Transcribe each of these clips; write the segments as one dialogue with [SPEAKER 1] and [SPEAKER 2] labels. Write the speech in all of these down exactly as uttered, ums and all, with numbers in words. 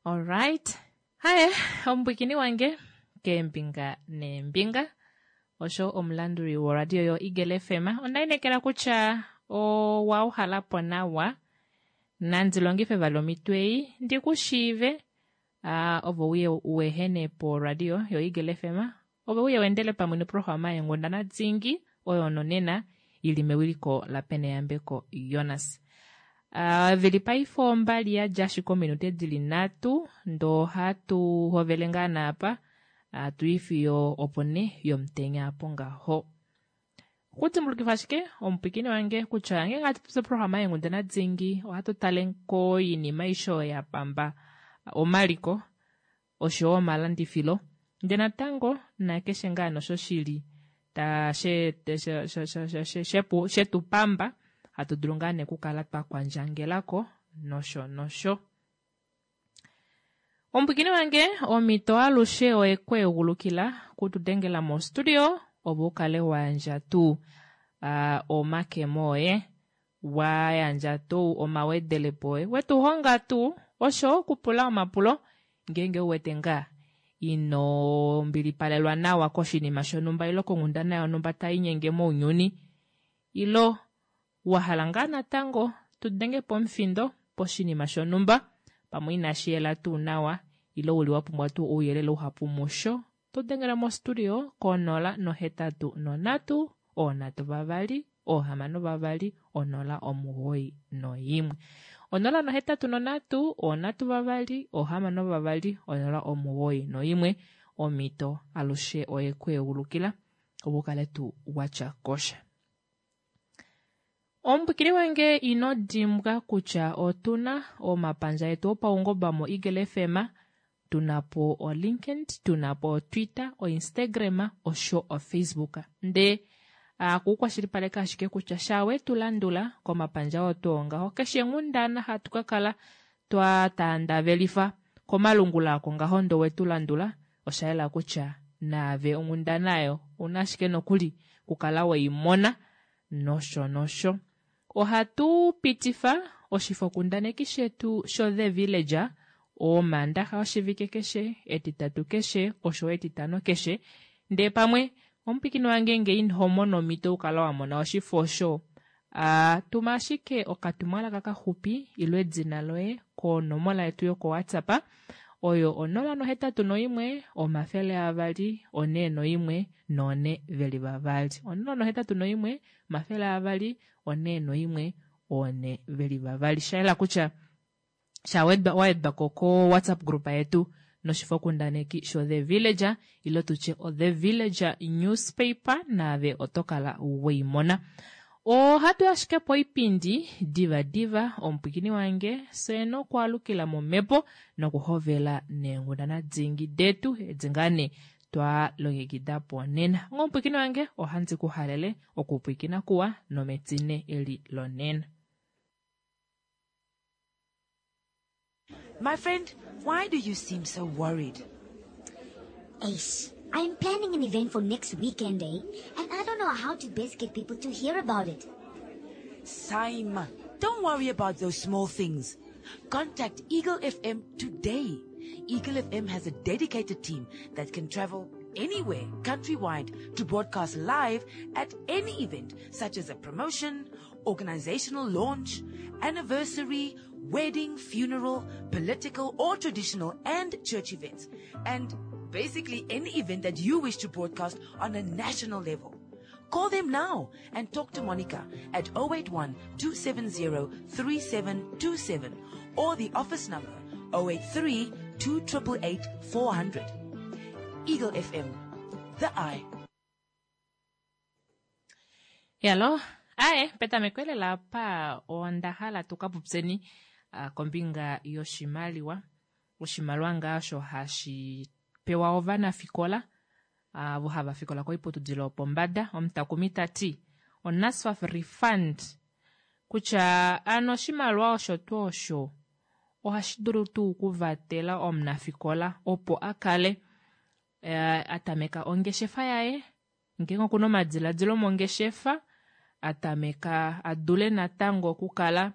[SPEAKER 1] Alright. Haye, omupwiikini wange keembinga neembinga osho omulanduli woradio yo Eagle F M. Onda inekela kutya owa uhalapo nawa. Nandi longife vali omitwe ei ndi ku shiive. Ah, ovo uye uehene po radio yo Eagle F M. Ove uye wendele pamwe noprograma yenghundana dingi oyo nonena ili mewiliko la Peneyambeko Jonas. Ah, vili paife ombali ya dja ashike ominute dili nhatu, ndo hatu hovele ngaa naapa, ah, tuifiyo opo ne yomutenya apo ngaho. Okudimbulukifa ashike omupwikini wange kutya ngenge hatu popi oprograma yenghundana dingi ohatu tale koinima aishe oyo ya pamba omaliko oshowo omalandifilo, ndee natango nakeshe ngaa nosho shili ta she, she, she, she, she, she, she, she tu pamba hatu dulu ngaa nee okukala twa kwandjangelako nosho nosho. Omupwikini wange omito alushe oye kweegulukila kutudengela mo studio opo ukale wa yandja tuu, ah, omakemo oye, wa yandja tuu omawedelepo oye, wetu honga tuu osho okupula omapulo ngeenge uwete ngaa ino mbilipalelwa nawa koshinima shonhumba ilo konghundana yonhumba tai inyenge mounyuni, ilo wa hala ngaa natango tu denge pomufindo poshinima shonhumba pamwe inashi yela tuu nawa ilo uli wa pumbwa tuu ouyelele uhapu musho, tu dengela mo studio konola nohetatu nonhatu, oonhatu vavali, oohamano vavali, onola omugoyi noimwe. Onola nohetatu nonhatu, oonhatu vavali, oohamano vavali, onola omugoyi noimwe. Omito alushe oye kweegulukila opo ukale tuu watya kosha. Omupwikini wange ino dimbwa kutya otuna omapandja etu opaungoba mo Eagle F M, tuna po o LinkedIn, tuna po o Twitter, o Instagram osho o Facebook. Nde akukwashilipaleka ashike kutya shawe tu landula komapandja oo tu ongaho keshe nghundana hatu ka kala twa tandavelifa komalungula ako ngaho ndo we tu landula, osha yela kutya naave onghundana ayo una ashike nokuli kukala weimona nosho nosho. Ohatu pitifa oshifokundaneki shetu sho The Villager omandaxa oshivike keshe, etitatu keshe, osho etitano keshe. Ndee pamwe omupwikini wange nge ino mona omhito ukala wa mona oshifo osho, a, tuma ashike okatumwalaka kaxupi ilo edina loye konomola yetu yoko WhatsApp oyo onola nohetatu noimwe, omafele avali, one noimwe, none veli vavali. Onola nohetatu noimwe, omafele avali, one noimwe, one veli vavali. Shaela kutya shawedwa waedwa ko ko WhatsApp group yetu noshifokundaneki sho The Villager ilo tutye o The Villager newspaper naave otokala weimona. Ohatu ashike po oipindi diva diva omupwikini wange fye nokwaalukila momhepo nokuhovela neenghundana dingi detu edi ngaa nee twa longekida po nena. Onga omupwikini wange ohandi ku halele okupwikina kuwa nometine eli lonena.
[SPEAKER 2] My friend, why do you seem so worried?
[SPEAKER 3] Eish, I'm planning an event for next weekend, eh? And I don't know how to best get people to hear about it.
[SPEAKER 2] Saima, don't worry about those small things. Contact Eagle F M today. Eagle F M has a dedicated team that can travel anywhere countrywide to broadcast live at any event, such as a promotion, organizational launch, anniversary, wedding, funeral, political or traditional and church events, and basically any event that you wish to broadcast on a national level. Call them now and talk to Monica at oh eight one, two seven zero, three seven two seven or the office number oh eight three, two triple eight, four hundred. Eagle F M, the eye.
[SPEAKER 1] Yalo, ae, petameko elela apa onda hala tuka popyeni, ah, kombinga yoshimaliwa. Oshimaliwa ngaa osho hashi pewa ovanafikola, avo hava fikola koiputudilo yopombada. Omutakumi ta ti, oNASFAF refund, kutya ano oshimaliwa osho tuu osho ohashi dulu tuu okuvatela omunafikola opo a kale, eh, a tameka ongeshefa yaye, ngeenge okuna omadiladilo mongeshefa, a tameka a dule natango okukala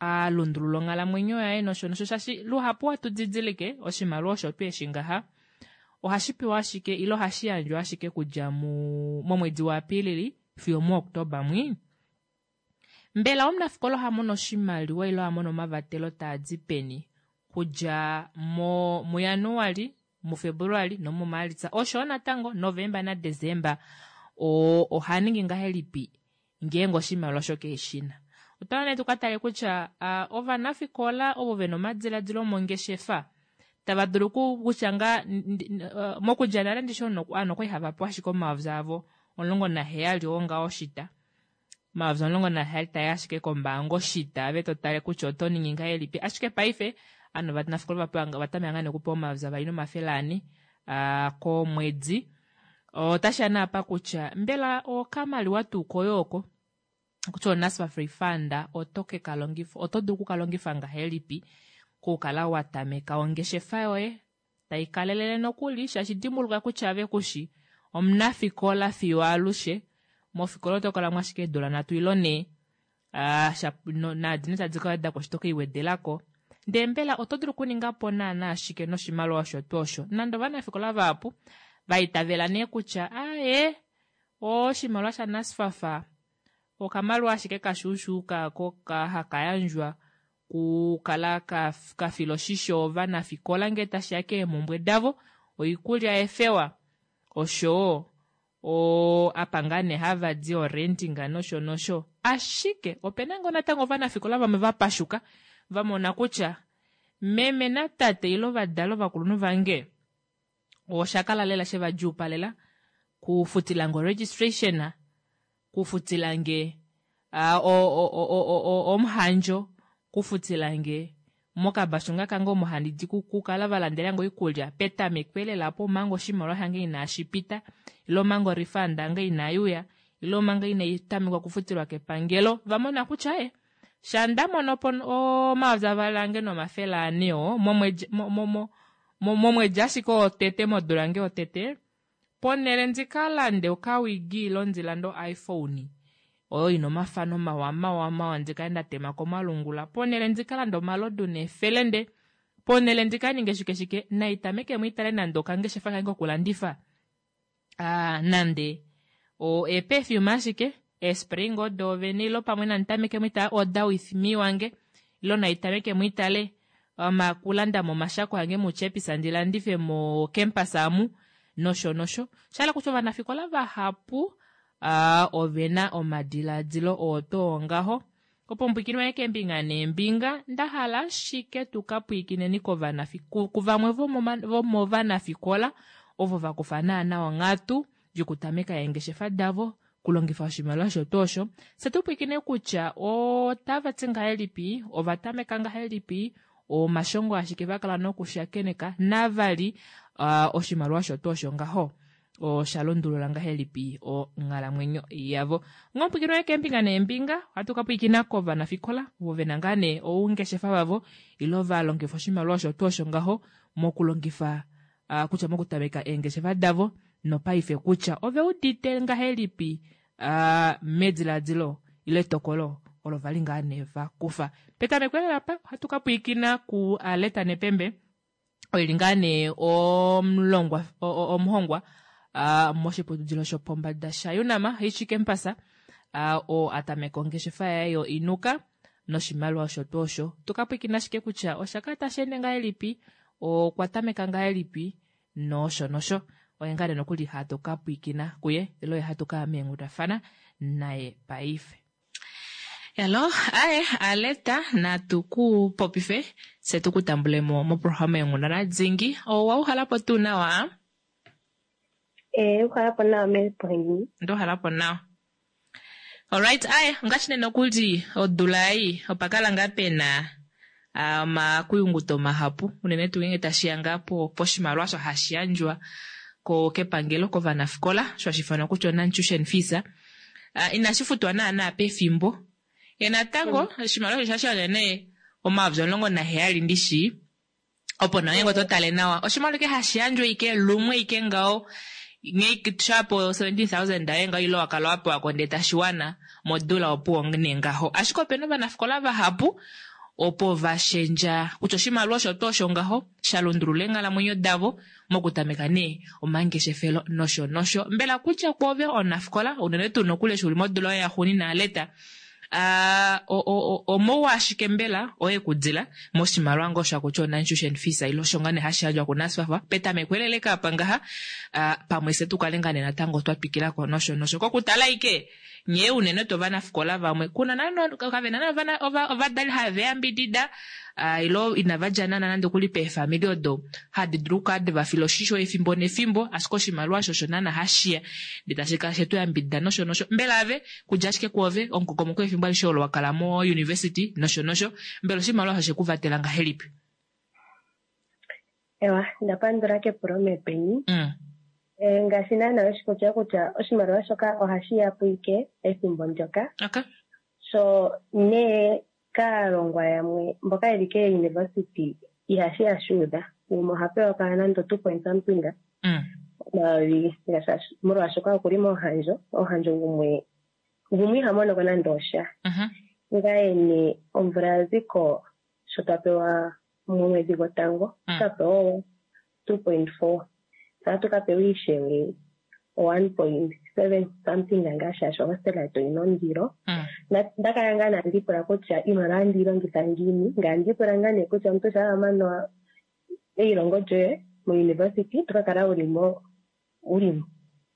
[SPEAKER 1] a lundulula onghalamwenyo yaye nosho nosho shaashi luhapu ohatu didilike oshimaliwa osho tuu eshi ngaha ohashi pewa ashike ile ohashi yandjwa ashike kudja mu momwedi waApilili fiyo muOktoba mwi. Mbela omunafikola oha mono oshimaliwa ile oha mono omavatelo taa di peni kudja mo muJanuali, muFebruali nomuMaalitsa osho natango Novemba naDesemba oha ningi ngahelipi ngeenge oshimaliwa osho keheshina. Otwa nee tuka tale kutya uh, ovanafikola ovo vena omadiladilo omongeshefa tava dulu kutya nga mokudja nale ndishi ovanhu okwali hava pewa ashike omayovi avo omulongo naheyali oo ngaho oshita. Omayovi omulongo naheyali tae ashike kombaanga oshita ave to tale kutya oto ningi ngahelipi ashike paife ovanhu ovanafikola ovatameka ngaa nee okupewa omayovi avali nomafele ane komwedi. Otashi ya nee apa kutya mbela okamaliwa tuu koye oko kutya oNSFAF refund oto ke ka longifa oto dulu okukalongifa ngahelipi okukala wa tameka ongeshefa yoye tai kalelele nokuli shaashi dimbuluka kutya ave kushi omunafikola fiyo alushe mofikola oto kala mo ashike eedula nhatu ile nhee naadi tadi ka wedako eshi to keiwedelako ndee mbela oto dulu okuninga po naana shike noshimaliwa osho tuu osho nande ovanafikola vahapu vaitavela nee kutya aaye oshimaliwa shaNSFAF okamaliwa ashike kashuushuuka ko haka yandjwa kukala kafila oshisho ovanafikola ngee tashiya keemhumbwe davo oikulya yefewa oshowo apa ngaa nee hava di orentinga nosho nosho ashike opena ngoo natango ovanafikola vamwe vapashuka vamona kutya meme natate ile ovadali ovakulunhu vange oshakala lela shevadjuupalela kufutilange oregistration kufutilange omuhandjo kufutilange mokabashu nga kange omo handi di kukala valandelange oikulya petameko elela po omanga oshimaliwa shange inashi pita ile omanga orefund yange inayuya ile omanga inaitamekwa okufutilwa kepangelo vamona kutya e sha ndamono po omayovi avali ange nomafele ane oo momwedi ashike otete modula yange yotete ponele ndikalande okawigi ile ndilande o-iPhone oyo ina omafano mawa mawa mawa ndikale ndatema komalungula ponele ndikalande omalodu neefelende ponele ndikaninge shike shike naitameke mwiitale nande okangeshefa kange kokulandifa aa nande eeperfume ashike eespray ngoo doovene ile pamwe nanditameke mwiitale order with me wange ile naitameke mwiitale okulanda momashako ange muChappies ndi landife mocampus amu nosho nosho shahala kutya ovanafikola vahapu uh, ovena omadiladilo oo too ngaho opo mpwikinwe keembinga neembinga ndahala ashike tuka pwiikineni kuvamwe vomovanafikola ovo vakufa naana onghatu yokutameka eengeshefa davo kulongifa oshimaliwa osho tuu osho se tupwiikine kutya otava ti ngahelipi ova tameka ngahelipi omashongo ashike vakala nokushakeneka navali uh, oshimaliwa osho tuu osho ngaho osha lundulula ngahelipi onghalamwenyo yavo ngopwikino keembinga neembinga ohatu ka pwiikina kovanafikola ovo vena ngaa nee oungeshefa vavo ile valongifa oshimaliwa osho tuu osho ngaho mokulongifa uh, kutya mokutameka eengeshefa davo nopaife kutya ove udite ngahelipi uh, mediladilo ile etokolo olo vali ngaa nee vakufa petameko lela apa ohatu ka pwiikina ku Aletta Nepembe oili ngaa nee omulongwa omuhongwa uh, moshiputudilo shopombada shaUNAM H campus uh, oo atameka ongeshefa yaye yo inuka noshimaliwa osho tuu osho tuka pwiikina ashike kutya osha kala tashi ende ngahelipi okwa tameka ngahelipi nosho nosho oye ngaa nee nokuli hatu ka pwiikina kuye ile oye hatu kaya meenghundafana naye paife. Hello, aye Aletta natu ku popife se tu ku tambulemo moprograma yonghundana dhingi owa uhalapo tuu nawa?
[SPEAKER 4] Eh, uhalapo nawa mepoheni.
[SPEAKER 1] Ndo halapo nawa. Alright, aye ngaashi nee nokuli odula ei opakala ngaa pena omakuyunguto mahapu unene tuu ngenge tashiya ngaa poshimaliwa osho hashi yandjwa ko kepangelo kovanafikola osho hashi ifanwa kutya o-tuition fees uh, inashi futwa naana pefimbo ye natango oshimaliwa osho shashi nee omayovi omulongo naheyali ndishi opo nawa ngenge oto tale nawa oshimaliwa ike hashi yandjwa ike lumwe ike ngaho shapo seventeen thousand aye ngaho ile wakala wapewa ko ndee tashiwana modula opuwo nee ngaho ashike opena ovanafikola vahapu Opo vashendja kutya oshimaliwa osho tuu osho ngaho sha lundulula eenghalamwenyo davo mokutameka nee omangeshefelo nosho nosho. Mbela kutya kwoove omunafikola unene tuu nokuli eshi uli modula yoye yaxuuninwa Aletta, omauwa ashike mbela oye kudila moshimaliwa ngoo osho hakutiwa o-non-tuition fees ile osho ngaa nee hashi yandjwa kuNASFAF petameko eleleka apa ngaha, pamwe fye tukale ngaa nee natango twa twikilako nosho nosho. Kokutala ike nyee unene tuu ovanafikola vamwe kuna naana kavena naana ovadali have yambidida ile inava dja naana nande okuli peefamili odo hadi dulu okukala devafila oshisho efimbo nefimbo, ashike oshimaliwa osho osho naana hashiya ndee tashi kala shetu yambidida nosho nosho. Mbela ave kudja ashike kwoove omukokomoko wefimbo alishe olo wa kala mo university nosho nosho, mbela oshimaliwa osho sheku vatela ngahelipi?
[SPEAKER 4] Ewa, ndapandula kepulo mepeni.
[SPEAKER 1] Mm.
[SPEAKER 4] Ngaashi naana weshi kutya oshimaliwa shoka ohashi ya po ike ethimbo ndyoka.
[SPEAKER 1] Okay.
[SPEAKER 4] So nee kaalongwa yamwe mboka yeli keuniversity ihashi ya shuudha. Gumwe oha pewa kala nando two point something.
[SPEAKER 1] Mm.
[SPEAKER 4] Omayovi molwaashoka okuli momuhandjo, omuhandjo gumwe gumwe iha monoko nande osha.
[SPEAKER 1] Mhm.
[SPEAKER 4] Ngaye nee omvula ya ziko sho twa pewa momwedhi gotango,
[SPEAKER 1] Mm.
[SPEAKER 4] twa pewa two point four. Tatu ka pewa ishewe one point seven something ngaa shaashi ohostel yetu oyina ondilo.
[SPEAKER 1] Mm.
[SPEAKER 4] Nda kala ngaa nandi pula kutya iimaliwa andi yi longitha ngiini, ngaa ndi pula ngaa nee kutya omuntu shampa wa mana eilongo lyoye mo university oto ka kala wuli mo wuli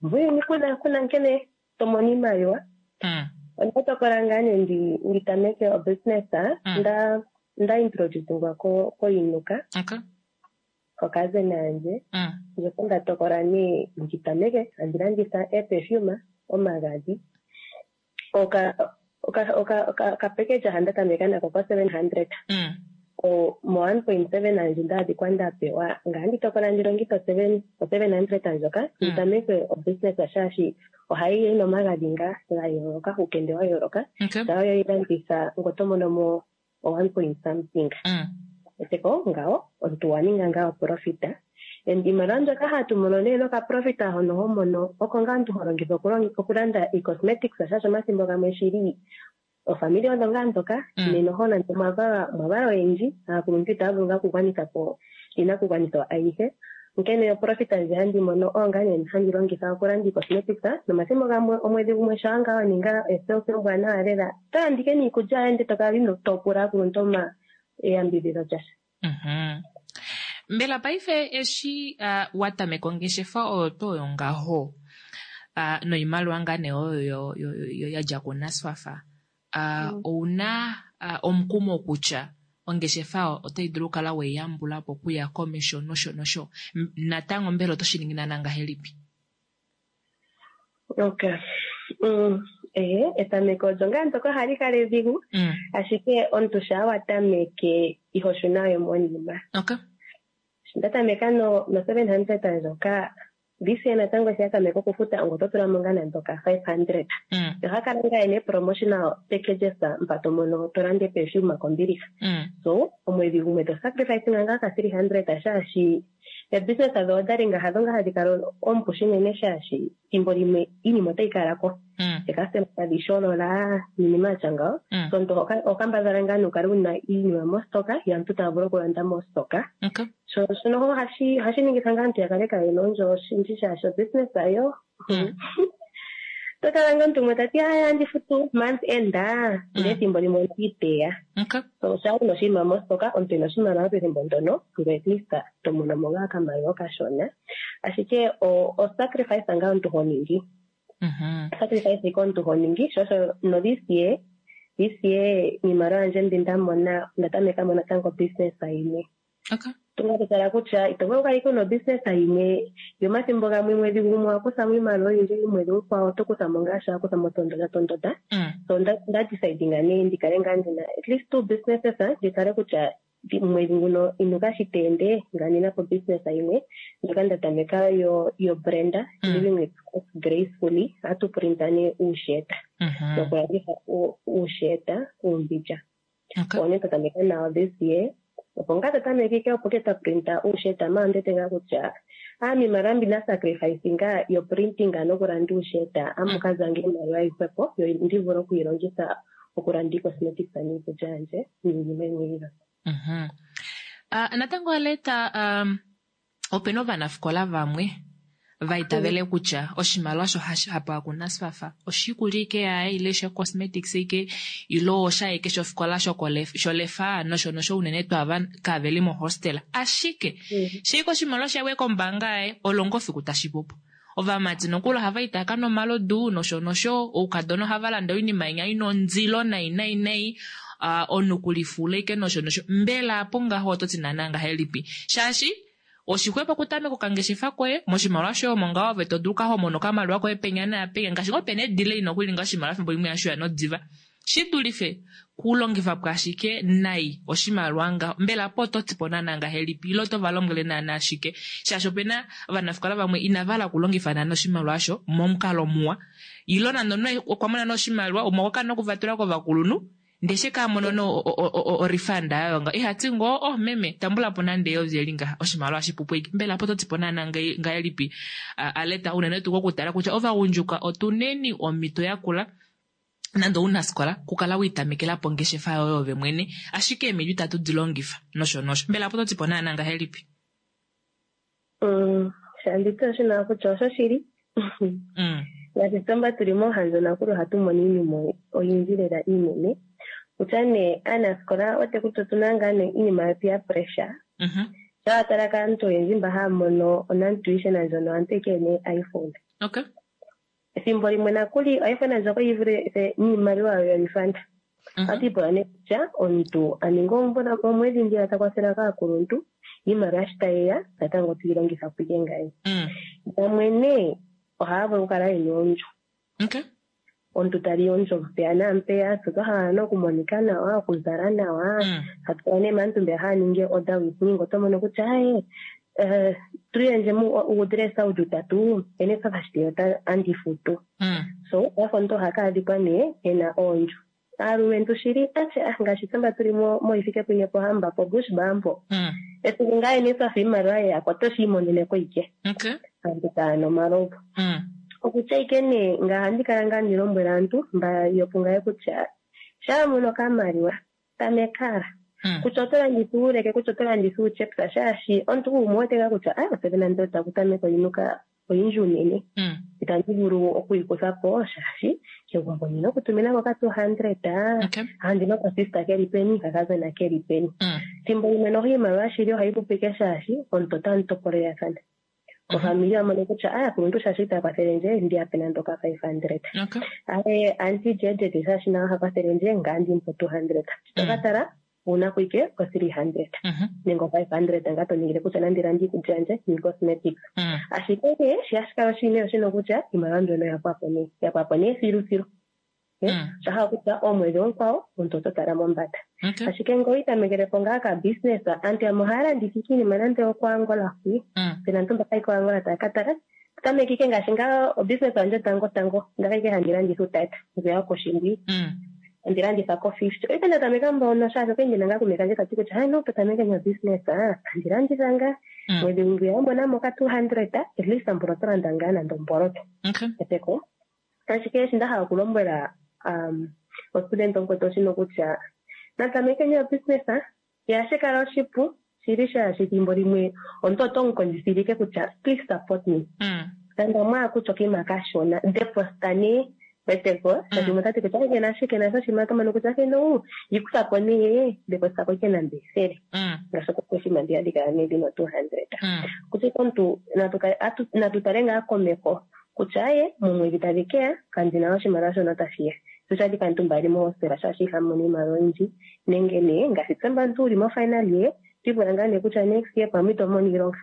[SPEAKER 4] muuyuni kuna kuna nkene to mono iimaliwa.
[SPEAKER 1] Mm.
[SPEAKER 4] Onda tokola ngaa nee ndi ndi tameke obusiness,
[SPEAKER 1] Mm.
[SPEAKER 4] nda nda introducingwa ko koInuka.
[SPEAKER 1] Okay.
[SPEAKER 4] Kokazena yandje.
[SPEAKER 1] Mm.
[SPEAKER 4] Ndjoka nda tokola nee ndi tameke andi landitha eeperfume, omagadhi. Oka oka oka oka oka package handa tameka nako ko seven hundred.
[SPEAKER 1] Mm.
[SPEAKER 4] O mo one point seven yandje nda adhikwa nda pewa ngaa ndi tokola ndi longithe o seven o seven hundred ndjoka ndi
[SPEAKER 1] Mm.
[SPEAKER 4] tameke obusiness shaashi ohayi yi nomagadhi ngaa ga yooloka, uukende wa yooloka.
[SPEAKER 1] Okay.
[SPEAKER 4] Shampa weyi landitha ngoye oto mono mo o one point something.
[SPEAKER 1] Mm.
[SPEAKER 4] Eteko ngawo omuntu wa ninga ngaa oprofit. And iimaliwa mbyoka hatu mono nee nokaprofit hono ho mono oko ngaa omuntu ho longitha okulanda ii-cosmetics shaashi omathimbo gamwe shili ofamili odho ngaa ndhoka
[SPEAKER 1] Mm.
[SPEAKER 4] nena oho nande omwa valwa oyendji aakuluntu itaya vulu ngaa okugwanitha po iinakugwanithwa ayihe. Onkene oprofit ndji handi mono oyo ngaa nee handi longitha okulanda ii-cosmetics nomathimbo gamwe omwedhi gumwe shampa ngaa wa ninga esales ombwaanawa lela oto landa ike niikulya yoye ndele to kala ino to pula aakuluntu eyambidhidho lyasha.
[SPEAKER 1] Mhm. Mbela paife eshi uh, wa tameka ongeshefa oyo tuu oyo ngaho uh, noimaliwa ngaa nee oyo yo, yo, yo, ya dja kuNASFAF, uh,
[SPEAKER 4] Mm.
[SPEAKER 1] ouna uh, omukumo kutya ongeshefa otayi dulu okukala weiyambula po okuya komesho nosho nosho. Natango mbela oto shi ningi naana ngahelipi?
[SPEAKER 4] Okay. Mm. Eh, etameko olyo ngaa ndyoka ohali kala edhigu,
[SPEAKER 1] Mm.
[SPEAKER 4] ashike omuntu shampa wa tameke iho shuna we monima.
[SPEAKER 1] Okay.
[SPEAKER 4] Sho nda tameka no no seven hundred ndjoka, this year natango sho ya tameka okufuta ongo oto tula mo ngaa nando ka five hundred.
[SPEAKER 1] Mm.
[SPEAKER 4] Oha kala ngaa yena promotional packages mpa to mono to landa eperfume kombiliha.
[SPEAKER 1] Mm.
[SPEAKER 4] So omwedhi gumwe to sacrifice ngaa ka three hundred shaashi ebusiness dho odalinga hadho ngaa hadhi kala oompu shinene shaashi thimbo limwe iinima otayi kala ko.
[SPEAKER 1] Mm.
[SPEAKER 4] Eekastoma tadhi sholola niinima yatya ngawo.
[SPEAKER 1] Mm.
[SPEAKER 4] So omuntu oho kambadhala ngaa nee wukale wuna iinima mostoka yaantu taya vulu okulanda mostoka.
[SPEAKER 1] Okay.
[SPEAKER 4] So shono ohashi ohashi ningitha ngaa aantu ya kale kaayena ondjo oshindji shaashi obusiness ayo.
[SPEAKER 1] Mm.
[SPEAKER 4] To tala ngaa omuntu gumwe tati aya andi futu month end, ndele ethimbo limwe ondi iteya.
[SPEAKER 1] Okay.
[SPEAKER 4] So shampa wuna oshinima mostoka omuntu ena oshimaliwa pethimbo ndono ngoye at least to mono mo ngaa okamaliwa okashona. Ashike o sacrifice ngaa omuntu ho ningi.
[SPEAKER 1] Mhm.
[SPEAKER 4] Sacrifice ike omuntu ho ningi sho osho no this year this year iimaliwa yandje mbi nda mona onda tameka mo natango business yimwe.
[SPEAKER 1] Okay.
[SPEAKER 4] Tunga totala kutya ito vulu okukala ike wuna obusiness yimwe yo omathimbo gamwe mwedhi gumwe owa kutha mo iimaliwa oyindji omwedhi omukwawo oto kutha mo ngaa sha wa kutha mo tondoda tondoda.
[SPEAKER 1] Mm.
[SPEAKER 4] So nda nda decidinga nee ndi kale ngaa ndina at least two businesses ndi tale kutya mwedhi nguno inuka shi te ende ngaa ndina po business yimwe ndjoka nda tameka yo yo brand
[SPEAKER 1] Mm.
[SPEAKER 4] living with gracefully hatu printa nee uusheta
[SPEAKER 1] Mhm.
[SPEAKER 4] nokulanditha uusheta uumbindja.
[SPEAKER 1] Okay.
[SPEAKER 4] Owo nee twa tameka nawo this year. Opo ngaa twa tameke ike opo ke twa printa uusheta maala ondiwete ngaa kutya iimaliwa mbi nda sacrifice ngaa yo printing nokulanda uusheta amu ka za ngaa iimaliwa yihwepo yo ndi vule okuyi longitha Okulanda iicosmetics niikulya yandje niinima yimwe yilwe.
[SPEAKER 1] Mhm. Ah, natango Aletta, um, opena ovanafikola vamwe va itavele kutya oshimaliwa osho hashi hapewa kuNSFAF oshiikulya ike yaye ile shocosmetics ike ile oshaye shofikola sholefa nosho nosho unene tuu ava kaveli mohostel. Ashike sheike oshimaliwa shaye kombaanga yaye olongo fiku tashi pupo. Ovamati nokuli ohava i tava kanwa omalodu nosho nosho, oukadona ohava landa oinima inya ina ondilo nai nai nai, uh, omunhu kulifula ike nosho nosho. Mbela apo ngaho oto ti naana ngahelipi? Shaashi oshixwepo okutameka okangeshefa koye moshimaliwa shoye omo ngaho ove to dulu kahomono okamaliwa koye penya naapenya, ngaashi ngoo pena edile ino okulinga oshimaliwa fimbo limwe yashuya nodiva, shi dulife kulongifa po ashike nai oshimaliwa ngaho. Mbela po oto ti po naana ngahelipi ile oto va lombwele naana ashike, shaashi opena ovanafikola vamwe inava hala okulongifa naana oshimaliwa osho momukalo muwa, ile nande omunhu okwa mona oshimaliwa umwe okwa kala nokuvatula kovakulunhu ndeshe ka mono no orifund yayo nga ihati ngoo oh meme tambula po nande eyovi eli ngaha oshimaliwa shipupu iki. Mbela po toti po naana ngahelipi Aletta, unene tuu kokutala kutya ovagundjuka otuneni omhito yakula nande ounafikola kukala wiitamekela po ongeshefa yoye ove mwene, ashike eemhito itatu di longifa nosho nosho. Mbela po toti po naana ngahelipi?
[SPEAKER 4] Mm, shanditi oshina kutya oshoshili. Ngaashi tsomba tuli mohanzo nakulu ohatu mono iinima oyindji lela iinene. Kutya nee aanasikola ote kutya otuna ngaa nee iinima yo peer pressure. Shaa tala kaantu oyendji mba haya mono onantuition ndjono aantu ike yena iPhone.
[SPEAKER 1] Okay.
[SPEAKER 4] Ethimbo limwe nakuli iPhone ndjoka oyi vule niimaliwa yo refund. Ohatu ipula nee kutya omuntu a ninga omvula omwedhi ndjiya ta kwathela kaakuluntu, iimaliwa shi tayi ya natango toyi longitha po ike ngaye. Yamwe nee ohaya vulu okukala yena oondjo.
[SPEAKER 1] Okay.
[SPEAKER 4] Omuntu tali ondjo mpeya naampeya, tse twa hala nokumonika nawa, okuzala nawa. Hatu kala nee maantu mbeya haya ningi order with me, oto mono kutya aye tuliyendje uudressa uli utatu, NSFAF shi andi futu. So wafa omuntu oha ka adhikwa nee ena oondjo. Aalumentu shili atye ah ngaashi tse mba tuli moHifikepunye Pohamba po Bushbuck mpo. Esiku ngaa NSFAF iimaliwa yeya ko otoshi imonene ko ike. Aantu taya nu omalovu. Okutya ike nee nga ohandi kala ngaa ndi lombwela aantu mba yopungaye kutya shaa mono okamaliwa tamekala. Kutya oto landitha uuleke, kutya oto landitha uuchepsa, shaashi omuntu gumwe wete ngaa kutya ah oseven hundred okutameka oyinuka oyindji unene. Itandi vulu okuyikutha po shaashi kegumbo ndina okutumina ko ka two hundred, andina okasista keli peni, kakazona keli peni. Thimbo limwe noho iimaliwa shili ohayi pupu ike shaashi omuntu otamu topolelathana. Ofamili yamono kutya ah aakuluntu shaashi itaya kwathele ndje ndi yape nande oka five hundred. Aye auntie Jeje shaashi naye oha kwathele ndje ngaa ndi mupe two hundred. Toka tala una kuike ko three hundred. Nenge o five hundred nga to ningile kutya nandi lande iikulya yandje niicosmetics. Ashike nee shi hashi kala oshinene oshino kutya iimaliwa mbyono oya pwapo nee. Ya pwapo nee thilu thilu. Osha hala kutya omwedhi omukwawo omuntu oto tala mombanda. Ashike ngele owiitamekele po ngaa ka business, aantu yamwe ohaya landitha ike iinima nande okoAngola hwi. Pena aantu mba hayi koAngola taya ka tala. Tameka ike ngaashi ngaa obusiness yandje tango tango ndaka ike handi landitha uutata ngwiya wokoshingwi. Andi landitha ko fifty. Oike nda tameka mbono shaashi okwa ndina ngaa kuume kandje tati kutya no to tameke nyo business andi landitha ngaa. Mwedhi ngwiya wamona mo ka two hundred at least mbono to landa ngaa nande omboloto. Eteko. Ashike eshi nda hala okulombwela um ostudent omukwetu oshino kutya natameke nyo business ihashi kala oshipu shili shaashi ethimbo limwe omuntu oto mu kondjithilike kutya please support me. Nande omwaa kutya okinima kashona deposit nee weteko shaashi umwe otati kutya kena ashike na oshinima to mono kutya keno yikutha po nee deposit ko ike nande ethele. Ngaashi oshinima mbiya dhikala nee dhina two hundred. Kutya omuntu natu tale ngaa komeho kutya aye momwedhi tadhi keya kandina oshimaliwa shono tashi ya. Tushadhi kaantu mba yeli mohostel shaashi ihamu mono iimaliwa oyindji nenge nee ngaashi tse mba omuntu wuli mo final year twipula ngaa nee kutya next year pamwe ito mono iilonga.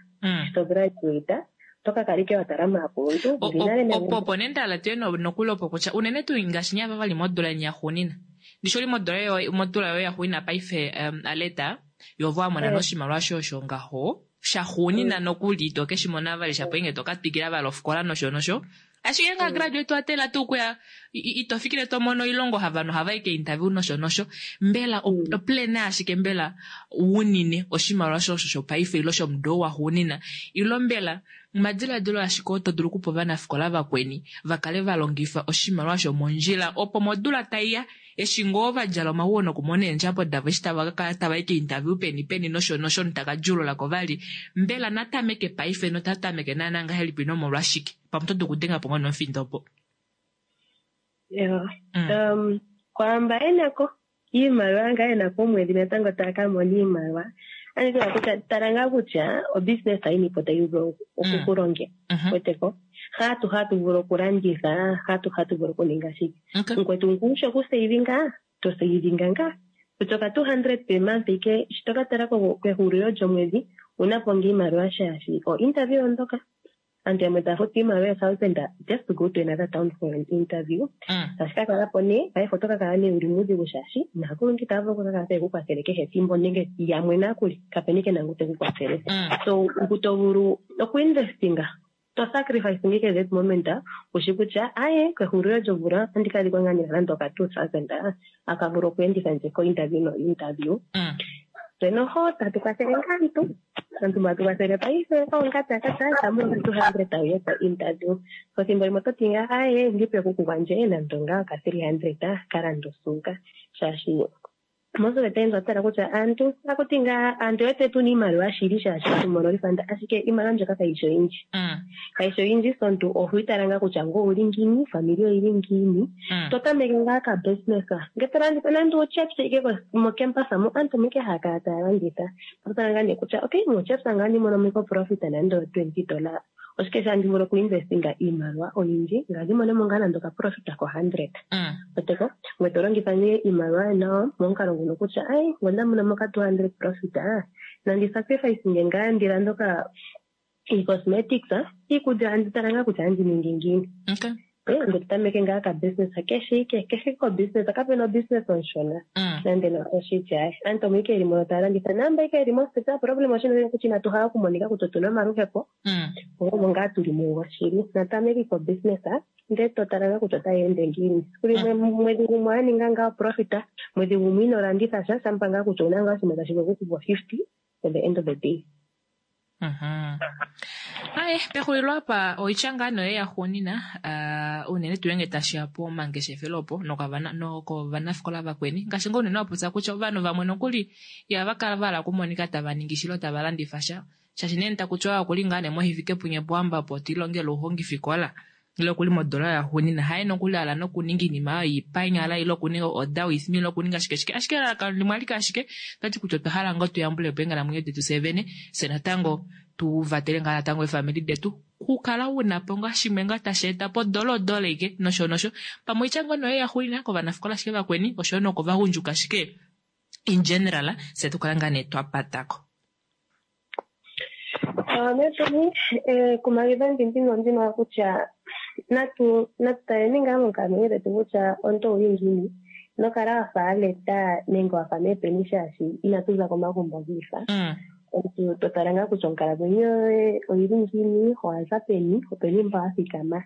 [SPEAKER 4] Shi to graduate oto ka kala ike wa tala maakuluntu.
[SPEAKER 1] Opo opo nee ndahala tuye nokuli opo kutya unene tuu ngaashi nye ava vali modula yeni yaxuunina. Ndishi oli modula yoye yaxuunina paife Aletta yovo wamona noshimaliwa shoye ngaho shaxuunina nokuli ito keshi mona vali shapo inge toka twikila vali ofikola nosho nosho. Ashike nga graduate wa tela tuu kuya ito fikile to mono oilongo havanhu ohava i keinterview nosho nosho. Mbela oplana ashike mbela wunine oshimaliwa shosho shopaife ilo shomudo waxuunina ilo mbela omadiladilo ashike oo to dulu okupa ovanafikola vakweni va kale va longifa oshimaliwa shomondjila opo modula taiya eshi ngoo va djala omaguwo nokumona eendjapo davo eshi tava ka kala tava i keinterview peni peni nosho nosho notaka djuulula ko vali mbela natameke paife nota tameke naana ngahelipi nomolwashike pamwe oto dulu okudenga po ngoo nomufindo opo.
[SPEAKER 4] Ewa. Um, kwaamba enako iimaliwa ngaa enako omwedhi natango taya ka mona iimaliwa andikiwa kutya tala ngaa kutya obusiness yini po tayi vulu okukulongela weteko hatu hatu vulu okulanditha hatu hatu vulu okuninga shike mukwetu nkuusha okusavinga to savinga ngaa kutya oka two hundred per month ike shi to ka tala kehulilo lyomwedhi una po ngaa iimaliwa shaashi o interview ondoka aantu yamwe taya futu iimaliwa a thousand just to go to another town for an interview. Tashi ka kala po nee paife oto ka kala nee uli muudhigu shaashi naakuluntu itaya vulu okukakala taye ku kwathele kehe ethimbo nenge yamwe nakuli kapena ike nangu teku kwathele. So ngu to vulu okuinvestinga to sacrifice ike that moment ushi kutya aye kehulilo lyomvula otandi ka adhika ngaa nina nande oka two thousand aka vulu okweenditha ndje ko interview no interview. Tse noho tatu kwathele ngaa aantu aantu mba tu kwathele paife oongata kata tamu two hundred tawu ko interview so thimbo limwe oto ti ngaa aye ndipe kuku gwandje nando ngaa ka three hundred ka landa osuuka shaashi most of the times otala kutya aantu akuti ngaa aantu wete tuna iimaliwa shili shaashi hatu mono refund ashike iimaliwa mbyoka kayishi oyindji kayishi oyindji so omuntu oho itala ngaa kutya ngo owuli ngiini family oyili ngiini to tameke ngaa ka business nge to landitha nande uchips ike mocampus mo aantu omo ike haya kala taya landitha to tala ngaa nee kutya okay mochips ngaa ndi mono mo profit nande o twenty dollar oshike sha ndi vulu okuinvestinga iimaliwa oyindji ngaa ndi mone mo ngaa nande okaprofit ko hundred oteko ngwe to longitha nee iimaliwa nawa momukalo nguno kutya ai ngo nda mona mo ka two hundred profit nandi sacrifice nge ngaa ndi lande oka ii-cosmetics iikulya andi tala ngaa kutya andi ningi ngiini ngwe to tameke ngaa ka business keshe ike keshe ko business kapena obusiness onshona nande na oshitya aantu omo ike yeli mono taya landitha naamba ike yeli mositola problem oshino kutya inatu hala okumonika kutya otuna omaluhepo omo ngaa tuli mugo shili natameke ko business ndele to tala ngaa kutya otayi ende ngiini siku limwe mwedhi gumwe wa ninga ngaa profit mwedhi gumwe ino landitha sha shampa ngaa kutya owuna ngaa oshinima tashi vulu okukupa fifty at the end of the day.
[SPEAKER 1] Aye pexulilo apa oitya ngaa noye yaxuunina unene tuu ngenge tashiya pomangeshefelo opo nokovanafikola vakweni ngaashi ngoo unene wapopya kutya ovanhu vamwe nokuli ihava kala vahala okumonika tava ningi shilo tava landifa sha shaashi nee takutiwa okuli ngaa nee moHifikepunye Pohamba po tiilongela ouhongifikola ile okuli modola yaxuunina haye nokuli ala nokuninga iinima oyo ipanyala ile okuninga order with me ile okuninga shike shike ashike elalakano limwe alike ashike tati kutya otwa hala ngoo tuyambulepo eenghalamwenyo detu fyee vene fye natango tu vatele ngaa natango eefamili detu kukala una po ngaa shimwe ngaa tashi eta po dola odola ike nosho nosho pamwe oitya ngoo noye yaxuulina kovanafikola ashike vakweni oshoyo nokovagundjuka ashike in general fye tukala ngaa nee twapatako.
[SPEAKER 4] Netuni ekumagidho ndino ndino kutya natu natu taleni ngaa monkalamwenyo dhetu kutya omuntu owuli ngiini nokala wafa aleta nenge wafa meepeni shaashi inatu za komagumbo giifa. Omuntu to tala ngaa kutya onkalamwenyo yoye oyili ngiini, owaza peni, openi mpa wa thikama.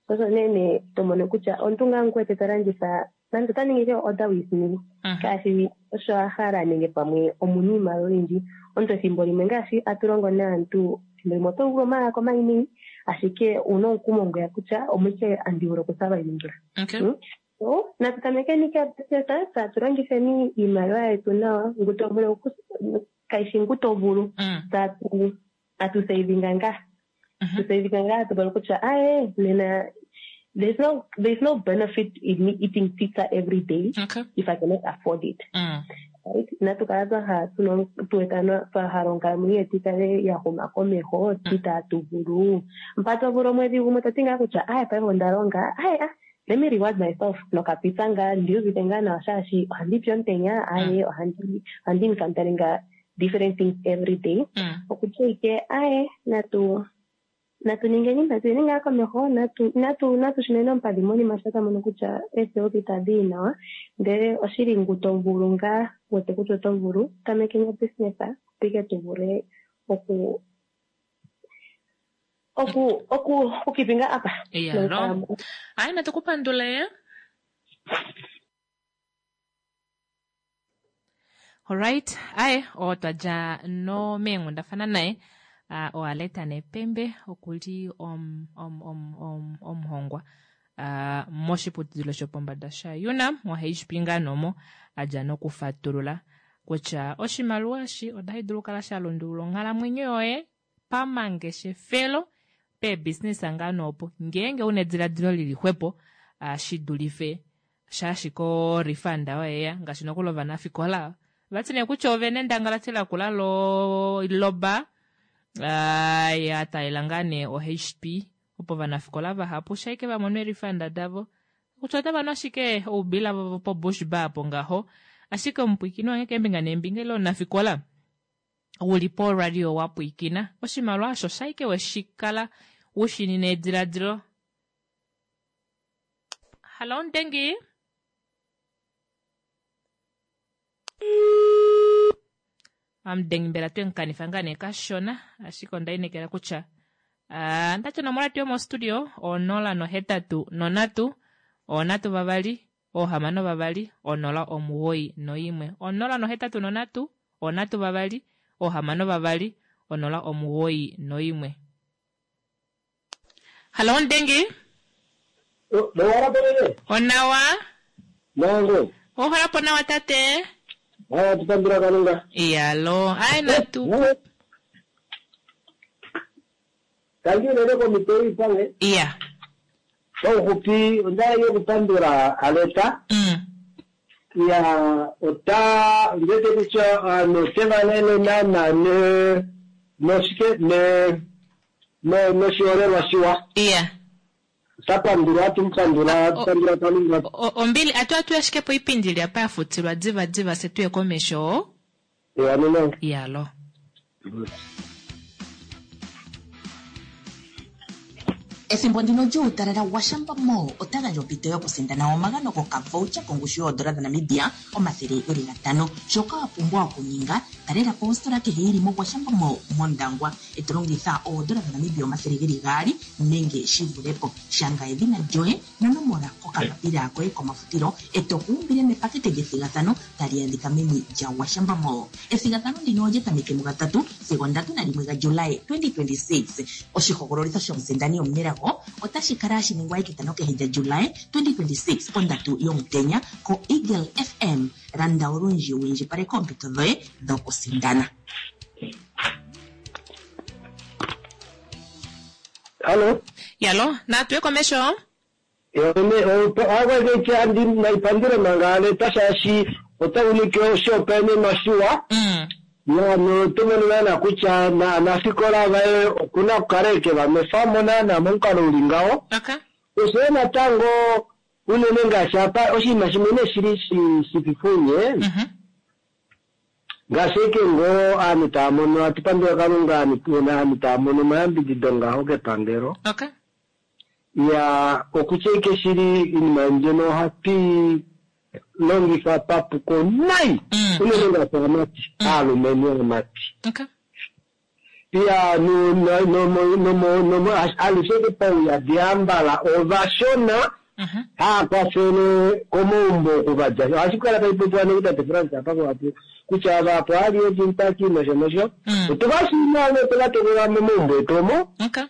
[SPEAKER 4] Osho nee nee to mono kutya omuntu ngaa ngu wete ta landitha nande ota ningi ike order with me ngaashi osho a hala nenge pamwe omuna iimaliwa oyindji. Omuntu ethimbo limwe ngaashi atu longo naantu ethimbo limwe oto vulu omalaka omanene ashike owuna omukumo ngweya kutya omwike andi vulu okusurvivinga. So natu tamekeni ke business tatu longitheni iimaliwa yetu nawa ngu to vulu kaishi ngu to vulu tatu atu savinga ngaa tu savinga ngaa tu vulu kutya aye nena there's no there's no benefit in me eating pizza every day
[SPEAKER 1] Okay.
[SPEAKER 4] if I cannot afford it.
[SPEAKER 1] Mm.
[SPEAKER 4] Right? Inatu kala twa hala tuna tu twa hala onkalamwenyo yetu ikale ya huma komeho itaatu vulu mpa to vulu omwedhi gumwe toti ngaa kutya aye paife onda longa aye ah let me reward myself nokapizza ngaa ndi uvite ngaa nawa shaashi ohandi pi omutenya aye ohandi ohandi encounteringa different things every day
[SPEAKER 1] Mm.
[SPEAKER 4] okutya ike aye natu natu ningeni natu yeni ngaa komeho natu natu natu shuneni ompadhi monima sho twa mono kutya eesewo itadhi yi nawa ndele oshili ngu to vulu ngaa wete kutya oto vulu tamekeni obusiness opo ike tu vule oku Oku oku okukipinga apa.
[SPEAKER 1] Iyalo. Ayi natukupandule. Alright, aye otwa dja no meenghundafana naye uh, oAleta Nepembe okuli om, om, om, om, omuhongwa uh, moshiputudilo shopombada shaUNAM moH P nganomo adja nokufatulula kutya oshimaliwa eshi otashi dulu okukala sha lundulula onghalamwenyo yoye pamangeshefelo peebusiness ngano opo ngeenge una ediladilo lili xwepo uh, shi dulife shaashi ko refund oyeya ngaashi nokuli ovanafikola vati nee kutya ovene endangalati lakula lo loba uh, ya talela ngaa nee o H P opo ovanafikola vahapu shaike va mone refund davo kutya otava nu ashike oubila vovo po Bush Bar po ngaho ashike omupwikini wange keembinga neembinga ile omunafikola uli po radio wa pwikina oshimaliwa osho shaike weshikala ushinine ediladilo. Hello Ndengi. Amdengi mbela twenkanifa ngaa nee kashona ashike onda inekela kutya uh, ndati onomola yetu yomostudio onola nohetatu nonhatu onhatu vavali ohamano vavali onola omuwoi noimwe onola nohetatu nonhatu onhatu vavali ohamano vavali onola omuwoi noimwe. Hello Ndengi. Onawa.
[SPEAKER 5] Nango.
[SPEAKER 1] Ohola po nawa tate.
[SPEAKER 5] Haya tupandula Kalunga.
[SPEAKER 1] Iyalo. Ai natu.
[SPEAKER 5] Tangi unene komite ipange.
[SPEAKER 1] Iya.
[SPEAKER 5] Paufupi onda yokupandula Aleta.
[SPEAKER 1] Mm.
[SPEAKER 5] Ya ota ndete kutya ano tevalele nana ne noshike ne no noshiholelwa shiwa.
[SPEAKER 1] Iya.
[SPEAKER 5] Tapandula tumpandula tupandula Kalunga.
[SPEAKER 1] Ombili atu atu ashike po ipindi lya pa yafutilwa diva diva se tuye komesho.
[SPEAKER 5] Ya nino.
[SPEAKER 1] Iyalo.
[SPEAKER 2] Ethimbo ndino lyuutalala waShampa Mall ota gandja ompito yokusindana omagano gokavoucher kongushu yoodola dhaNamibia omathele geli gatano. Shoka wa pumbwa okuninga, talela po ositola kehe yili moGwashamba Mall mOndangwa e to longitha oodola dhaNamibia omathele geli gaali nenge shi vule po. Shanga edhina lyoye nonomola kokapapila koye komafutilo e to kuumbile mepakete lyethigathano tali adhika meni lyaGwashamba Mall. Ethigathano ndino olya tameke mugatatu sigo ndatu nalimwe gaJulayi twenty twenty-six. Oshihogololitho shomusindani omunelago otashi kala hashi ningwa etitano kehe lyaJulayi twenty twenty-six pondatu yomutenya ko Eagle F M. Landa olundji wu indjipaleke oompito dhoye dhokusindana.
[SPEAKER 5] Hello.
[SPEAKER 1] Yalo, natuye komesho.
[SPEAKER 5] Andi naipandule manga Aleta shaashi ota ulike oshihopaenenwa shiwa.
[SPEAKER 1] Mm.
[SPEAKER 5] Ya no tumono naana kutya na aanafikola vaye okuna okukala eke vamefamo naana momukalo uli ngaho.
[SPEAKER 1] Okay.
[SPEAKER 5] Oshoyo natango unene ngaashi apa oshinima shimwe nee shili shififunye.
[SPEAKER 1] Mhm.
[SPEAKER 5] Ngaashi eke ngoo aantu taya mono atupandula Kalunga aantu taya mono omayambidido ngaho kepangelo.
[SPEAKER 1] Okay.
[SPEAKER 5] Ya okutya eke shili iinima mbyono ohatu longifa papuko nayi.
[SPEAKER 1] Mm.
[SPEAKER 5] Unene ngaashi aamati, aalumentu aamati.
[SPEAKER 1] Okay.
[SPEAKER 5] Ya no no no no no no alushe ke pauyadi ambala ovashona
[SPEAKER 1] Mhm.
[SPEAKER 5] haakwafele komaumbo okuvadja. Ohashi kala tashi popiwa nokutate France apa kuhapu kutya vapo ali ejintaki nosho nosho.
[SPEAKER 1] Mm.
[SPEAKER 5] Otuvashina otova momaumbo etu omo.
[SPEAKER 1] Okay.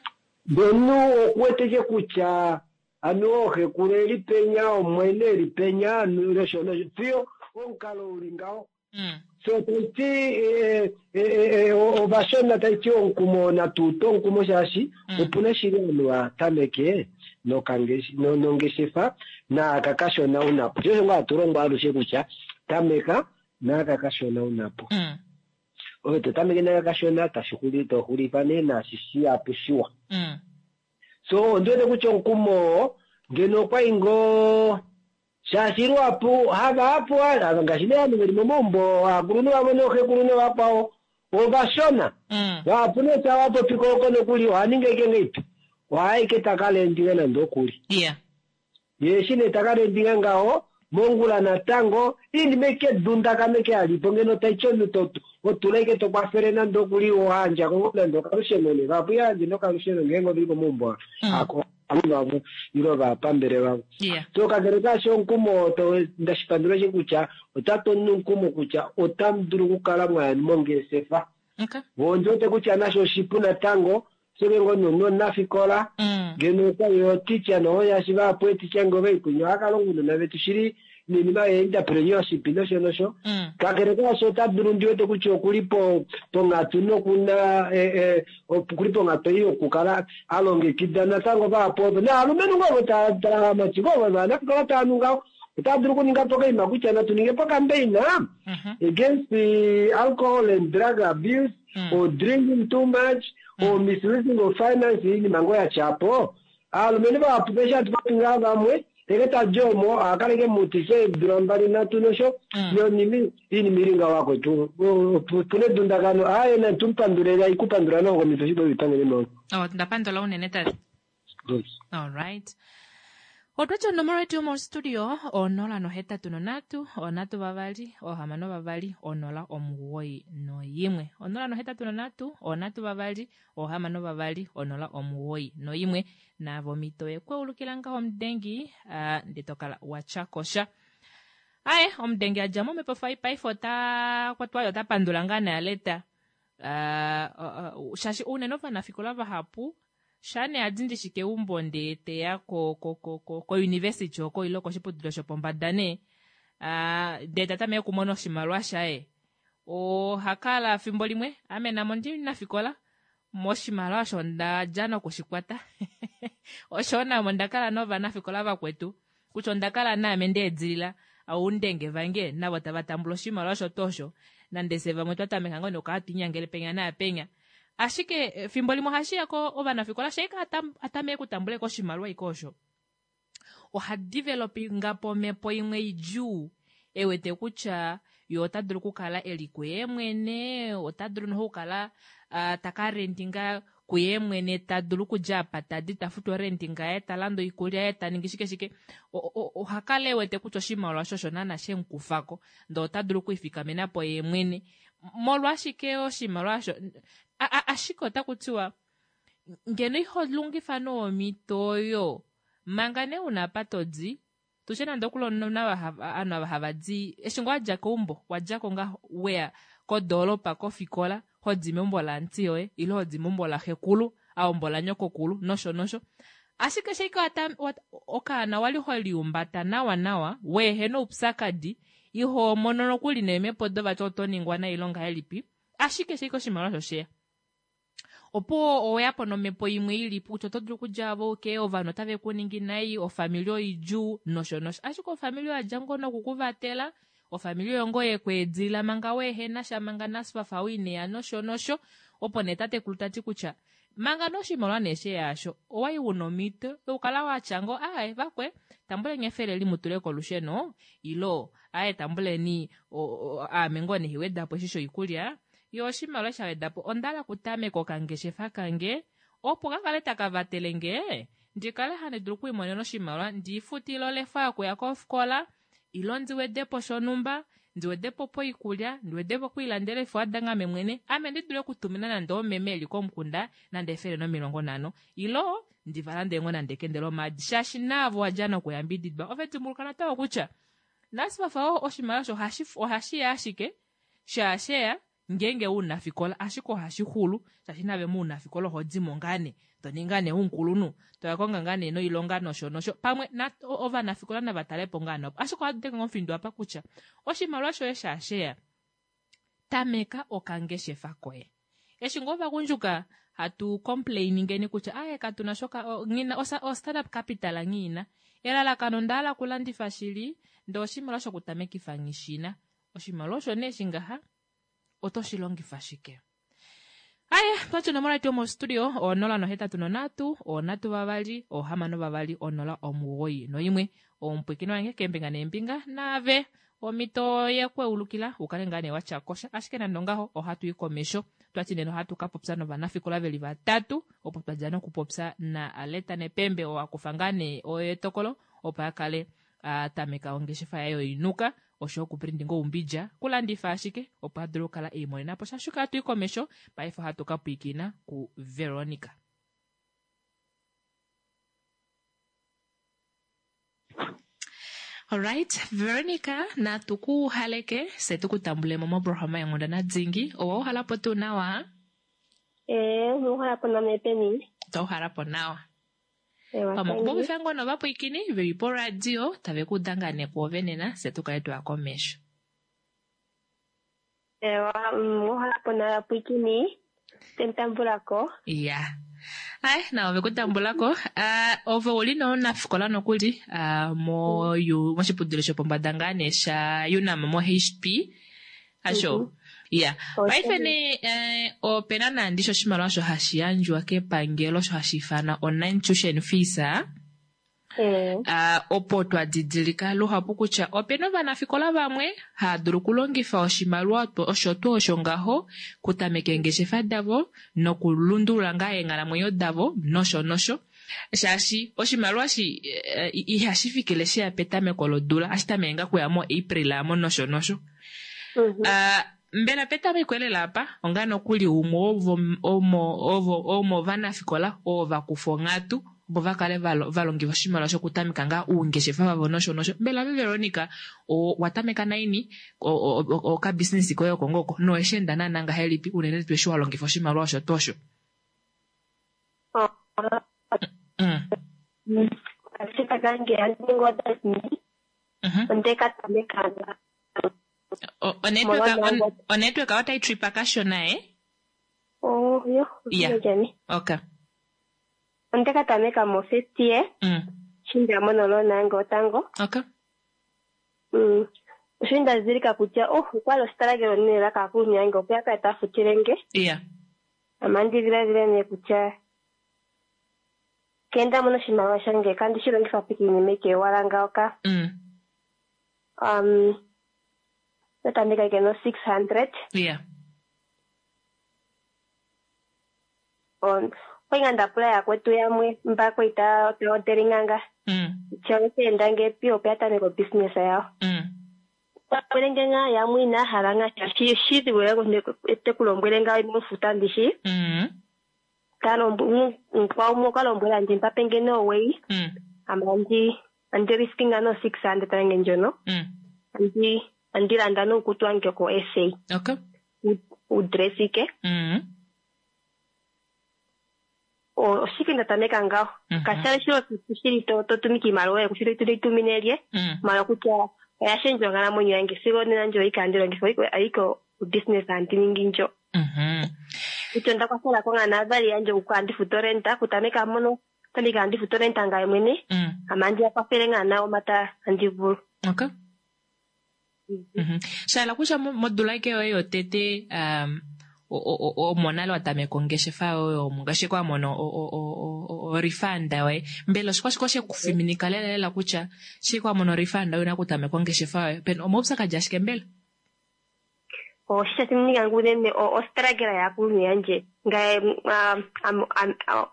[SPEAKER 5] Ndenu okuweteke kutya anu ooxekulu eli penya omwene eli penya nosho nosho fiyo omukalo uli ngaho.
[SPEAKER 1] Mm.
[SPEAKER 5] So taiti ovashona taiti omukumo natuta omukumo shaashi opuna shili ovanhu vatameke nongeshefa naaka kashona unapo. Sho osho ngaa hatu longwa alushe kutya tameka naaka kashona unapo.
[SPEAKER 1] Mm.
[SPEAKER 5] Ove to tameke naaka kashona tashi xuli to xulifa nee naashi shihapu shiwa.
[SPEAKER 1] Mm.
[SPEAKER 5] So ondiwete kutya omukumo ngeno okwai ngoo shaashi luhapu havahapu ngaashi nee ovanhu veli momaumbo aakulunhu vamwe nooxekulu novakwao ovashona.
[SPEAKER 1] Mm.
[SPEAKER 5] Vahapu nee tava popi koko nokuli ohaningi eke ngeipi ohaike takalendinga nande okuli.
[SPEAKER 1] Yeah.
[SPEAKER 5] Ye eshi nee takalendinga ngaho mongula natango iinima eke dundakana eke alipo ngeno taiti omunhu to Otula ike tokwafele nande okuli ohandja ko nande okalusheno ne vahapu yandje nokalusheno ngeenge ovili komaumbo ako vavo ile vapambele vavo.
[SPEAKER 1] Yeah.
[SPEAKER 5] So kakele kaasho omukumo to- ndashipandula shi kutya otatu omukumo kutya otamu dulu okukala mwaya mongeshefa.
[SPEAKER 1] Okay.
[SPEAKER 5] Ondi wete kutya nasho oshipu natango seke ngoo nomunafikola
[SPEAKER 1] Mm.
[SPEAKER 5] ngeno okwali oticha noyashi vahapu eticha ngee ovaikunya ohakalonga ounona vetu shili niinima ye-entrepreneurship nosho nosho.
[SPEAKER 1] Mm.
[SPEAKER 5] Kakele kaasho ota dulu ndi wete kutya okuli po ponghatu nokuna eh, eh, okuli ponghatu ei yokukala a longekida natango vahapu ovo naalumenhu ngoo ovo taamati ngoo vanafikola taa nu ngaho otaa dulu okuninga po kaima kutya natu ninge po kambeina
[SPEAKER 1] Mhm.
[SPEAKER 5] against the alcohol and drug abuse
[SPEAKER 1] Mm.
[SPEAKER 5] or drinking too much or misusing of finance iinima ngoo yatyapo aalumenhu vahapu pesha hatu popi ngaa vamwe eke tadi omo akaleke mutise eedula mbali nhatu nosho
[SPEAKER 1] Mm.
[SPEAKER 5] nonimi iinima ili ngaho akwetu puna edundakano aye natumupandule ikupandula nokomito shipo vipangele mo
[SPEAKER 1] Oh, ndapandula unene tate. Alright. Otwati onomola yetu yomostudio onola nohetatu nonhatu onhatu vavali ohamano vavali onola omugoyi noyimwe onola nohetatu nonhatu onhatu vavali ohamano vavali onola omugoyi noyimwe naavo omhito yekweulukila ngaho omudengi ah, ndee tokala watyakosha aye omudengi adja momhepo fai paife ota kwatwa ota pandula ngaa naaleta Ah, ah, ah, shaashi unene ovanafikola vahapu shane adi ndishi keumbo ndee teya ko ko ko ko ko university oko ile koshiputudilo shopombada nee Ah, ndee tatameke okumona oshimaliwa shaye oha kala fimbo limwe ame namo ndi nafikola moshimaliwa osho ndadja nokushikwata osho namo ndakala novanafikola vakwetu kutya onda kala naame ndeedilila oundenge vange navo tava tambula oshimaliwa osho tuu osho nande se vamwe twa tameka ngoo nokukala twiinyangele penya naapenya ashike eh, fimbo limwe ohashi ya ko ovanafikola shaika atameke okutambula ko oshimaliwa iko osho oha developinga po omhepo imwe idjuu e wete kutya ye ota dulu okukala eli kuye mwene ota dulu noho okukala ah, taka rentinga kuye mwene ta dulu okudja apa tadi ta futu orentinga yaye ta landa oikulya yaye ta ningi shike shike O- o- oha kala e wete kutya oshimaliwa osho osho naana shemukufako ndee ota dulu okwiifikamena po ye mwene molwashike oshimaliwa osho a- a- ashike otaku tiwa ngeno iho longifa noomhito oyo manga nee una apa todi tushe nande okuli omunhu ovanhu ava hava di eshi ngoo wadja keumbo wadjako nga weya kodoolopa kofikola hodi meumbo laanti yoye ile hodi meumbo laxekulu aumbo lanyokokulu nosho nosho ashike sheike wata- wat- okaana wali holiumbata nawa nawa weehena oupyakadi iho mono nokuli neemhepo dovati oto ningwa nayi ngahelipi ashike sheike oshimaliwa osho sheya opo oweyapo nomhepo imwe ilipo kutya oto dulu okudja avo ke ovanhu otave ku ningi nai ofamili oidjuu nosho nosho ashike ofamili oyo yadja ngoo nokukuvatela ofamili oyo ngoo yekweedilila manga weehena sha manga nasfafa wiineya nosho nosho opo nee tatekulu tati kutya manga noshimaliwa nee sheyaasho owai wuna omhito yokukala watya ngoo ae vakwe tambuleni efele limutule kolusheno ilo ae tambuleni o- o- aame ngoo nehiwedapo eshi shoikulya yo oshimaliwa sha wedapo ondahala okutameka okangeshefa kange opo ka kale taka vatele nge ndi kale handi dulu okwiimonena oshimaliwa ndiifutile olefa yokuya kofikola ilo ndi wedepo shonhumba ndi wedepo poikulya ndi wedepo okwiilandela eefuwa ame mwene ame ndi dule okutumina nande omeme eli komukunda nande efele nomilongo nhano ilo ndivalande ngoo nande ekende lomaadi shaashi naavo wadja nokuyambididwa ove dimbuluka natango kutya nasifafa oshimaliwa osho ohashi- ohashiya ashike shaasheya ngeenge unafikola ashike ohashi xulu shaashi nave muunafikola oho dimo ngaa nee toninga nee umukulunhu toya konga ngaa nee noilonga nosho nosho pamwe na o- ovanafikola nava talepo ngaa nopo ashike ohatu denge omufindo apa kutya oshimaliwa shoye shaasheya tameka okangeshefa koye eshi ngoo ovagundjuka hatu complainingeni kutya aye katuna shoka o- nghina osa- o startup capital nghiina elalakano ndahala okulandifa shili ndee oshimaliwa shokutamekifa nghishina oshimaliwa osho nee shingaha oto shi longifa shike aye twati onomola yetu yomostudio onola nohetatu nonhatu onhatu vavali ohamano vavali onola omugoyi noimwe omupwikini wange keembinga neembinga naave omhito yekweulukila ukale ngaa nee watya kosha ashike nande ongaho ohatu i komesho twati nena ohatu ka popya novanafikola veli vatatu opo twadja nokupopya na Aletta Nepembe oo akufa ngaa nee oyo etokolo opo a kale A tameka ongeshefa yaye yoinuka osho okuprindinga oumbidja kulandifa ashike opo a dule okukala eimonena po sha. Shuka hatu i komesho paife ohatu ka pwiikina ku Veronica. Alright, Veronica, natu ku haleke se tu ku tambulemo moprograma yenghundana dhingi. Owa uhalapo tuu nawa?
[SPEAKER 4] Ee, uhala po name peni.
[SPEAKER 1] Twa uhalapo nawa.
[SPEAKER 4] Ewa,
[SPEAKER 1] Pamwe
[SPEAKER 4] tangi.
[SPEAKER 1] okupopifa ngoo novapwiikini veli poradio tave ku danga nekwoove nena se tu kale twaya komesho.
[SPEAKER 4] Ewa, mm, uhala po nawa pwikini. Tentambulako.
[SPEAKER 1] Ya. Ai, na ove kutambulako. Uh, ove uli nomunafikola nokuli uh, mo yu, moshiputudilo shopombada ngaa nee sha UNAM mo H P. Asho. Ya. Paife nee eh, opena nandi sho oshimaliwa osho hashi yandjwa kepangelo osho hashi ifanwa online tuition fees. Ah?
[SPEAKER 4] Ee.
[SPEAKER 1] Uh, opo twa didilika luhapu kutya opena ovanafikola vamwe hava dulu okulongifa oshimaliwa osho tuu osho ngaho kutameka eengeshefa davo nokulundulula ngaa eenghalamwenyo davo nosho nosho shaashi oshimaliwa shi eh, ihashi fikile sheya petameko lodula ashi tameke ngaa kuya mo April amo nosho nosho.
[SPEAKER 4] Mhm.
[SPEAKER 1] Uh, mbela petameko elela apa onga nokuli umwe wovo- omo- ovo- omovanafikola oo vakufa onghatu opo va kale valo- valongifa oshimaliwa shokutameka ngaa uungeshefa vavo nosho nosho. Mbela ve Veronica o- watameka naini okabusiness koye oko ngoko noweshi enda naana ngahelipi unene tuu eshi wa longifa oshimaliwa osho tuu osho?
[SPEAKER 4] Oh,
[SPEAKER 1] Mm.
[SPEAKER 4] Ashike kange andi ningi odadini.
[SPEAKER 1] Mhm.
[SPEAKER 4] Onde ka tameka nga-
[SPEAKER 1] O- onetwork on- onetwork otai tripa kashona eh?
[SPEAKER 4] Oh, yo.
[SPEAKER 1] Yeah.
[SPEAKER 4] Jani.
[SPEAKER 1] Okay.
[SPEAKER 4] Onde ka tameka mo first year.
[SPEAKER 1] Mm.
[SPEAKER 4] Shi nda mono loan yange otango.
[SPEAKER 1] Okay.
[SPEAKER 4] Mm. Osho nda dhidhilika kutya oh, okwali oshitalagelo nene kaakuluntu yange opo ya kale taya futile nge.
[SPEAKER 1] Yeah.
[SPEAKER 4] Ama ndi dhiladhile nee kutya ke nda mona oshimaliwa shange kandi shi longifa po kiinima ike owala ngawo ka.
[SPEAKER 1] Mm.
[SPEAKER 4] Um, natameka ike no six hundred.
[SPEAKER 1] Yeah.
[SPEAKER 4] On okwali nga nda pula yakwetu yamwe mba kwali taya odelinga nga
[SPEAKER 1] Mm.
[SPEAKER 4] kutya oshe enda ngepi opo ya tameke obusiness yawo.
[SPEAKER 1] Mm.
[SPEAKER 4] Lombwele nge nga yamwe inaya hala nga shaashi oshidhigu te ku lombwele nga ino futa ndishi.
[SPEAKER 1] Mm.
[SPEAKER 4] Mukwawo umwe okwa lombwela ndje mpa pe nge nooweyi.
[SPEAKER 1] Mm.
[SPEAKER 4] Ame andi andi riski nga no six hundred yange ndjono.
[SPEAKER 1] Mm.
[SPEAKER 4] Andi andi landa nuukutu wange ko S A.
[SPEAKER 1] Okay.
[SPEAKER 4] Uudress ike.
[SPEAKER 1] Mm.
[SPEAKER 4] Oshike nda tameka ngaho.
[SPEAKER 1] Mhm.
[SPEAKER 4] Kashali shilo shili to to tumika iimaliwa yoye kushili tumine lye.
[SPEAKER 1] Mm.
[SPEAKER 4] Mala kutya oya shendja onkalamwenyo yange sigo nena ndjo ike andi longitha ayike obusiness andi ningi ndjo.
[SPEAKER 1] Mhm.
[SPEAKER 4] Kutya onda kwathela ko ngaa naavali yandje oku andi futu orenta kutameka mono tameka andi futu orenta ngaye mwene.
[SPEAKER 1] Mm.
[SPEAKER 4] Ame andi ya kwathele ngaa nawo mata andi vulu.
[SPEAKER 1] Okay. Mhm. Sha kutya modula ike yoye yotete um, omo nale wa tameka ongeshefa yoye omo ngaashi kwa mono orifanda yoye mbela oshikwashike oshekufiminika lela lela kutya shi kwa mono orifanda yoye una kutameka ongeshefa yoye pena omaupyakadhi ashike mbela?
[SPEAKER 4] Oshi sha thiminika unene ostruggle yaakuluntu yandje ngaye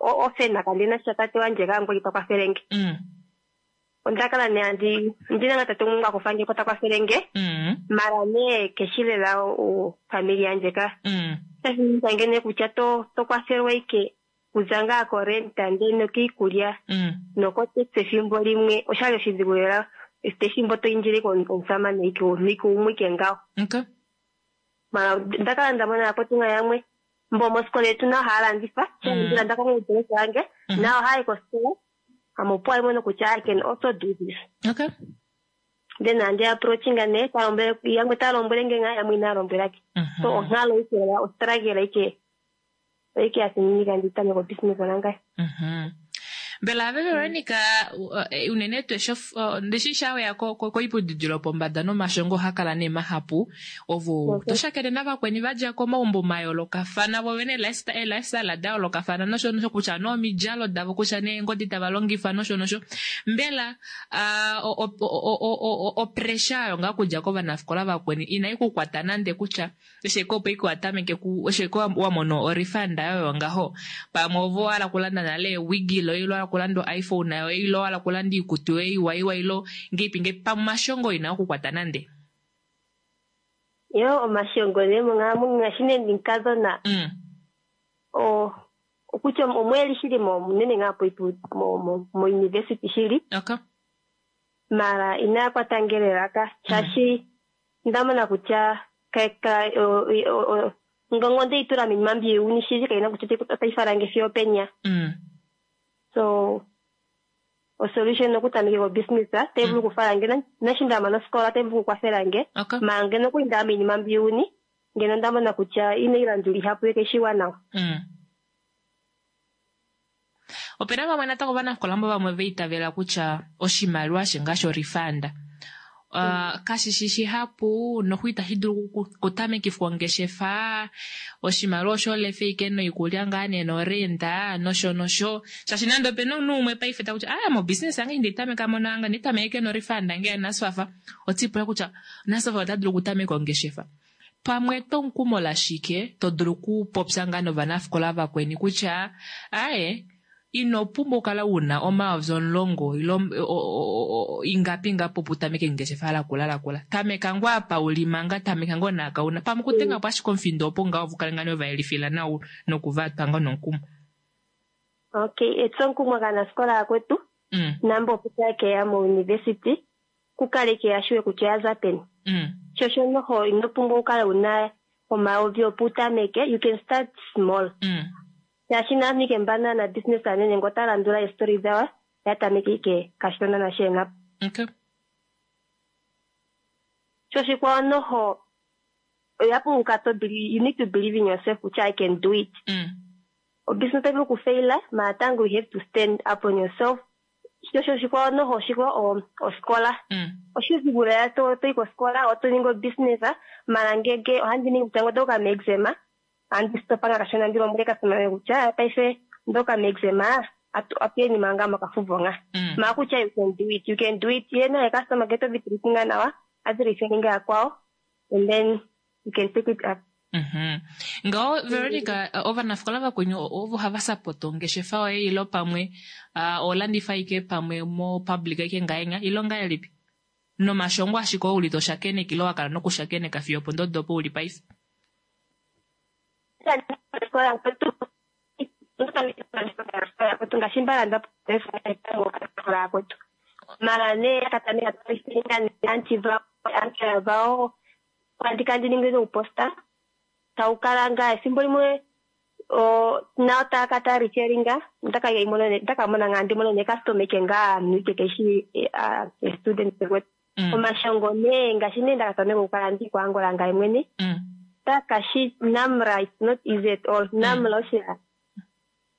[SPEAKER 4] ofena kandina sha tate wandje kaangwali ta kwathele nge.
[SPEAKER 1] Mm.
[SPEAKER 4] Onda kala nee andi ndina nga tate gumwe a kufa nge po ta kwathele nge.
[SPEAKER 1] Mm.
[SPEAKER 4] Mara nee keshi lela ofamily yandje ka.
[SPEAKER 1] Mm.
[SPEAKER 4] Sha thiminika nge nee kutya to to kwathelwa ike kuza ngaa korenta ndele nokiikulya
[SPEAKER 1] Mm.
[SPEAKER 4] nokotaxi ethimbo limwe oshali oshidhigu lela ethimbo to indile omusamane ike ike umwe ike ngawo.
[SPEAKER 1] Okay.
[SPEAKER 4] Mara onda kala nda mona yakwetu nga yamwe mbo mosikola yetu nayo haya landitha.
[SPEAKER 1] Mm.
[SPEAKER 4] Ndilanda kongudu yange
[SPEAKER 1] Mm.
[SPEAKER 4] nayo haya yi kosikola ame opo ali mono kutya I can also do this.
[SPEAKER 1] Okay.
[SPEAKER 4] Then andi approachinga nee talombwele yamwe taya lombwele nge ngaa yamwe inaya lombwelake.
[SPEAKER 1] Mhm.
[SPEAKER 4] So onkalo ike lela ostruggle ike ike ya thiminika ndi tameke obusiness nangaye.
[SPEAKER 1] Mhm. Mbela ave Veronica uh, unene tuu eshi uh, ndishi shaweya koiputudilo yopombada nomashongo oha kala nee mahapu ovo
[SPEAKER 4] Mhm.
[SPEAKER 1] to shakene navakweni vadja komaumbo mayoolokafana vo vene eelifestyle da yoolokafana nosho nosho kutya nee omidjalo davo kutya nee eengodi tava longifa nosho nosho mbela uh, opressure oyo ngaa kudja kovanafikola vakweni inai kukwata nande kutya eshi ike opo ike watameke eshi ike wamono orifanda yoyo ngaho pamwe ovo hala kulanda nale ewigi loye ilo hala okulanda o-iPhone yoye ile owa hala okulanda iikutu yoye iwa iwa ilo ngeipi ngeipi pamwe omashongo ina okukwata nande.
[SPEAKER 4] Yo omashongo nee monghalamwenyo ngaashi nee ndi mukadhona
[SPEAKER 1] Mm.
[SPEAKER 4] o okutya omweli shili mo munene ngaa po mo mo mo university shili
[SPEAKER 1] Okay.
[SPEAKER 4] mara inaya kwata nge lelaka shaashi ndamona kutya ka ka o- o- o- ngongo ndeyi tula miinima mbi yeuni shili kaina kutya otayi- otayi fala nge fiyo openya
[SPEAKER 1] Mm.
[SPEAKER 4] so osolution okutameka obusiness tayi vulu okufala nge na- nashi ndamana osikola tayi vulu okukwathela nge
[SPEAKER 1] Okay.
[SPEAKER 4] mara ngeno okuli ndaya miinima mbi yeuni ngeno ndamona kutya inayi landula ihapu yekeshiwa nawa
[SPEAKER 1] Mm. Opena vamwe natango ovanafikola mbo vamwe vaitavela kutya oshimaliwa she ngaashi orifanda Uh, kashi shi shihapu noho itashi dulu oku- okutamekifwa ongeshefa oshimaliwa osho lefa ike noikulya ngaa nee norenda nosho nosho shaashi nande opena omunhu umwe paife takutya aya mobusiness yange ndeitameka monanga nditameke norifanda nge yaNSFAF otipula kutya NSFAF ota dulu okutameka ongeshefa pamwe tomukumo lashike to dulu okupopya ngaa novanafikola vakweni kutya aye ino pumbwa okukala una omayovi omulongo ile o- o- o- o- ingapi ingapi opo utameke ngeshefa lakula lakula tameka ngoo apa uli manga tameka ngoo naakauna pamwe okudenga po ashike omufindo opo ngaho vukale ngaa novayelifila nawa nokuvatwa ngoo nomukumo
[SPEAKER 4] okay etsomukumo kaanasikola yakwetu
[SPEAKER 1] mm,
[SPEAKER 4] nambo opo keya mo university kukale keya shiwe kutya oya za peni
[SPEAKER 1] mm,
[SPEAKER 4] sho noho ino pumbwa okukala wuna omayovi opo utameke you can start small
[SPEAKER 1] mm,
[SPEAKER 4] shaashi naantu ike mbana na business anene ngo ota landula eestori dhawo ya tameke ike kashona nasheena
[SPEAKER 1] okay
[SPEAKER 4] sho shikwawo noho oya pumbwa okukala to believe, you need to believe in yourself kutya i can do it
[SPEAKER 1] mm,
[SPEAKER 4] obusiness otayi vulu okufaila matango you have to stand up on yourself sho sho shikwawo noho oshikwawo osikola
[SPEAKER 1] mm,
[SPEAKER 4] oshidhigu lela to toyi kosikola oto ningi obusiness mara ngenge ohandi ningi kutya ngo meexam andi stopa nga kashona ndi lombwele customer kutya paife ndoka meexam atu atuyeni manga mokafuvo nga
[SPEAKER 1] mm.
[SPEAKER 4] mara kutya you can do it you can do it ye naye customer ngele tovi treatinga nawa adhi referringa yakwawo and then you can take it up
[SPEAKER 1] Mhm. Ngaho Veronica ovanafikola vakweni ovo hava sapota ongeshefa yoye ilo pamwe uh, olandifa ike pamwe mo public ike ngaenya ilo ngahelipi nomashongo ashike oo uli toshakeneka ilo wakala nokushakeneka fiyo opondodo opo uli paife
[SPEAKER 4] Osikola yakwetu yakwetu ngaashi mbalanda osikola yakwetu mara nee yakatameka toreferringa anti vao anti vao andika ndi ningi nouposta tau kala ngaa efimbo limwe o na otaka ta referringa ndaka mona ngaa ndi mone necustomer ike ngaa ike keshi student kwetu
[SPEAKER 1] Mm,
[SPEAKER 4] omashongo nee ngaashi nee ndakatameka okukala ndi kuangola ngaye mwene
[SPEAKER 1] mm,
[SPEAKER 4] takashi namra it's not easy at all namra osha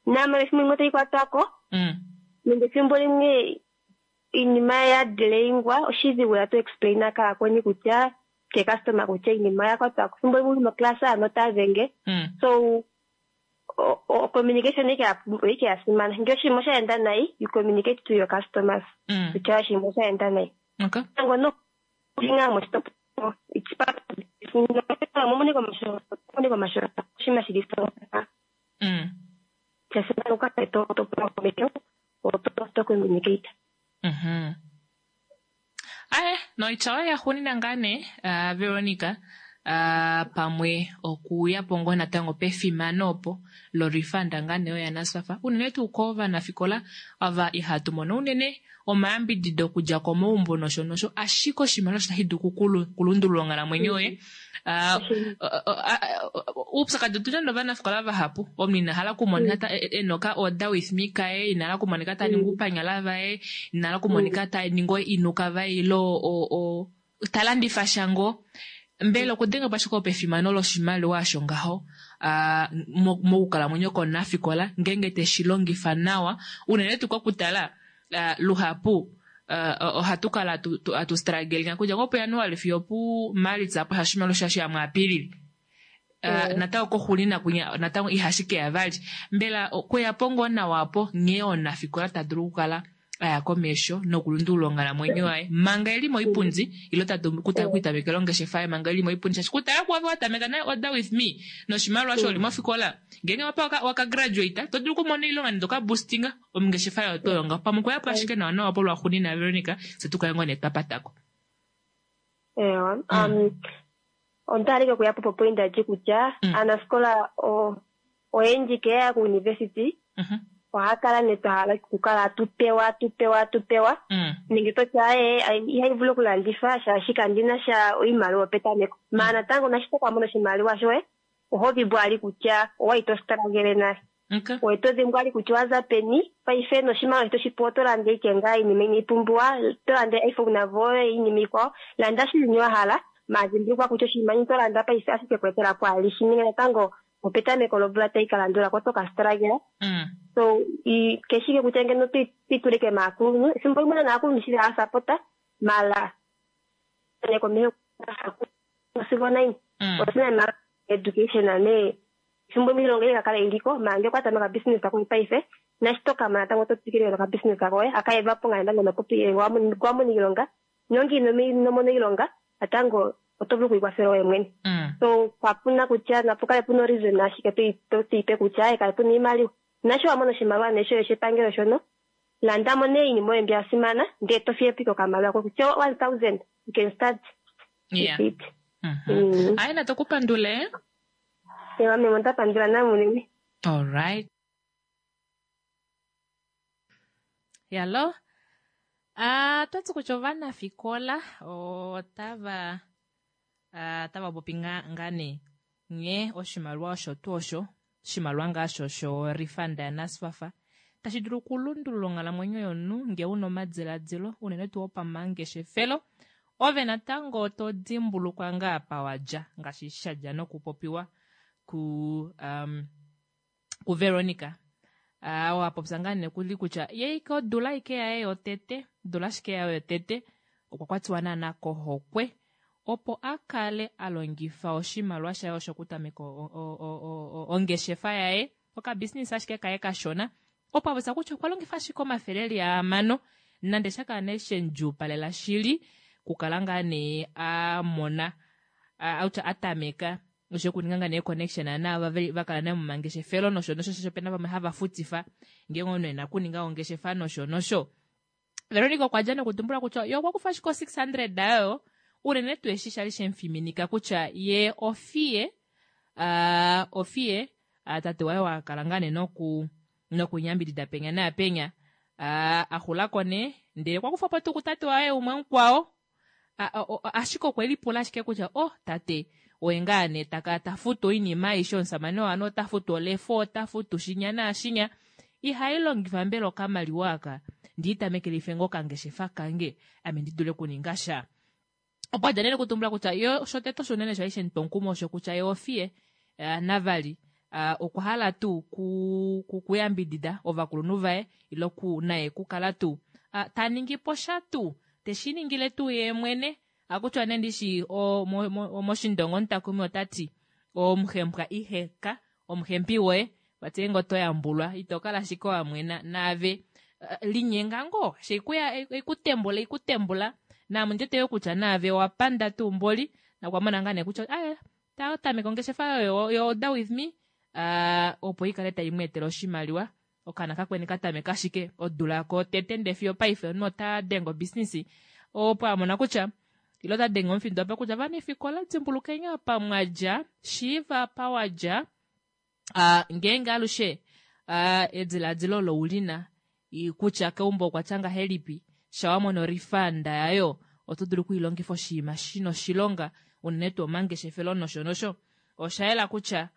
[SPEAKER 4] namra efimbo limwe otayi kwatwako
[SPEAKER 1] mm,
[SPEAKER 4] nenge efimbo limwe iinima ya delayingwa oshidhigu ya to explaina kaakweni kutya ke customer kutya iinima ya kwatwako efimbo limwe uli moclass ano ota dhenge
[SPEAKER 1] mm,
[SPEAKER 4] so o, o, communication ike ya ike ya simana ngele oshinima osha nayi you communicate to your customers
[SPEAKER 1] mm.
[SPEAKER 4] kutya oshinima osha nayi
[SPEAKER 1] Okay.
[SPEAKER 4] tango no nga moshitopolwa it's part of momoneko omashongo oshinima shili so
[SPEAKER 1] Mm,
[SPEAKER 4] sha simana okukala to to pula komeho to to communicate
[SPEAKER 1] mhm. Aye, noitya oyo yaxuunina ngaa nee uh, Veronica uh, pamwe okuya po ngoo natango pefimano opo lorifanda ngaa nee oyo yaNSFAF unene tuu kovanafikola ava ihatu mono unene omayambidido okudja komaumbo nosho nosho ashike oshimaliwa osho tashi dulu okulu- okulundulula onghalamwenyo yoye uh, uupyakadi otuna novanafikola vahapu omunhu ina hala okumonika ta- e- e na oka order with me kaye ina hala okumonika ta ningi oupanyala vaye ina hala okumonika ta ningi oinuka vaye ile o- o- ta landifa sha ngoo mbela okudenga po ashike opefimano loshimaliwa osho ngaho ah, mo- mokukalamwenyo komunafikola ngeenge teshi longifa nawa unene tuu kokutala ah, luhapu ah, ohatu kala tu- tu- atu struggling kudja ngoo puJanuali fiyo puMalitsa apo oshimaliwa shashi ya muApilili Uh, natango koxulina kunya natango ihashi keya vali mbela okuya po ngoo nawa apo nghee omunafikola ta dulu okukala aya komesho nokulundulula onghalamwenyo yaye manga eli moipundi ile ta dulu okutamekela ongeshefa yaye manga eli moipundi shaashi kutala kuave watameka naye order with me noshimaliwa osho oli mofikola ngeenge wapa waka graduate to dulu okumona oilonga nende oka boostinga ongeshefa yayo to yonga pamwe okuyapo ashike nawa nawa polwaxunina Veronica se tukale ngoo nee twapatako.
[SPEAKER 4] Ewa, um, onda hala okuya po point ndji kutya aanasikola oyendji keya kuuniversity ohaya kala nee twa hala okukala tu pewa tu pewa tu pewa nenge toti aye ihayi vulu okulanditha shaashi kandina sha oimaliwa petameko maala natango nashi toka mona oshimaliwa shoye oho dhimbwa ali kutya owayi to struggle nale owe to dhimbwa ali kutya owaza peni paife noshimaliwa toshi pewa oto landa ike ngaa iinima inayi pumbiwa to landa iPhone navo iinima iikwawo landa shili wa hala maala dhimbulukwa kutya oshinima to landa paife ashike ku etela po alishi ninga natango opetameko lomvula tayi ka landula ko oto ka struggle so keshike kutya ngeno twitulike maakulunhu efimbo limwe naakulunhu shili haasapota mala komeho sigo naini osina education ne efimbo limwe ilonga ikakala iliko maala ngee okwa tameka business koye paife nashi tokamana natango oto twikile noka business koye akaevapo ngaa natango nopopi wamona iilonga nonge ino mona iilonga natango oto vulu okwiikwathela oye mwene so kapuna kutya napu kale puna reason ashike totiipe kutya aye kale puna iimaliwa nashi wamona oshimaliwa nee shoye shepangelo shono landamo nee iinima oyo mbi ya simana ndee to fiye po okamaliwa koye kutya one thousand you can start
[SPEAKER 1] Yeah.
[SPEAKER 4] with it.
[SPEAKER 1] Mm. Aye natokupandule.
[SPEAKER 4] Ewa meme ondapandula namunene.
[SPEAKER 1] All right. Yalo. Ah, twati kutya ovanafikola otava ah, tava popi nga nga nee nghee oshimaliwa osho tuu osho oshimaliwa ngaa sho sho refund yaNSFAF tashi dulu okulundulula onghalamwenyo yomunhu ngee una omadiladilo unene tuu opamangeshefelo ove natango to dimbulukwa ngaa apa wadja ngaashi shadja nokupopiwa ku um, kuVeronica uh, wapopya ngaa nee kuli kutya ye ike odula ike yaye yotete odula ashike yaye yotete okwa kwatiwa naana kohokwe opo a kale a longifa oshimaliwa shaye osho okutameka ongeshefa yaye okabusiness ashike kaye kashona opo apopya kutya okwa longifa ashike omafele eli ahamano nande shakala nee shendjuupalela shili kukala ngaa nee a mona outya a tameka osho okuninga ngaa nee connection naava vakala naye momangeshefelo nosho nosho shaashi opena vamwe hava futifa ngeenge omunhu ena okuninga ongeshefa nosho nosho. Veronica okwa dja nokutumbula kutya ye okwa kufa ashike o six hundred ayo unene tuu eshi shali shemufiminika kutya ye ofiye uh, ofiye uh, tate waye wakala ngaa nee noku nokunyambidida penya naapenya uh, axulako nee ndele okwa kufa po tuu kutate waye umwe mukwao ashike okwe lipula ashike kutya oh tate oye ngaa nee taka ta futu oinima aishe omusamane waano ota futu olefo ota futu shinya naashinya ihai longifa mbela okamaliwa aka ndiitamekelife ngoo okangeshefa kange ame ndi dule okuninga sha. Opo adja nee nokutumbula kutya yo shotete osho shali shemutwa omukumo osho kutya ye ofiye uh, navali uh, okwa hala tuu ku, ku, kuyambidida ovakulunhu vaye ile ku naye kukala tuu uh, ta ningi po sha tuu teshi ningile tuu ye mwene akutya nee ndishi moshindongo omutakumi otati omuhembwa iheka omuhembi woye vati ngoo oto yambulwa ito kala ashike wamwena naave uh, linyenga ngoo sheikuya ikutembula ikutembula naame ondjete yo kutya naave owapanda tuu mboli nakwamona ngaa nee kutya aye tameka ongeshefa yoyo yo order with me uh, opo ikale tai mu etele oshimaliwa okaana kakweni katameka ashike odula ko tete ndee fiyo paife omunhu ota denge obusiness opo amona kutya ile ota denge omufindo apa kutya vanafikola dimbulukeni apa mwadja shiiva apa wadja uh, ngeenge alushe uh, ediladilo olo ulina kutya keumbo okwatya ngahelipi shawamona orifanda yayo oto dulu okuilongifa oshinima shina oshilonga unene tuu omangeshefelo nosho nosho osha yela kutya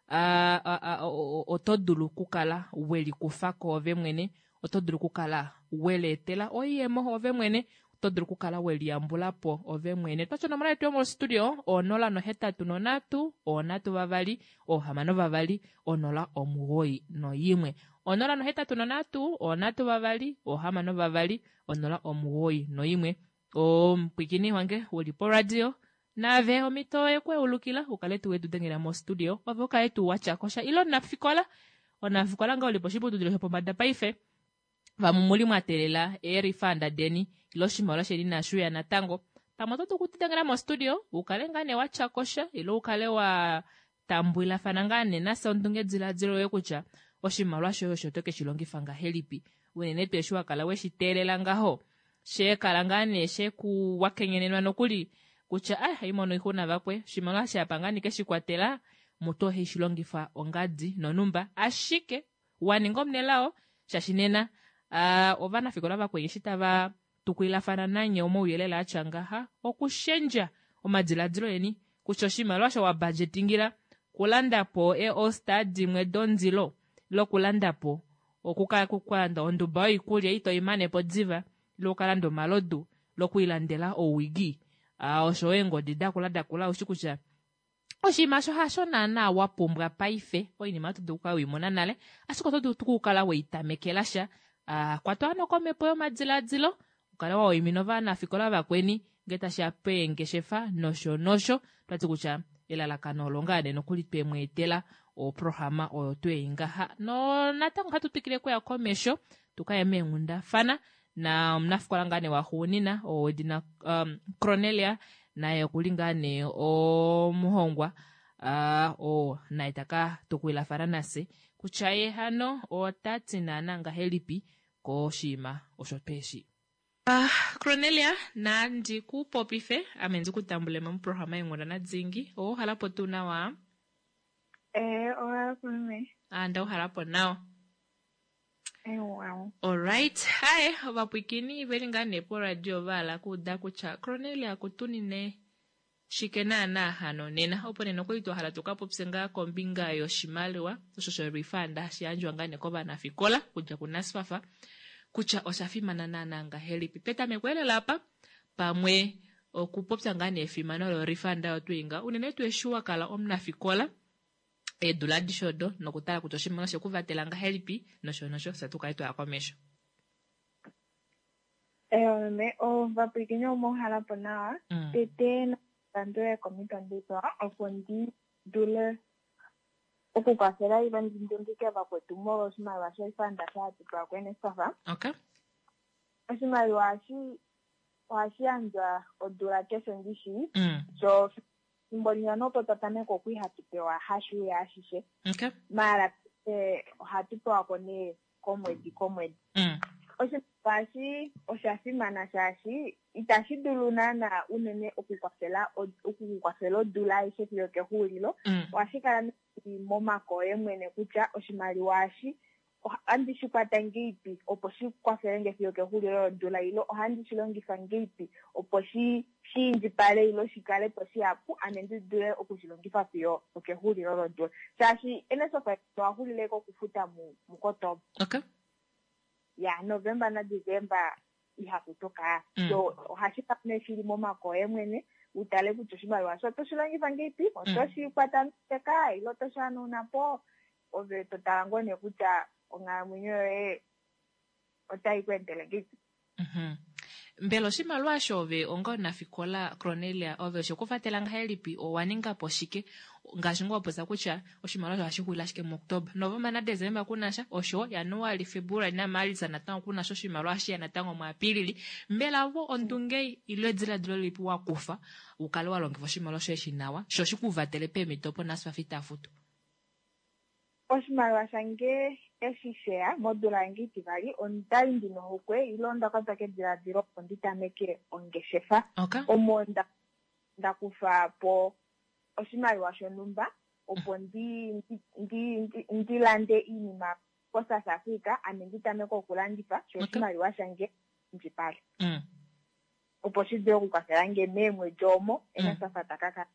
[SPEAKER 1] uh, uh, uh, oto dulu okukala welikufa ko ove mwene oto dulu okukala weleetela oiyemo ove mwene oto dulu okukala weliyambula po ove mwene twatya onomola yetu yomostudio onola nohetatu nonhatu onhatu vavali ohamano vavali onola omugoyi noyimwe onola nohetatu nonhatu onhatu vavali ohamano vavali onola omugoyi noyimwe omupwikini wange uli poradio naave omhito yekweulukila ukale tuu wetu dengela mostudio ove ukale tuu watyakosha ile omunafikola omunafikola nga uli poshiputudilo shopombada paife Vamwe omuli mwa teelela eerifanda deni ile oshimaliwa sheni inashi uya natango. Pamwe oto dulu okutudengela mostudio ukale ngaa nee watya kosha ile ukale wa tambwilafana ngaa nee nafye ondungediladilo yoye kutya oshimaliwa shoye osho oto keshi longifa ngahelipi, unene tuu eshi wakala weshi teelela ngaho, sheekala ngaa nee sheku wakenyenenwa nokuli kutya ah haimono oixuna vakwe, oshimaliwa shapa ngaa ndike shikwatela mutu ohe shi longifa ongadi nonumba, ashike waninga omunelao shaashi nena uh, ovanafikola vakweni eshi tava tukulilafana nanye omauyelele atya ngaha okushendja omadiladilo eni kutya oshimaliwa osho wa budgetingila kulanda po e-All-Star dimwe dondilo lokulanda po okukalanda onduba yoikulya ito imane po diva, ile ukalanda omalodu lokuilandela owigi uh, osho eengodi dakula dakula, ushi kutya oshinima osho hasho naana wa pumbwa paife. Oinima oto dulu okukala weimona nale, ashike oto dulu okukala weitamekela sha. Uh, kwatwa hano komhepo yomadiladilo ukale wa waimina ovanafikola vakweni ngee tashiya peengeshefa nosho nosho. Twati kutya elalakano olo ngaa nee nokuli twemweetela oprograma oyo twei ngaha no natango ohatu twikile okuya komesho tukaye meenghundafana na omunafikola ngaa nee waxuunina oo wedina um, Cornelia, naye okuli ngaa nee omuhongwa uh, oo naye taka tukulilafana nafye kutya ye hano otati naana ngahelipi koshinima osho tweshi. Uh, Cornelia, nandi ku popife ame ndi kutambule moprograma yenghundana dingi. Owo halapo tuu nawa?
[SPEAKER 6] Eh, ohalapo me.
[SPEAKER 1] Ah, ndauhalapo nawa.
[SPEAKER 6] Ewa.
[SPEAKER 1] Alright, haye ovapwikini veli ngaa nee poradio vahala kuuda kutya Cornelia kutunine shike naana hano nena, opo nena okwali twa hala tukapopye ngaa kombinga yoshimaliwa osho sho-refund hashi yandjwa ngaa nee kovanafikola kudja kuNSFAF kutya osha fimana naana ngahelipi. Petameko elela apa pamwe okupopya ngaa nee efimano lo-refund oyo twii unene tuu eshi wa kala omunafikola eedula adishe odo nokutala kutya oshimaliwa shekuvatela ngahelipi nosho nosho, fye tukale twaya komesho.
[SPEAKER 6] Ewa me, ovapwilikini omohalapo nawa.
[SPEAKER 1] Mm.
[SPEAKER 6] Tete napandule komito nditwa opo ndi dule okukwafela ile ndi ndungike vakwetu molwa oshimaliwa sho-refund sha hatupwa kuNSFAF.
[SPEAKER 1] Okay.
[SPEAKER 6] Oshimaliwa ohashi ohashi yandjwa odula keshe ndishi.
[SPEAKER 1] Mm.
[SPEAKER 6] So fimbo limwe nopo twa tameka okwi hatu pewa hashi uya ashishe.
[SPEAKER 1] Okay.
[SPEAKER 6] Maala eh, ohatu pewa ko nee komwedi komwedi.
[SPEAKER 1] Mm.
[SPEAKER 6] Oshimaliwa eshi osha fimana shaashi itashi dulu naana unene okukwafela okukukwafela odula aishe fiyo kexuulilo.
[SPEAKER 1] Mm.
[SPEAKER 6] Ohashi kala momake oye mwene kutya oshimaliwa eshi ohandi shi kwata ngeipi opo shi kwafele nge fiyo kexuulilo lodula, ile ohandi shi longifa ngeipi opo shi shi indjipale ile shi kale po shihapu ame ndi dule okushi longifa fiyo okexuulilo lodula, shaashi NSFAF owa xulile kokufuta mu muKotoba.
[SPEAKER 1] Okay.
[SPEAKER 6] Ya Novemba naDesemba ihafutuka.
[SPEAKER 1] Mm.
[SPEAKER 6] So ohashi kala nee shili momake oye mwene utale kutya oshimaliwa sho oto shi longifa ngeipi, oto shi kwata nokeka ile oto shi hanauna po, ove to tala ngoo nee kutya onghalamwenyo yoye otai ku endele ngeipi.
[SPEAKER 1] Mhm. Mbela oshimaliwa osho ove onga omunafikola Cornelia ove oshekuvatela ngahelipi, owa ninga po shike ngaashi ngoo wapopya kutya oshimaliwa osho ohashi xulile ashike muOktoba, Novemba naDesemba kunasha, osho Januali, Februali naMalitsa natango kunasha oshimaliwa hashiya natango muApilili. Mbela vo ondunge ile ediladilo lilipi wa kufa ukale wa longifa oshimaliwa shoye shi nawa sho shikuvatele peemhito opo NSFAF ita futu?
[SPEAKER 6] Oshimaliwa shange eshi sheya modula yange itivali, ondali ndina ohokwe ile onda kwatwa kediladilo opo ndi tameke ongeshefa.
[SPEAKER 1] Okay.
[SPEAKER 6] Omo nda nda kufa po oshimaliwa shonhumba opo ndi ndi ndi ndi lande iinima koSouth Africa ame ndi tameke okulandifa sho
[SPEAKER 1] Okay.
[SPEAKER 6] oshimaliwa shange indjipale
[SPEAKER 1] Mm.
[SPEAKER 6] opo shi dule okukwafela nge meemwedi omo
[SPEAKER 1] Mm.
[SPEAKER 6] NSFAF taka kala.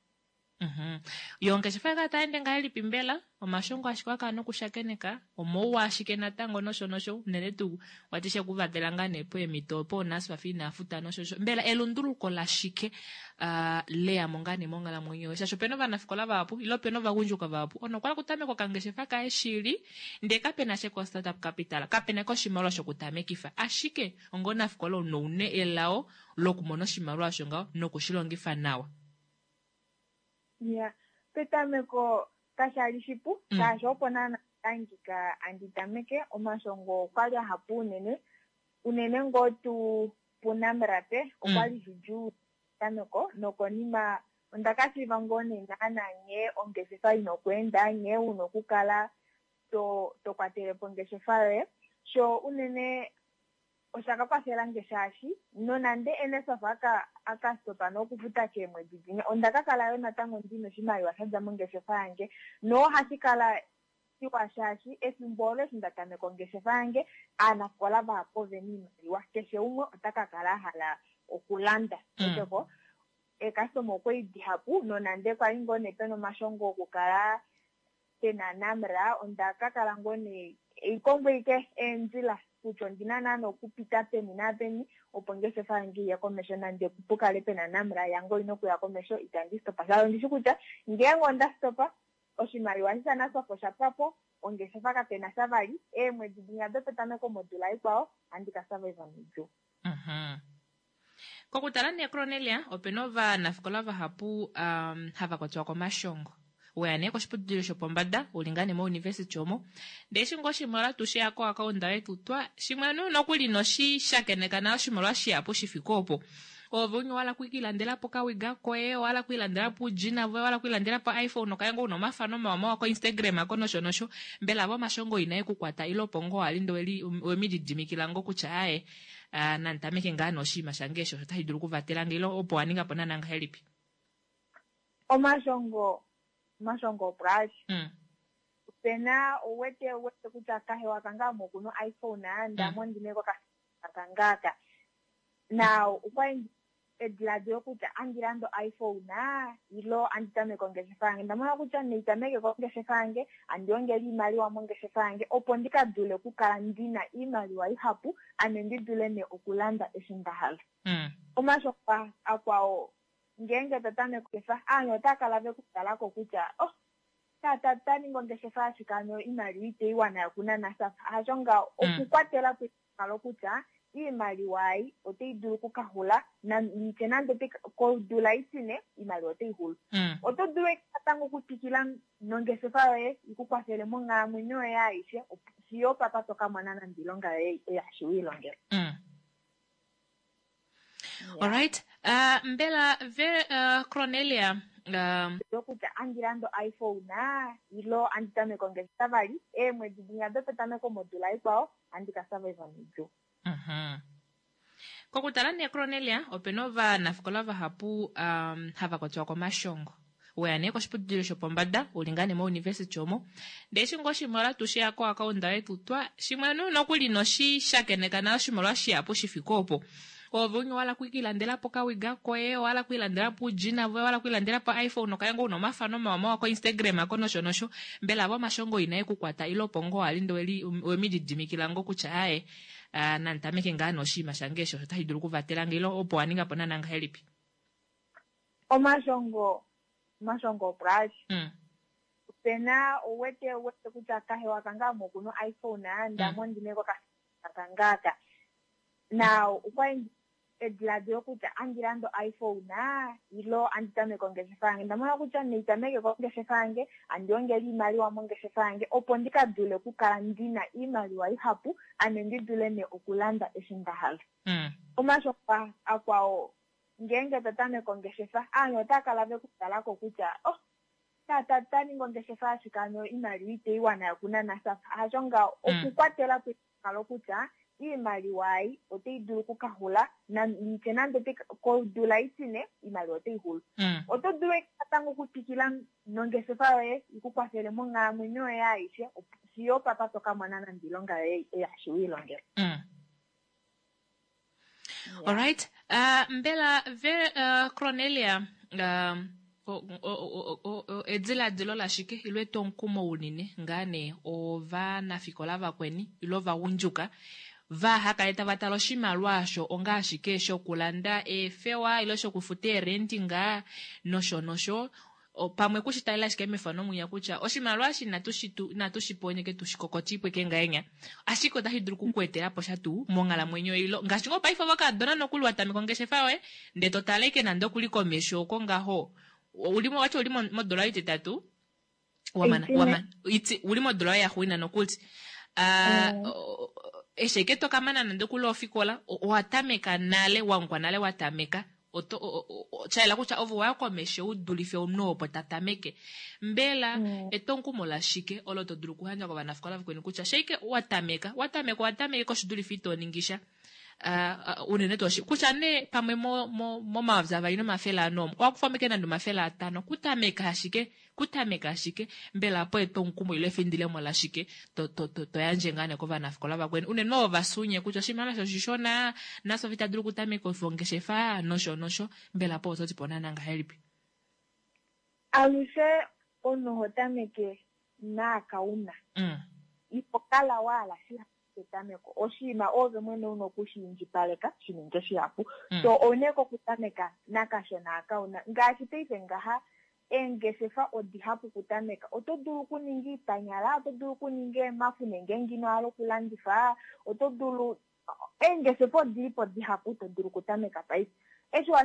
[SPEAKER 1] Mhm. Yo ongeshefa kala taende ngahelipi mbela? Omashongo ashike wakala nokushakeneka, omauwa ashike natango nosho nosho, unene tuu wati shekuvatela ngaa nee poemhito opo NSFAF ina futa nosho nosho. Mbela elunduluko lashike uh, leyamo ngaa nee monghalamwenyo yoye? Shaashi opena ovanafikola vahapu ile opena ovagundjuka vahapu ono okwala kutameka okangeshefa kaye shili ndee kapena sha ko startup capital, kapena koshimaliwa shokutamekifa, ashike onga omunafikola noune elao lokumona oshimaliwa osho ngaho nokushilongifa nawa.
[SPEAKER 6] Ya, petameko kashali shipu
[SPEAKER 1] Mm.
[SPEAKER 6] shaashi opo naana hangika andi tameke, omashongo okwali ahapu unene Unene ngoo tuu puNamra okwa li shidjuu petameko, nokonima onda ka shiiva ngoo nee naana nghee ongeshefa ina okweenda, nghee una okukala to to kwatele po ongeshefa yoye. So unene osha ka kwafela nge shaashi nonande NSFAF aka aka stopa nokufuta keemwedi dimwe, onda ka kala yo natango ndina oshimaliwa sha dja mongeshefa yange, nohashi kala shiwa shaashi efimbo olo eshi nda tameka ongeshefa yange, aanafikola vahapu ovena oimaliwa, keshe umwe ota ka kala a hala okulanda. Eteko eekastoma okwali dihapu, nonande kwali ngoo nee pena omashongo okukala pena NAMRA, onda ka kala ngoo nee eikongo ike eendjila kutya ondina naana okupita peni napeni opo ongeshefa yange iye komesho, nande pukale pena NAMRA yange oyina okuya komesho, itandi stopa. Shaashi ondishi kutya ngeenge onda stopa oshimaliwa eshi shaNSFAF osha pwa po, ongeshefa kapena sha vali, eemwedi dinya dopetameko modula ikwao ohandi ka survive noudjuu.
[SPEAKER 1] Kokutala nee Kronelia, opena ovanafikola vahapu um, hava kwatwa komashongo. Weya nee koshiputudilo shopombada, uli ngaa nee mouniversity omo, ndee eshi ngoo oshimaliwa tushiya koakaunda yetu twa shimwe nokuli noshishakeneka nayo oshimaliwa shihapu shifike opo. Ove unye wala kuilandela po kawiga koye, wala kuilandela po ujina voye, wala kuilandela po iPhone okaye ngoo una omafano mawa mawa ko Instagram ako nosho nosho. Mbela avo omashongo inae ku kwata ile opo ngoo wali ndo wemididimikila ngoo kutya aye nanditameke ngaa noshinima shange osho otashi dulu okuvatela nge, ile opo wa ninga po naana ngahelipi?
[SPEAKER 6] Omashongo omashongo opo ali. Opena ouwete ouwete kutya kahewa kange ame okuna iPhone, ndamo ndine kokakangaaka. Na okwali ediladilo kutya andi lande iPhone ilo andi tameke ongeshefa yange. Ndamona kutya neitameke kongeshefa yange, andi ongele iimaliwa mongeshefa yange opo ndika dule okukala ndina iimaliwa ihapu, ame ndi dule nee okulanda eshi nda hala. Omashongo akwao ngeenge to tameke ongeshefa, aanhu otava kala ve ku talako kutya oh tata ta ningi ongeshefa ashike ano iimaliwa itei wana yokunana NSFAF. Hasho ngaho, okukwatela po kalo kutya iimaliwa ei otai dulu okukaxula, nitye nande kodula itine iimaliwa otai xulu. Oto dulu natango okutwikila nongeshefa yoye ikukwafele monghalamwenyo yoye aishe fiyo opapa to ka mona nande oilonga yoye yaashi wiilongela.
[SPEAKER 1] Alright, uh, mbela ve uh, Kronelia um,
[SPEAKER 6] kutya andi lande iPhone ilo andi tameke ongeshefa vali, eemwedi dinya dopetameko modula ikwao ohandi ka survive noudjuu.
[SPEAKER 1] Kokutala nee Kronelia, opena ovanafikola vahapu um, hava kwatwa komashongo. Weya nee koshiputudilo shopombada, uli ngaa nee mouniversity omo, ndee eshi ngoo oshimaliwa tushiya koakaunda yetu twa shimwe nokuli noshishakeneka nayo oshimaliwa shihapu shifike opo. Ove unye wala kuilandela po kawiga koye, wala kuilandela po ujina voye, wala kuilandela po iPhone okaye ngoo una omafano mawa mawa ko Instagram ako nosho nosho. Mbela avo omashongo inae ku kwata ile opo ngoo wali ndo wemididimikila ngoo kutya aye nanditameke ngaa noshinima shange osho otashi dulu okuvatela nge, ile opo wa ninga po naana ngahelipi?
[SPEAKER 6] Omashongo omashongo opo ali. Opena ouwete ouwete kutya kahewa kange ame okuna iPhone, ndamo ndine kokakangaaka. Na okwali ediladilo kutya andi lande iPhone ilo andi tameke ongeshefa yange. Ndamona kutya neitameke kongeshefa yange, andi ongele iimaliwa mongeshefa yange opo ndika dule okukala ndina iimaliwa ihapu, ame ndi dule nee okulanda eshi nda hala. Omashongo akwao ngeenge to tameke ongeshefa, aanhu otava kala ve ku talako kutya oh tata ta ningi ongeshefa ashike ano iimaliwa itei wana yokunana NSFAF. Hasho ngaho, okukwatela po kalo kutya iimaliwa ei otai dulu okukaxula, nitye nande kodula itine iimaliwa otai xulu. Oto dulu natango okutwikila nongeshefa yoye ikukwafele monghalamwenyo yoye aishe fiyo opapa to ka mona nande oilonga yoye yaashi wiilongela.
[SPEAKER 1] Alright, uh, mbela ve uh, Kronelia um, ediladilo lashike ilo etwomukumo unene ngaa nee ovanafikola vakweni ilo ovagundjuka vahakale tava tala oshimaliwa osho onga ashike shokulanda eefewa ilo shokufuta eerenti ngaa nosho nosho, pamwe kushitalela ashike mefano mwinya kutya oshimaliwa eshi inatu shi ponyeke tushikokotipweke ngahenya, ashike otashi dulu okukuetela po sha tuu monghalamwenyo ilo ngaashi ngoo paife ovakadona nokuli wa tameka ongeshefa yoye ndee to tala ike nande okuli komesho oko ngaho uli wati uli modola ititatu wamana wamana iti uli modola ya xuina nokuli. Eshi eke to kamana nande kule ofikola, owa tameka nale, wangwa nale wa tameka. Oto shayela kutya ove waya komesho u dulife omunhu opo ta tameke. Mbela mm. etwomukumo lashike olo to dulu okuyandja kovanafikola vakweni kutya sheike wa tameka, wa tameka wa tameke koshidulife ito ningisha. Uh, unene tuu kutya nee pamwe momayovi avali nomafele ane omo owa kufa meke nande omafele atano kutameka ashike kutameka ashike mbela po etwomukumo ile efindilemo lashike to, to, to, to yandje ngaa nee kovanafikola vakweni unene ovo vasunye kutya oshimaliwa sho oshishona naSofi ta dulu okutameka ongeshefa nosho nosho mbela po oto ti po naana ngahelipi?
[SPEAKER 6] Alushe omunhu oho tameke naakauna
[SPEAKER 1] mm.
[SPEAKER 6] Iho kala waala shihapu petameko oshinima ove mwene una okushi indjipaleka shi ninge shihapu.
[SPEAKER 1] Mm.
[SPEAKER 6] So oune kokutameka nakashona akauna ngaashi paife ngaha eengeshefa odihapu kutameka. Oto dulu okuninga iipanyala, oto dulu okuninga eemafu nenge ngino hala okulandifa, oto dulu eengeshefa odilipo dihapu to dulu okutameka paife. Eshi wa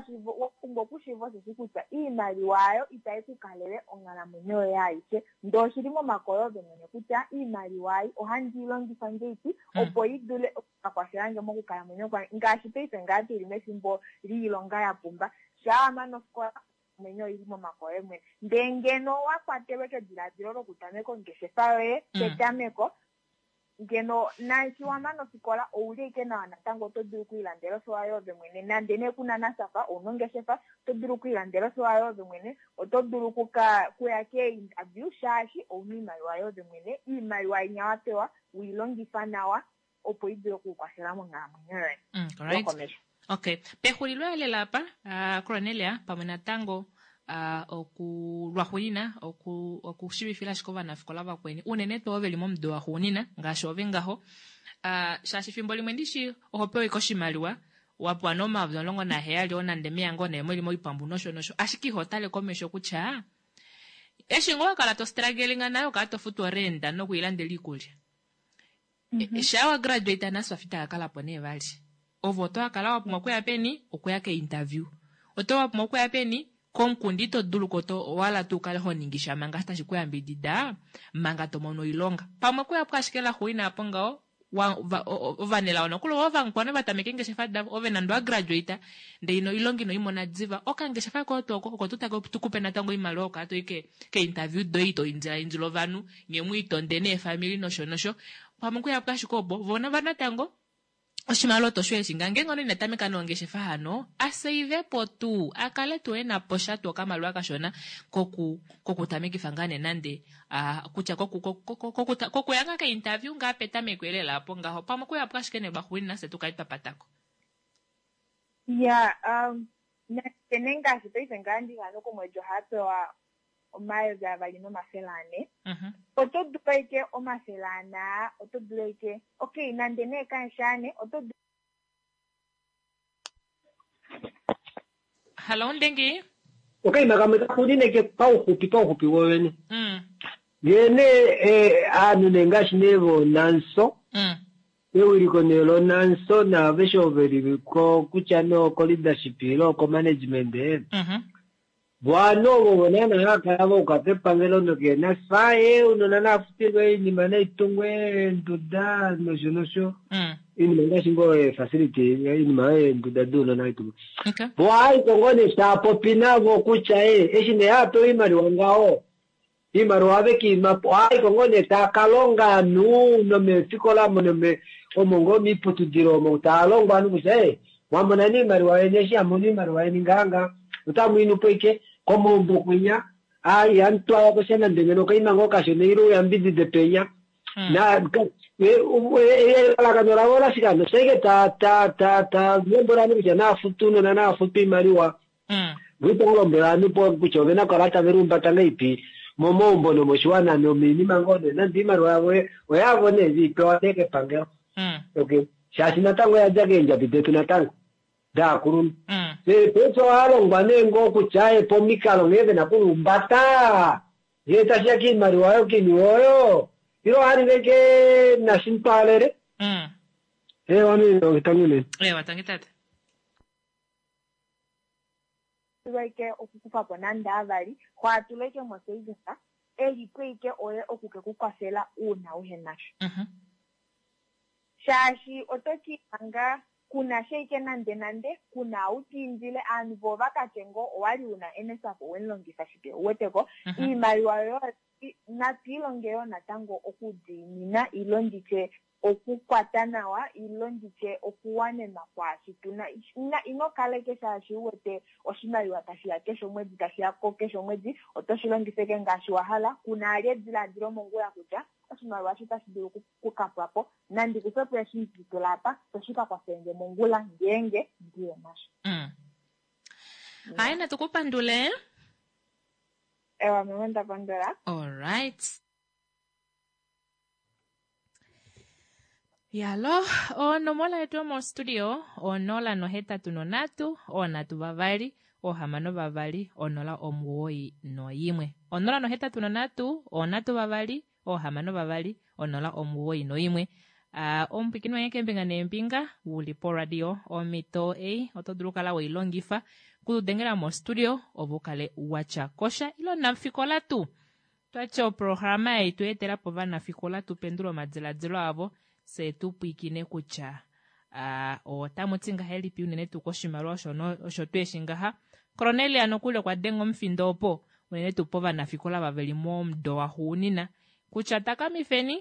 [SPEAKER 6] pumbwa okushiiva osheshi kutya iimaliwa ayo itai ku kalele onghalamwenyo yoye aishe. Ndee oshili momake oye ove mwene kutya iimaliwa ai ohandi i longifa ngeipi opo i dule okukakwafelange mokukalamwenyo kwange. Ngaashi paife ngaa tuli mefimbo liilonga ya pumba. Shaa wa mana ofikola mwenyo oili momake oye mwene. Ndee ngeno wa kwatelwe kediladilo lokutameka ongeshefa yoye petameko, ngeno naashi wa mana ofikola ouli ashike nawa natango oto dulu okwiilandela ofewa yoove mwene. Nande nee kuna NSFAF ouna ongeshefa, oto dulu okwiilandela ofewa yoove mwene, oto dulu okuka kuya kee-interview shaashi ouna iimaliwa yoove mwene. Iimaliwa inya wa pewa wiilongifa nawa opo i dule okukukwafela monghalamwenyo yoye.
[SPEAKER 1] Mm, alright.
[SPEAKER 6] Yokomesho.
[SPEAKER 1] Okay. Pexulilo elela apa, uh, Cornelia pamwe natango uh, oku lwaxuunina oku okushivifila ashike ovanafikola vakweni unene tuu ovo veli momudo waxuunina ngaashi ove ngaho uh, shaashi fimbo limwe ndishi oho pewa ike oshimaliwa wapewa nee omayovi omulongo naheyali oo nande meya ngoo nee mweli moipambu nosho nosho ashike iho tale komesho kutya eshi ngoo wakala to struggling nayo okala to futu orenda nokwiilandela iikulya. Mm -hmm. Shaa wa graduate NSFAF ita ka kala po nee vali. Ovo oto kala wa pumbwa okuya peni okuya ke-interview. Oto wa pumbwa okuya peni komukunda ito dulu ko to wala tuu kale ho ningisha manga tashi ku yambidida manga to mono oilonga. Pamwe kuya po ashike laxuuninwa apo ngaho ovanelao nokuli ovo vamukwana va tameka eengeshefa davo ove nande wa graduate ndee ino oilonga ino imona diva okangeshefa koye tuu oko oko tuu take tukupe natango oimaliwa okukala toi ke-interview doye ito indila indila ovanhu nye mwiitonde neefamili nosho nosho pamwe kuya po ashike opo vona va natango oshimaliwa oto sho eshi nga ngeenge ina tameka nongeshefa hano aseive po tuu akale tuu ena po sha tuu okamaliwa kashona koku kokutamekifa ngaa nee nande uh, kutya kokuya ngaa ke-interview ngaa petameko elela apo ngaho pamwe kuya po ashike nee lwaxuuninwa fye tukale twa patako.
[SPEAKER 6] Ya, um, nande ngaashi paife ngaa ndihano komwedi ohaya pewa omayovi avali nomafele ane.
[SPEAKER 1] Mm-hmm.
[SPEAKER 6] Oto dulu ashike omafele ane aa, oto dulu ashike okay nande nee kaeshi ane oto dulu
[SPEAKER 1] Hallo Ndengi.
[SPEAKER 5] Okaima kamwe kaxuunineke pauxupi pauxupi wovene.
[SPEAKER 1] Mm.
[SPEAKER 5] Ngee nee eh, aanhu nee ngaashi nee voNANSO
[SPEAKER 1] Mm.
[SPEAKER 5] ewiliko nee loNANSO naaveshe ovo veli ko kutya nee oko leadership ile oko management
[SPEAKER 1] Mm-hmm.
[SPEAKER 5] vo ovanhu ovo naana hava kala vauka kepangelo nokeenaSFAF ee ounona naafutilwe oinima naitungwe eenduda nosho nosho
[SPEAKER 1] Mm.
[SPEAKER 5] iinima ngaashi ngoo ee-facility iinima yeenduda dounona naitungwe.
[SPEAKER 1] Okay.
[SPEAKER 5] Vo ohaiko ngoo nee taapopi navo kutya ee eshi nee haapewa oimaliwa ngaho iimaliwa ohave kiimapo ohaiko ngoo nee taakalonga ovanhu nomeefikola omo nome omo ngoo miiputudilo omo taalongwa ovanhu kutya ee mwamona nee iimaliwa yeni eshi hamono iimaliwa yeni ngaanga otamu inupo ike komaumbo kwinya aa ihamu twalako sha nande ngeno okaima ngoo kashona ile uyambidide penya
[SPEAKER 1] Mm.
[SPEAKER 5] na elalakano lavo olashike hano shaike ta ta ta ta lombwela ovanhu kutya naafutu ounona naafutu oimaliwa
[SPEAKER 1] Mm.
[SPEAKER 5] vo itava lombwela ovanhu po kutya ovena okukala tave lihumbata ngahelipi momaumbo nomoshiwana nomiinima ngoo nee nande iimaliwa yavo oyavo nee veipewa nee kepangelo.
[SPEAKER 1] Mm.
[SPEAKER 5] Okay shaashi natango oyadja keendjabi detu natango daakulunhu.
[SPEAKER 1] Mm.
[SPEAKER 5] Paife ohalongwa nee ngoo kutya e pomikalo nghee vena okulihumbata ngee tashiya kiimaliwa oyo kiiniwe oyo ile ohaninga ike nashimutwaalele.
[SPEAKER 1] Mm.
[SPEAKER 5] Ewa nee tangi unene.
[SPEAKER 1] Ewa tangi tate.
[SPEAKER 6] Ike okukufa po nande avali hwaatula ike mo-savings elipo ike oye oku ke ku kwafela uuna uhenasha.
[SPEAKER 1] Mm-hmm.
[SPEAKER 6] Shaashi oto kiihanga kuna shaike nande nande, kuna ou tiindile aanhu vo vakatye ngoo owali una N S F A F owemulongifa shike, uweteko? Iimaliwa yoyo natu ilonge yoo natango okudiinina, ilo nditye okukwata nawa, ilo nditye okuwanenwa kwaashi tuna. Ino kaleke shaashi uwete oshimaliwa tashiya keshe omwedi, tashiya ko keshe omwedi, oto shi longifeke ngaashi wa hala. Kuna ali ediladilo mongula kutya oshimaliwa eshi otashi dulu kukapwa po, nandi kufe po eshi ndi tula apa, to shi ka kwafelenge mongula ngeenge ndiye nasho.
[SPEAKER 1] Mm. Hayi, natu kupandule.
[SPEAKER 6] Ewa mama, ndapandula.
[SPEAKER 1] Alright. Yalo, onomola yetu yomostudio onola nohetatu nonhatu onhatu vavali ohamano vavali onola omuwoi noyimwe, onola nohetatu nonhatu onhatu vavali ohamano vavali onola omuwoi noyimwe. Uh, omupwikini wange keembinga neembinga uli poradio, omhito ei oto dulu kala weilongifa kutudengela mostudio ovo ukale watya kosha ilo nafikola tuu twatya oprograma ei tu etela po vanafikola tu pendule omadiladilo avo, se tu pwiikine kutya uh, otamu ti ngahelipi unene tuu koshimaliwa osho tweeshi ngaha. Cornelia nokuli okwa denga omufindo opo unene tuu povanafikola vaveli momudo waxuunina kutya takamifeni,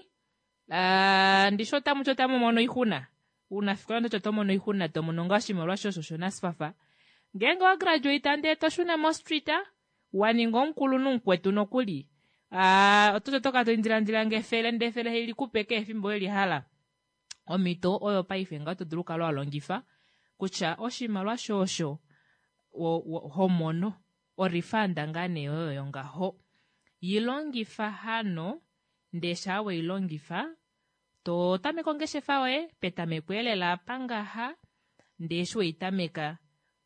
[SPEAKER 1] uh, ndisho otamu ti otamu mono oixuna unafikola, ndoti oto mono oixuna, to mono ngaa oshimaliwa shosho shoNSFAF ngeenge wa graduate ndee to shuna mostreet wa ninga omukulunhu mukwetu nokuli, uh, oto toka to indilandila ngefele ndee efele heli kupe kehe efimbo weli hala. Omhito oyo paife nga to dulu kala wa longifa kutya oshimaliwa shosho homono orifanda ngaa nee oyo yongaho yilongifa hano, ndee shaa weilongifa to tameka ongeshefa yoye petameko elela pangaha, ndee eshi weitameka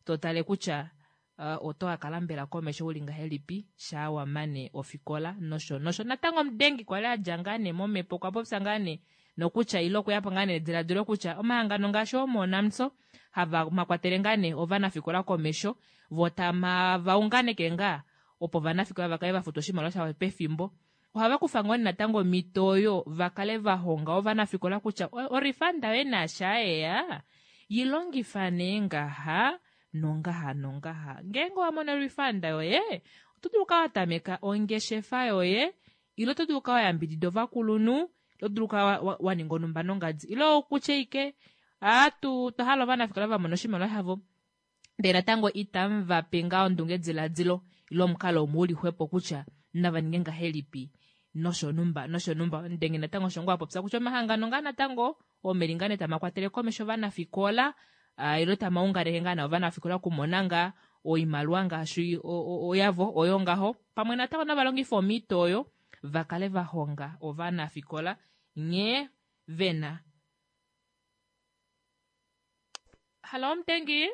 [SPEAKER 1] to tale kutya uh, oto kakala mbela komesho uli ngahelipi shaa wamane ofikola nosho nosho. Natango omudengi kwali adja ngaa nee momhepo okwa popya ngaa nee nokutya ilo okuyapo ngaa nee ediladilo kutya omahangano ngaashi oomoNAMSO hava makwatele ngaa nee ovanafikola komesho, vo tama vaunganeke ngaa opo ovanafikola vakale vafuta oshimaliwa shavo pefimbo, ohava kufa ngoo natango omhito oyo vakale vahonga ovanafikola kutya orifanda yoye naasha yeya yilongifa nee ngaha nongaha nongaha. Ngeenge wa mono orifanda yoye oto dulu kala watameka ongeshefa yoye, ilo oto dulu kala wayambidida ovakulunhu, ilo dulu kala wa ninga onumba nongadi, ilo okutya ike atu twahala ovanafikola vamona oshimaliwa shavo ndee natango itamu vape ngaa ondunge diladilo ilo omukalo umwe uli xwepo kutya nava ninge ngahelipi nosho numba nosho numba. Ndenge natango osho ngoo apopya kutya omahangano ngaa natango omeli ngaa nee tamakwatele komesho ovanafikola, uh, ilo tamaunganeke ngaa na ovanafikola okumona ngaa oimaliwa ngaashi oyavo oyo ngaho, pamwe natango navalongifa omhito oyo vakale vahonga ovanafikola nghee vena. Halo omutengi,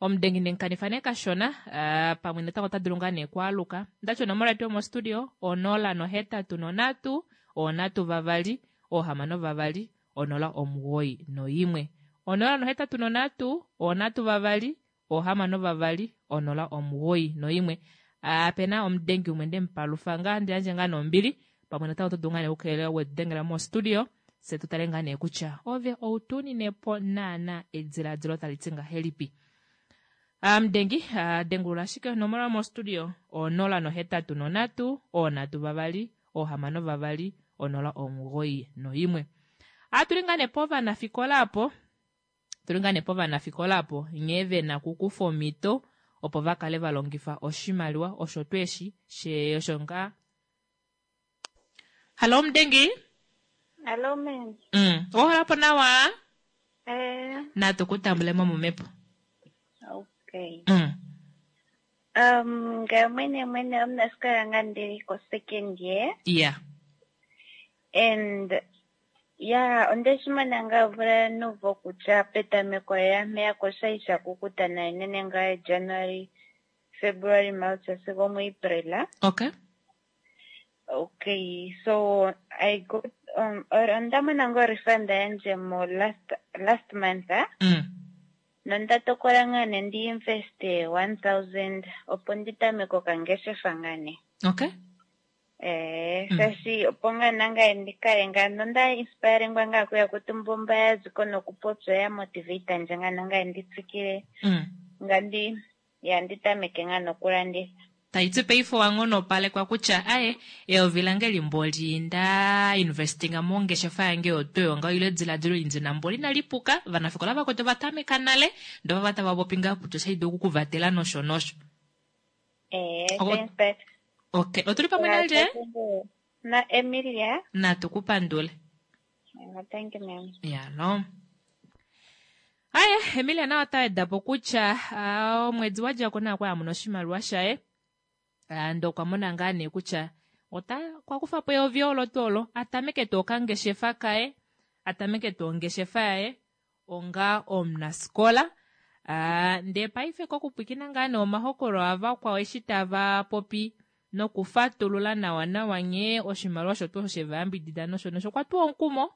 [SPEAKER 1] omudengi nenkanifa nee kashona, uh, pamwe natango ota dulu ngaa nee kwaaluka. Ndati onomola yetu yomostudio onola nohetatu nonhatu onhatu vavali ohamano vavali onola omuwoi noyimwe, onola nohetatu nonhatu onhatu vavali ohamano vavali onola omuwoi noyimwe. Apena omudengi umwe ndemupalufa ngaa ndiyandje ngaa nombili, pamwe natango oto dulu ngaa nee okukelela wetudengela mostudio se tu tale ngaa nee kutya ove outuninepo naana ediladilo tali ti ngahelipi. Mudengi uh, dengulula ashike onomola yomostudio onola nohetatu nonhatu onhatu vavali ohamano vavali onola omugoyi noyimwe. Atuli ngaa nee povanafikola apo, tuli ngaa nee povanafikola apo nghee vena okukufa omhito opo vakale valongifa oshimaliwa osho tweeshi she osho ngaa. Halo omudengi.
[SPEAKER 7] Hello ma'am.
[SPEAKER 1] Mm, ohola nawa?
[SPEAKER 7] Eh,
[SPEAKER 1] natu kutambule mo momhepo.
[SPEAKER 7] Okay.
[SPEAKER 1] Mm.
[SPEAKER 7] Um, ngaye mwene mwene omunasikola nga ndili ko second year
[SPEAKER 1] Yeah.
[SPEAKER 7] And yeah, ondeshi mona nga omvula nuvo kutya petameko lela mpeya koshali sha kukuta nayi nene nga January, February, March sigo muApril.
[SPEAKER 1] Okay.
[SPEAKER 7] Okay, so I got um or onda mona ngo refund yandje mo last last month, ah.
[SPEAKER 1] Mm.
[SPEAKER 7] Nonda tokola nga ne ndi investe one thousand opo ndi tameke okangeshefa nga ne.
[SPEAKER 1] Okay.
[SPEAKER 7] Eh,
[SPEAKER 1] Mm.
[SPEAKER 7] shaashi opo ngaa nangaye ndi kale ngaa nonda inspirengwa ngaa kuya kutumba mba ya ziko nokupopya ya motivate ndje ngaa nangaye ndi tsikile
[SPEAKER 1] Mm.
[SPEAKER 7] nga ndi ya ndi tameke ngaa nokulanditha.
[SPEAKER 1] Tayi ti paife owa ngonopalekwa kutya aye eyovi lange limbo li nda investinga mongeshefa yange yotoyo nga ile ediladilo li ndina mboli inali puka vanafikola vakwetu ovatameka nale ndoo vava tava popi ngaa kutya oshali dulu okukuvatela nosho nosho.
[SPEAKER 7] Eh,
[SPEAKER 1] Oko-
[SPEAKER 7] thanks, but
[SPEAKER 1] Okay, otuli pamwe nalye
[SPEAKER 7] na Emilia.
[SPEAKER 1] natu ku pandule.
[SPEAKER 7] Eh, Thank you, ma'am.
[SPEAKER 1] Yalo. Aye, Emilia naye ota weda po kutya ah, omwedi wa dja ko naye okwa mona oshimaliwa shaye. Ah, ndee okwa mona ngaa nee kutya ota okwa kufa po eyovi olo tuu olo a tameke tuu okangeshefa kaye, a tameke tuu ongeshefa yaye onga omunasikola. Ah, ndee paife kokupwikina ngaa nee omahokolo avakwao eshi tava popi nokufatulula nawa nawa nghee oshimaliwa osho tuu osho shevayambidida nosho nosho okwa tuwa omukumo.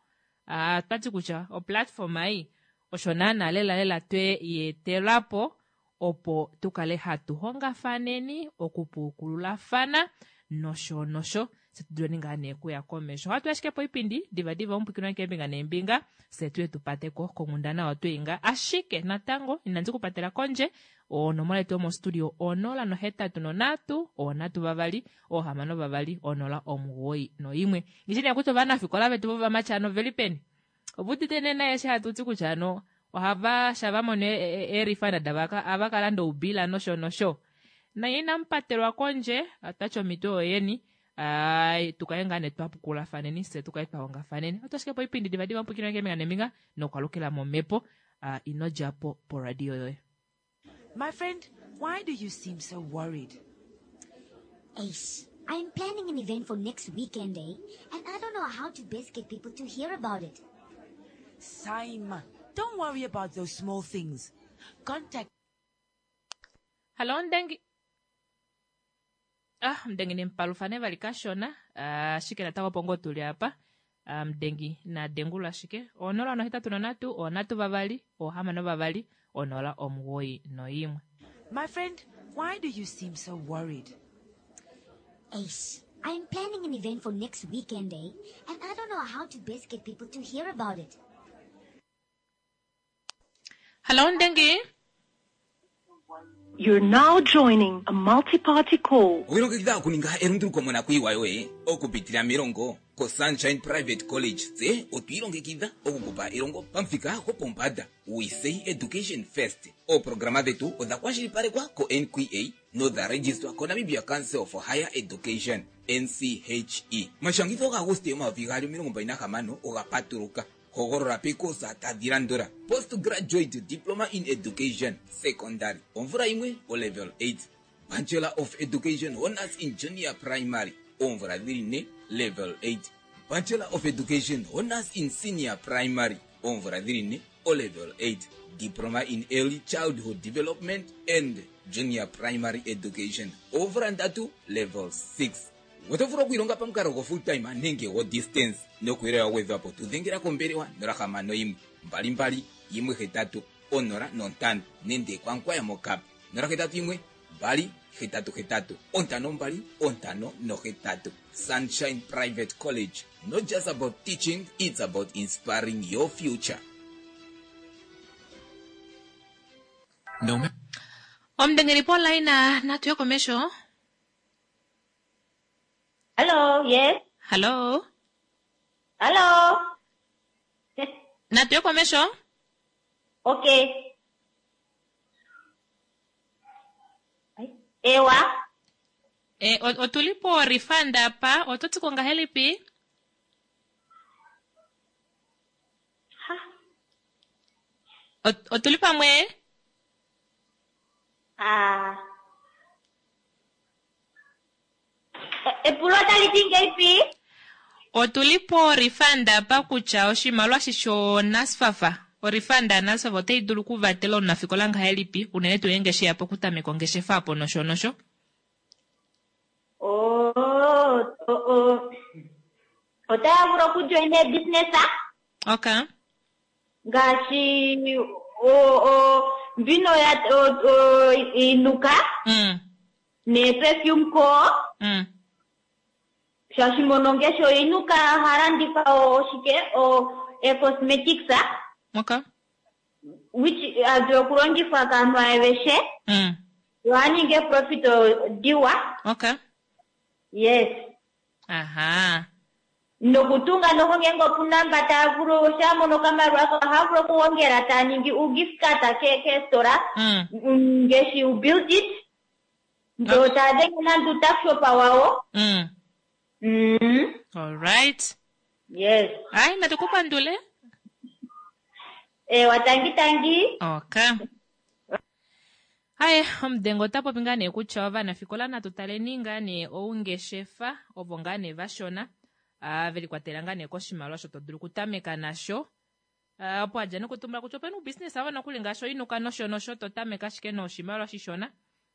[SPEAKER 1] Ah, twati kutya oplatform ei osho naana lela lela twe yeetelapo opo tukale hatu hongafaneni okupukululafana nosho nosho se tuduleni ngaa nee kuya komesho. Ohatu ashike poipindi divadiva omupwikino keembinga neembinga se tuye tupateko konghundana otweinga ashike natango inandi kupatela kondje onomola yetu yomostudio onola nohetatu nonhatu onhatu vavali ohamano vavali onola omugoyi noimwe. Ngishi nee kutya ovanafikola vetu vovamati ano oveli peni ovaudite nee naye eshi hatu ti kutya ano ohava shava mono eerifanda dava ava kalanda oubila nosho nosho naye inamupatelwa kondje otati omhito oyeni ai tukale ngaa nee twapukulafaneni fye tukale twahongafaneni. Oto ashike poipindi divadiva omupwikino keembinga neembinga nokwalukila momhepo uh, ino djapo poradio yoye.
[SPEAKER 2] My friend, why do you seem so worried?
[SPEAKER 3] Ace, I'm planning an event for next weekend, eh? And I don't know how to best get people to hear about it.
[SPEAKER 2] Saima, don't worry about those small things. Contact
[SPEAKER 1] Hallo Ndengi. Ah, Mdengi ni mpalufane vali kashona. Ah, ashike natango opo ngoo tuli apa. Ah, Mdengi na dengula ashike. Onola nohetatu nonhatu, onhatu vavali, ohamano vavali, onola omugoyi noimwe.
[SPEAKER 2] My friend, why do you seem so worried?
[SPEAKER 3] Ace, I'm planning an event for next weekend, eh? And I don't know how to best get people to hear about it.
[SPEAKER 1] Hallo Ndengi.
[SPEAKER 8] You're now joining a multi-party call.
[SPEAKER 9] Owilongekidha okuninga elunduluko monakuyiwa yoye okupitila melongo koSunshine Private College tse otwiilongekidha okukupa elongo pamuthika gopombanda. We say education first. Ooprograma dhetu odha kwashilipalekwa ko-N Q A nodha registwa koNamibia Council for Higher Education N C H E. Omashangitho gaAguste omayovi gaali omilongo mbali nahamano oga patuluka. Hogolola pekosa tadhi landula: Postgraduate Diploma in Education Secondary omvula yimwe o level eight, Bachelor of Education Honors in Junior Primary oomvula dhili ne level eight, Bachelor of Education Honors in Senior Primary oomvula dhili ne o level eight, Diploma in Early Childhood Development and Junior Primary Education oomvula ndatu level six. Oto vulu okwiilonga pamukalo go full time nenge go distance nokuyelela wagwedhwapo tudhengela kombelewa nola hamano yimwe mbali mbali yimwe hetatu onola nontano nenge kwankwaya mokap nola hetatu yimwe mbali hetatu hetatu ontano mbali ontano nohetatu. Sunshine Private College, not just about teaching, it's about inspiring your future.
[SPEAKER 10] No
[SPEAKER 1] Omudengeli polaina natu ye komesho.
[SPEAKER 11] Hello, yes.
[SPEAKER 1] Hello.
[SPEAKER 11] Hello.
[SPEAKER 1] Natu ye komesho.
[SPEAKER 11] Okay. Ewa.
[SPEAKER 1] E, otuli po refund apa, oto ti ko ngahelipi? Ot- Otuli pamwe?
[SPEAKER 11] Ah. E- Epulo otali ti ngeipi?
[SPEAKER 1] Otuli po refund apa kutya oshimaliwa shi shoNSFAF, orefund yaNSFAF otai dulu okuvatela omunafikola ngahelipi, unene tuu ngeenge sheya pokutameka ongeshefa apo nosho nosho.
[SPEAKER 11] Oh, oh, oh. Otaya vulu okujoina ebusiness
[SPEAKER 1] Okay.
[SPEAKER 11] ngaashi o- o- mbino ya o- o- inuka
[SPEAKER 1] Mm.
[SPEAKER 11] ne perfume co
[SPEAKER 1] Mm.
[SPEAKER 11] Shaashi mono ngeshi oinuka ha landifa oshike o e-cosmetics
[SPEAKER 1] Okay.
[SPEAKER 11] which adulu okulongifwa kaanhu aveshe
[SPEAKER 1] Mm.
[SPEAKER 11] yo aninge profit diwa.
[SPEAKER 1] Okay.
[SPEAKER 11] Yes.
[SPEAKER 1] Aha.
[SPEAKER 11] Nokutunga noho ngeenge opuna mba tava vulu shamono okamaliwa ohava vulu okuhongela tava ningi ugift card ke keesitola
[SPEAKER 1] Mm.
[SPEAKER 11] ngeshi ubuild it ndo tava denge nande utuckshop wawo.
[SPEAKER 1] Mm.
[SPEAKER 11] Mm.
[SPEAKER 1] All right.
[SPEAKER 11] Yes.
[SPEAKER 1] Ai, natukupandule.
[SPEAKER 11] Ewa tangi tangi.
[SPEAKER 1] Okay. Haye, omudengo ota popi ngaa nee kutya ovanafikola natu taleni ngaa nee oungeshefa ovo ngaa nee vashona ah, ve likwatela ngaa nee koshimaliwa osho to dulu okutameka nasho. Ah, opo adja nokutumbula kutya opena oubusiness ava nokuli ngaashi oinuka nosho nosho to tameke ashike noshimaliwa shishona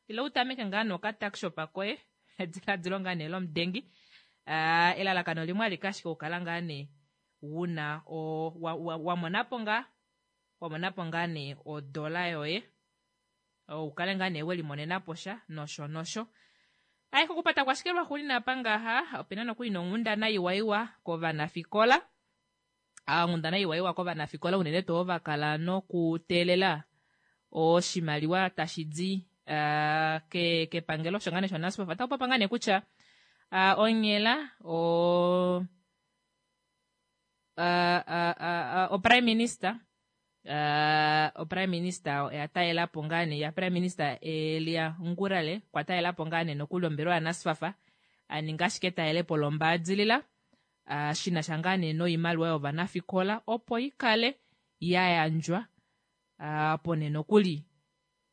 [SPEAKER 1] ile utameke ngaa nokatuckshop koye ediladilo ngaa nee lomudengi. Ah, elalakano limwe alike ashike okukala ngaa nee wuna o, wa, wa, wa monapo ngaa wa monapo ngaa nee odola yoye ukale ngaa nee welimonenapo sha nosho nosho. Ayi kokupata kwashike lwaxuulina apa ngaha opena nokuli nonghundana iwaiwa kovanafikola. Ah, onghundana iwaiwa kovanafikola unene tuu ovo vakala nokuteelela oshimaliwa tashi di ah, ke kepangelo osho ngaa nee shoNASFAF. Otaku popa ngaa nee kutya ah, onghela o ah, ah, ah, o prime minister uh, o prime minister oya talela po ngaa nee ya prime minister Elia Ngurale kwa talela po ngaa nee nokuli ombelewa yaNASFAF aninga ashike etalelepo lombaadilila uh, shina sha ngaa nee noimaliwa yovanafikola opo ikale ya yandjwa uh, opo nee nokuli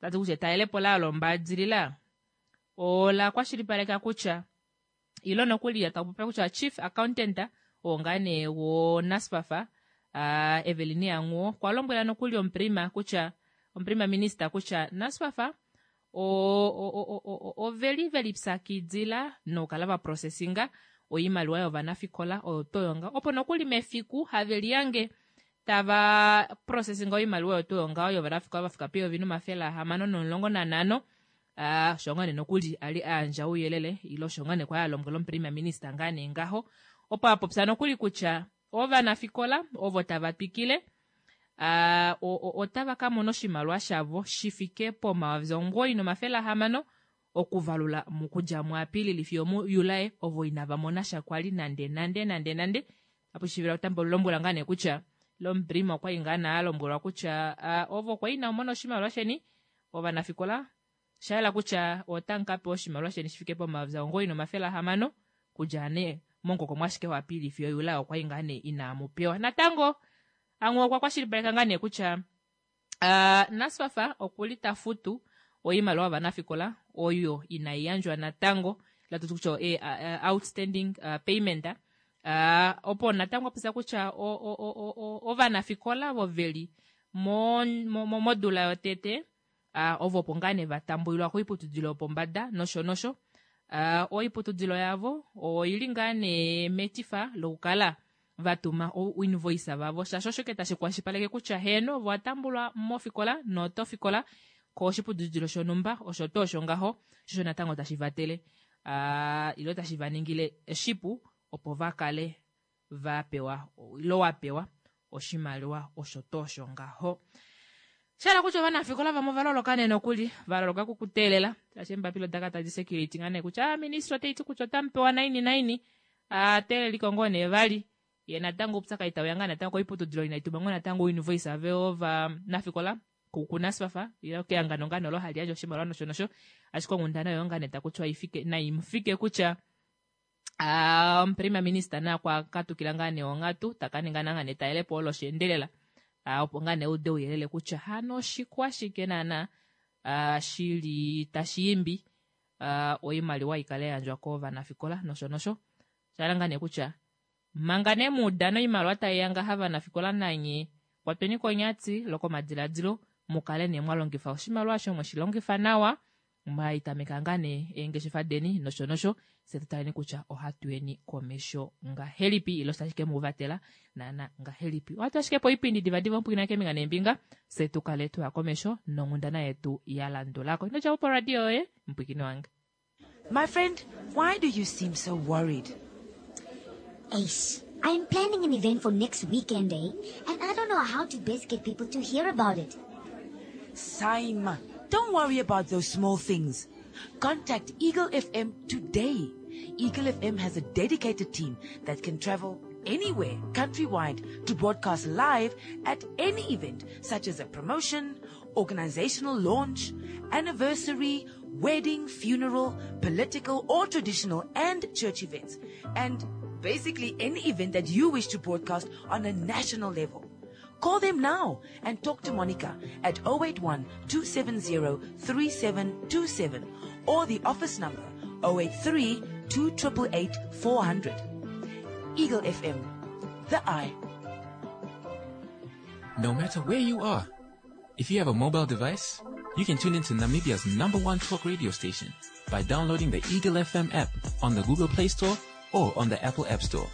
[SPEAKER 1] tati kutya etalelepo layo lombaadilila ola kwashilipaleka kutya ilo nokuli takupopiwa kutya chief accountant oo ngaa nee woNASFAF uh, Evelyn Yangwo okwa lombwela nokuli omuprima kutya omuprima minister kutya NASFAF oveli veli pyakidila nokukala va processinga oimaliwa yovanafikola oyo toyonga opo nokuli mefiku have liyange tava processinga oimaliwa oyo toyonga yovanafikola vafika peyovi nomafele ahamano nomulongo nanhano. Uh, osho ngaa nee nokuli ali ayandja ouyelele ile osho ngaa nee kwali alombwela omuprima minister ngaa nee ngaho opo apopya nokuli kutya ovanafikola ovo tava twikile uh, otava ka mona oshimaliwa shavo shifike pomayovi omugoyi nomafele ahamano okuvalula mokudja muApilili fiyo muJulae ovo inava mona sha kwali nande nande nande nande. Apo shivila otambo lombwela ngaa nee kutya lomuprima okwali ngaa nee alombwelwa kutya uh, ovo kwa ina mona oshimaliwa sheni ovanafikola shayela kutya otamu ka pewa oshimaliwa sheni shifike pomayovi omugoyi nomafele ahamano kudja nee mongokomwa ashike waApilili fiyo Julae okwali ngaa nee inamu pewa natango. Anghuwo okwa kwashilipaleka ngaa nee kutya uh, NASFAF okuli ta futu oimaliwa yovanafikola oyo inai yandjwa natango latuti kutya e, uh, outstanding uh, payment uh, opo natango apopya kutya ovanafikola ovo veli modula yotete uh, ovo opo ngaa nee vatambulilwa koiputudilo yopombada nosho nosho. Uh, oiputudilo yavo oili ngaa nee metifa lokukala vatuma oinvoice vavo shaashi osho ke tashi kwashilipaleke kutya heeno ovo watambulwa mofikola notofikola koshiputudilo shonhumba osho tuu osho ngaho shosho natango tashi vatele uh, ilo tashi vaningile shipu opo vakale vapewa ilo wapewa oshimaliwa osho tuu osho ngaho. Shala kutya ovanafikola vamwe ovaloloka nee nokuli valoloka kukuteelela shaashi eembapila odaka tadi security ngaa nee kutya ah, ministry otaiti kutya otamu naini naini ateeleliko ngoo nee vali ye natango oupyakadi tauya ngaa natango koiputudilo inaituma ngoo natango oinvoice ave ovanafikola kuNASFAF ile kehangano ngaa nee olo hali yandje oshimaliwa nosho nosho. Ashike onghundana oyo ngaa nee takutiwa ifike naimufike kutya omuprima minister naye okwa katukila ngaa nee onghatu taka ninga ngaa nee etalelepo olo sheendelela uh, opo ngaa nee ude ouyelele kutya hano oshikwashike naana uh, shili tashi imbi uh, oimaliwa ikale yandjwa kovanafikola nosho nosho. Shala ngaa nee kutya manga nee muudano oimaliwa taiya ngaha vanafikola nanye kwatweni konyati lokomadiladilo mukale nee mwalongifa oshimaliwa osho mweshilongifa nawa mwaitameka ngaa nee eengeshefa deni nosho nosho se tutaleni kutya ohatu yeni komesho ngahelipi ilo tashi ke muvatela naana ngahelipi. Ohatu ashike po oipindi divadiva omupwina keembinga neembinga se tukale tuya komesho nonghundana yetu ya landulako. Ino djapo poradio yoye mupwikini wange.
[SPEAKER 2] My friend, why do you seem so worried?
[SPEAKER 3] Ace, I'm planning an event for next weekend, eh? And I don't know how to best get people to hear about it.
[SPEAKER 2] Saima, don't worry about those small things. Contact Eagle F M today. Eagle F M has a dedicated team that can travel anywhere countrywide to broadcast live at any event, such as a promotion, organizational launch, anniversary, wedding, funeral, political or traditional and church events, and basically any event that you wish to broadcast on a national level. Call them now and talk to Monica at oh eight one two seven zero three seven two seven or the office number oh eight three two eight eight four hundred. Eagle F M, the eye.
[SPEAKER 10] No matter where you are, if you have a mobile device, you can tune into Namibia's number one talk radio station by downloading the Eagle F M app on the Google Play Store or on the Apple App Store.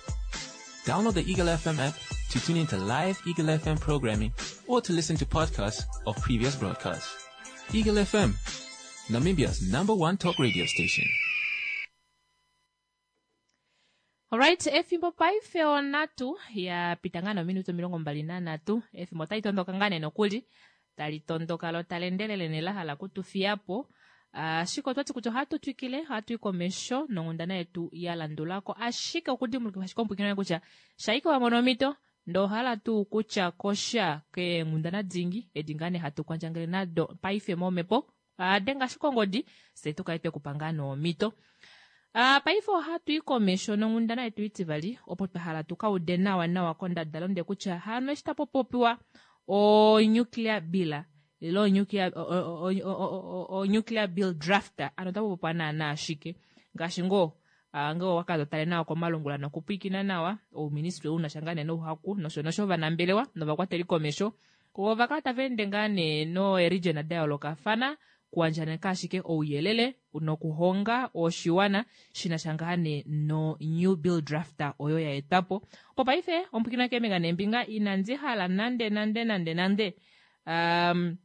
[SPEAKER 10] Download the Eagle F M app to tune into live Eagle F M programming or to listen to podcasts of previous broadcasts. Eagle F M, Namibia's number one talk radio station.
[SPEAKER 1] Alright, efimbo paife onatu ya pita ngaa nominute omilongo mbali nanhatu. Efimbo otali tondoka ngaa nee nokuli tali tondoka lo tali endelele ne la hala kutufiyapo. Ashike otwati kutya ohatu twikile, ohatu i komesho nonghundana yetu ya landulako, ashike okudimbulukifa ashike omupwilikini kutya shaike wa mona omhito ndee ohala tuu kutya kosha keenghundana dingi edi ngaa nee hatu kwandjangele nado paife momhepo, denga ashike ongodi fye tukale twekupa ngaa nee omhito. Uh, paife ohatu i komesho nonghundana yetu itivali opo twa hala tuka ude nawa nawa kondadalunde kutya hano eshi tapu popiwa o nuclear bill ile o nuclear, o, o, o, o, nuclear bill draft, ano otapu popiwa naana ashike ngaashi ngoo uh, ngoo wakala totale nawa komalungula nokupwiikina nawa ouministry una sha ngaa nee nouhaku nosho nosho ovanambelewa novakwateli komesho ova kala tava ende ngaa nee noeregion da yoolokafana kuandjaneka ashike ouyelele nokuhonga oshiwana shina sha ngaa nee no new bill drafter oyo ya etwapo. Opo paife omupwiikini keembinga neembinga inandi hala nande nande nande nande um,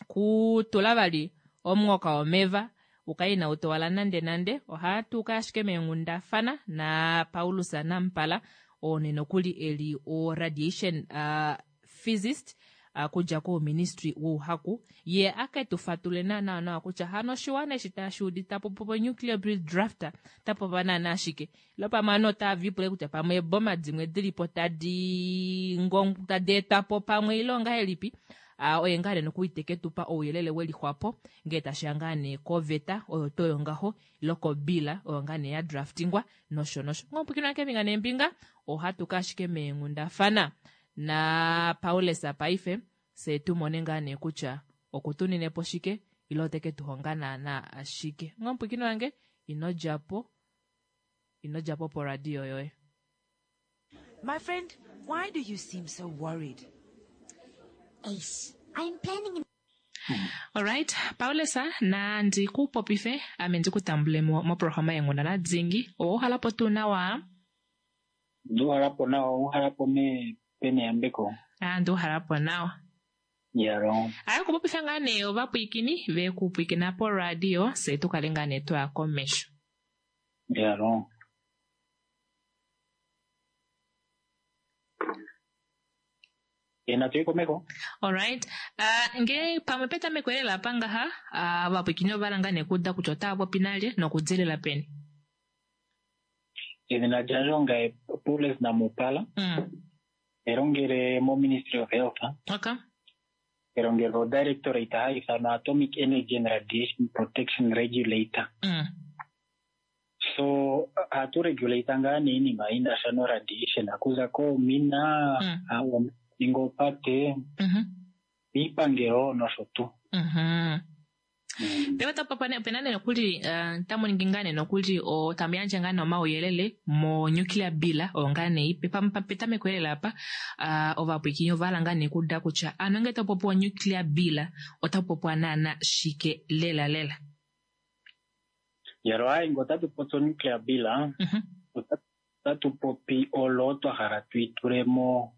[SPEAKER 1] kutula vali omunghoka womeva ukale inau towala nande nande. Ohatu ka ashike meenghundafana na Paulus Nampala oo nee nokuli eli o radiation uh, physicist uh, kudja kouministry wouhaku ye ake tu fatule nawa nawa kutya hano oshiwana eshi tashi udita popo nuclear bill drafter tapopa naana ashike ilo pamwe ovanhu otava lipula kutya pamwe eeboma dimwe dilipo tadi tadi etwapo pamwe ile ongahelipi. Uh, oye ngaa nee nokuli teke tupa ouyelele welixwapo ngee tashiya ngaa nee koveta oyo toyo ngaho ile kobila oyo ngaa nee ya draftingwa nosho nosho. Ngomupwilikini keembinga neembinga ohatu ka ashike meenghundafana na Paulus paife fye tumone ngaa nee kutya okutunine po shike ile oteke tuhonga naana ashike. Ngomupwilikini wange ino djapo, ino djapo poradio yoye.
[SPEAKER 2] My friend, why do you seem so worried?
[SPEAKER 3] Ace, I'm planning an
[SPEAKER 1] Alright, Paulus, nandi kupopife ame ndikutambule moprograma yenghundana dingi. Owa tuu nawa?
[SPEAKER 12] Nduhalapo nawa, uhalapo me pene yambeko.
[SPEAKER 1] Ah, nduhalapo nawa.
[SPEAKER 12] Yaro.
[SPEAKER 1] Aye kupopifa ngaa nee ovapwiikini vekupwiikina poradio fye tukale ngaa nee twaya komesho.
[SPEAKER 12] Yaro. Natu komeko.
[SPEAKER 1] Alright. Uh, nge pamwe petameko lela apa ngaha uh, ovapwiikini ova ngaa nee kuuda kutya otava popi nalye nokudilila peni.
[SPEAKER 12] Edhina lyandje ongaye Paulus Namupala.
[SPEAKER 1] Mm.
[SPEAKER 12] Elongele mo Ministry of Health.
[SPEAKER 1] Okay.
[SPEAKER 12] Elongelo directorate hayi ithanwa Atomic Energy and Radiation Protection Regulator.
[SPEAKER 1] Mm.
[SPEAKER 12] So ohatu regulate ngaa nee iinima yina sha no radiation okuza koomina, mm. ninga opate,
[SPEAKER 1] mm -hmm.
[SPEAKER 12] miipangelo nosho tuu.
[SPEAKER 1] Mm -hmm. Pewe opena nee nokuli uh, tamu ningi ngaa nee nokuli tamu yandje ngaa nee omauyelele mo nuclear bill oyo ngaa nee ipe petameko lela apa uh, ovapwiikini ova hala ngaa nee kuuda kutya ano ngee tapu popiwa nuclear bill otapu popiwa naana shike lela lela.
[SPEAKER 12] Yalo ayi ngo otatu popi nuclear bill,
[SPEAKER 1] mm -hmm.
[SPEAKER 12] otatu popi olo twa hala tuitulemo,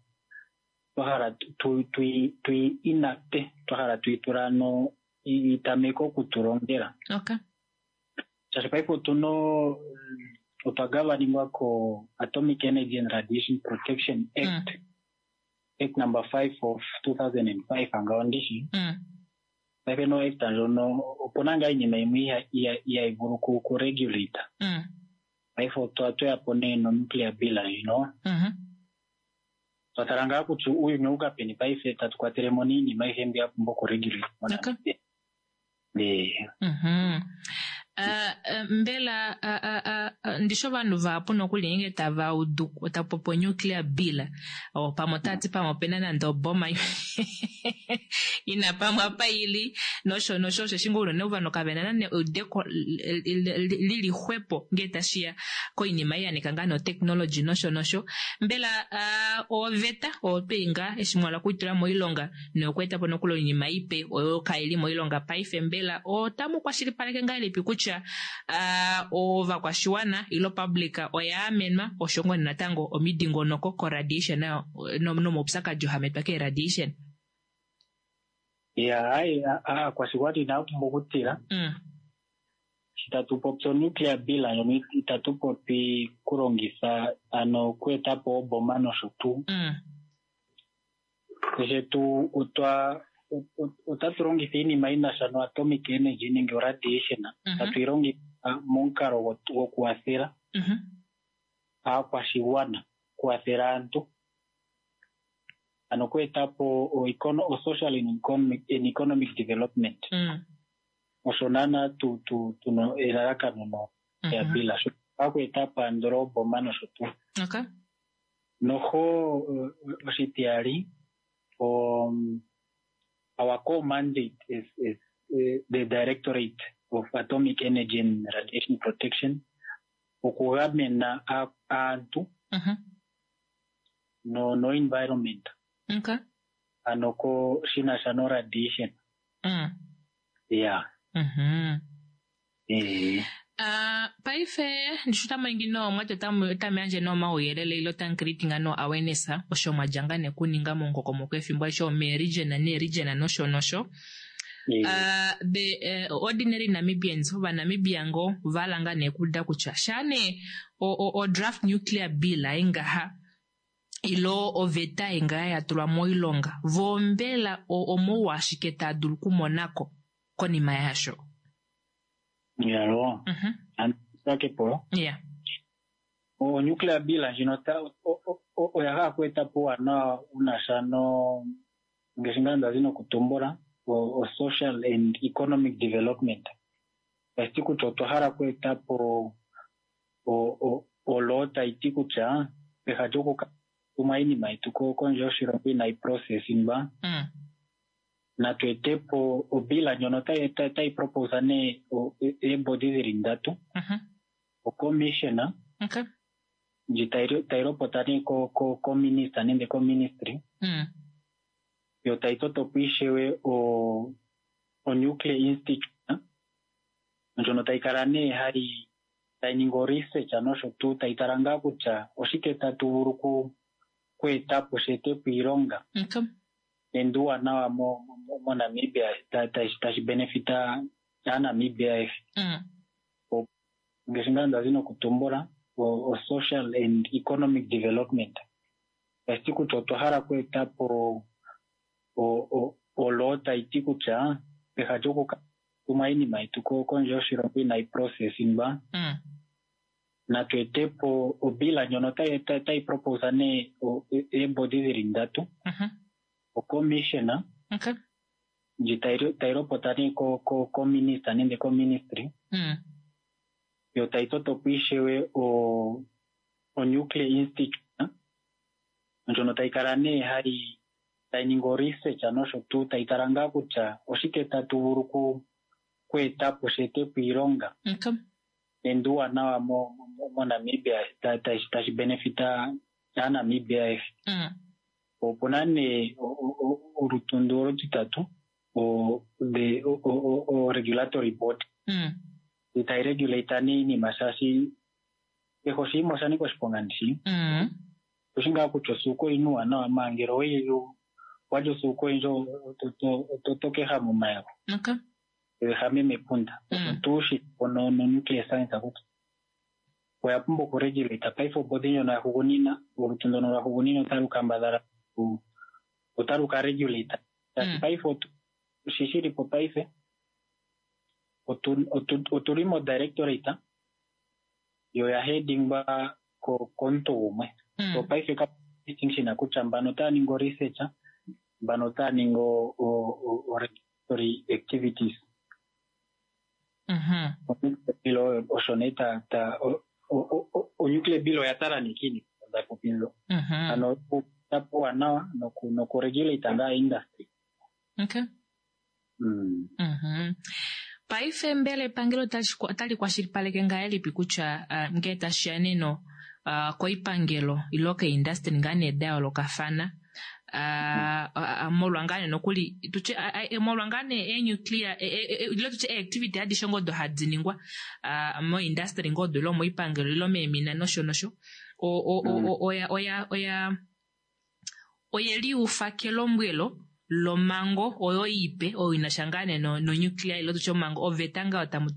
[SPEAKER 12] twa hala tui inacte, twa hala tuitula ano itameke okutulongela.
[SPEAKER 1] Okay.
[SPEAKER 12] Shaashi paife otuna otwa gavaningwa ko Atomic Energy and Radiation Protection Act Act number five of two thousand and five angaho ndishi
[SPEAKER 1] Mm.
[SPEAKER 12] paife no act ndjono opuna ngaa iinima yimwe iha- iha- ihayi vulu ku- ku regulate
[SPEAKER 1] Mm.
[SPEAKER 12] paife otwa tweyapo nee no nuclear bill ndjino
[SPEAKER 1] Mhm.
[SPEAKER 12] twa tala ngaa kutya uuyuni owuka peni paife tatu kwatelemo niinima ayihe mbi ya pumbwa okuregulate moNamibia. Eh,
[SPEAKER 1] Mhm. Ah, ah, mbela ah, ah, ah, ah, ndishi ovanhu vahapu nokuli ngenge tava udu tapopi nuclear bill o pamwe otati pamwe opena nande oboma ina pamwe apa ili nosho nosho osheshi ngoo unene ovanhu kavena nande eudeko lili xwepo ngee tashiya koinima ei yanika ngaa notechnology nosho nosho mbela ah, oveta otwei ngaa eshi mwala okuitula moilonga nokweeta po nokuli oinima ipe oyo kaili moilonga paife mbela otamu kwashilipaleke ngahelipi kutya ah, ovakwashiwana ilo public oya amenwa osho ngoo natango omidingonoko koradiation nayo no- nomaupyakadi oo hametwa keeradiation
[SPEAKER 12] ya hayi aakwashigwana inaya pumbwa okutila
[SPEAKER 1] mm.
[SPEAKER 12] shi tatu popi o-nuclear bill ndjono itatu popi kulongitha ano okweeta po oboma nosho tuu
[SPEAKER 1] Mm.
[SPEAKER 12] shetu otwa ot- otatu longitha iinima yi na sha no-atomic energy nenge o-radiation
[SPEAKER 1] Mhm.
[SPEAKER 12] tatu yi longitha momukalo go- gokuwathela
[SPEAKER 1] Mhm.
[SPEAKER 12] aakwashigwana kuwathela aantu ano okweeta po o-econo- o-social and economic, and economic development
[SPEAKER 1] Mm.
[SPEAKER 12] osho naana tu tu tuna elalakano no ya
[SPEAKER 1] Mhm.
[SPEAKER 12] bila sho akweeta po andola oboma nosho tuu
[SPEAKER 1] Okay.
[SPEAKER 12] noho uh, oshitiyali um, our core mandate is, is uh, the directorate of atomic energy and radiation protection okugamena a- aantu
[SPEAKER 1] Mhm.
[SPEAKER 12] no, no environment
[SPEAKER 1] Okay.
[SPEAKER 12] ano ko shina sha no radiation
[SPEAKER 1] Mm.
[SPEAKER 12] yeah
[SPEAKER 1] Mhm.
[SPEAKER 12] eh
[SPEAKER 1] Ah, paife ndishi otamu ningi no mwati otamu otamu yandje nee omauyelele ile otamu creating no awareness osho mwadja ngaa nee kuninga momukokomoko efimbo alishe omeeregion neeregion nosho nosho Uh, the uh, ordinary Namibians ovanamibia ngoo vala ngaa nee kuuda kutya shaa nee o, o, o draft nuclear bill ai ngaha ilo oveta ei ngaha ya tulwa moilonga voo mbela o- omouwa ashike taa dulu okumonako konima yasho
[SPEAKER 12] yalo
[SPEAKER 1] Mhm.
[SPEAKER 12] ansakepo
[SPEAKER 1] yeah
[SPEAKER 12] o nuclear bill ndjino ota- o- o- o- oya hala okweeta po uuwanawa wuna sha no ngaashi ngaa ndazi nokutumbula o, o social and economic development tashi ti kutya otwa hala okweeta po o- o- oloo tayi ti kutya peha lyokukatuma iinima yetu ko- kondje yoshilongo inayi processingwa
[SPEAKER 1] mm.
[SPEAKER 12] natu ete po obila ndjono tayi tayi- tayi proposa nee o- e- eebodi dhili ndatu
[SPEAKER 1] Mhm.
[SPEAKER 12] ocommissioner
[SPEAKER 1] Okay.
[SPEAKER 12] ndji tayi tayi lopota nee ko- ko- kominista nenge koministry
[SPEAKER 1] Mm.
[SPEAKER 12] yo tayi toto po ishewe o o nuclear institute ndjono tayi kala nee hayi tayi ningi o research nosho tuu tayi tala ngaa kutya oshike tatu vulu ku kweeta po shi ete po iilonga
[SPEAKER 1] Okay.
[SPEAKER 12] nende uuwanawa mo- mo- moNamibia ta- tashi tashi benefita aaNamibia ayehe
[SPEAKER 1] Mm.
[SPEAKER 12] ngaashi ngaa ndazi nokutumbula o, o social and economic development tashi ti kutya otwa hala okweeta po o, o, oloo tayi ti kutya peha lyokukatuma iinima yetu ko- kondje yoshilongo inayi processingwa
[SPEAKER 1] Mm.
[SPEAKER 12] natu ete po obila ndjono tayi tayi- tayi proposa nee o- e- eebodi dhili ndatu
[SPEAKER 1] Mhm.
[SPEAKER 12] ocommissioner
[SPEAKER 1] Okay.
[SPEAKER 12] ndji tayi tayi lopota nee ko- ko- kominista nenge koministry
[SPEAKER 1] Mm.
[SPEAKER 12] yo tayi toto po ishewe o, o nuclear institute ndjono tayi kala nee hayi tayi ningi o research nosho tuu tayi tala ngaa kutya oshike tatu vulu ku kweeta po shi ete po iilonga
[SPEAKER 1] Okay.
[SPEAKER 12] nende uuwanawa mo- mo- moNamibia ta- tashi tashi benefita aaNamibia ayehe
[SPEAKER 1] Mm.
[SPEAKER 12] opuna nee o- o- o- olutundu olutitatu o the o, o, o regulatory board
[SPEAKER 1] Mm.
[SPEAKER 12] tayi regulate nee iinima shaashi kehe oshinima osha nika oshiponga ndishi
[SPEAKER 1] Mm.
[SPEAKER 12] oshi ngaa kutya osuuka oyina uuwanawa maa ngele oweyi walya osuuka oyindji oto keha momayego
[SPEAKER 1] Okay.
[SPEAKER 12] ehame mepunda
[SPEAKER 1] Mm.
[SPEAKER 12] tuu shi no no nuclear science kutya Oya pumbwa okuregulate paife obodi ndjono ya hugunina, olutu ndono lwa hugunina otalu kambadhala ku- otalu ka regulate. Shaashi paife otu- shi shili po paife otu- otu- otuli mo directorate yo ya headingwa ko- komuntu gumwe. So paife ka distinction kutya mbano otaya ningi o research, mbano otaya ningi o- o- o- o regulatory activities.
[SPEAKER 1] Mhm.
[SPEAKER 12] O-nuclear bill oyo osho nee ta ta o- o- o- o-nuclear bill oya tala nee kiinima nda popi ndjo.
[SPEAKER 1] Mhm.
[SPEAKER 12] Ano okueta puuwanawa noku nokuregulate ngaa industry.
[SPEAKER 1] Okay.
[SPEAKER 12] Mm.
[SPEAKER 1] Mhm. Paife mbela epangelo otali otali kwashilipaleke ngahelipi kutya uh, ngee tashiya neno uh, koipangelo ilo keindustry ngaa nee da yoolokafana uh, uh, molwa ngaa nee nokuli tutye uh, uh, molwa ngaa nee eenuclear e, e, e, ilo tutye eactivity adishe ngoo odo hadi ningwa uh, moindustry ngoo odo ilo moipangelo ilo meemina nosho nosho o, o, o, o, oya oya oya oye liufa kelombwelo lomango oyo ipe oyo inasha ngaa nee no, no nuclear ilo tutye omango oveta ngaa tamu,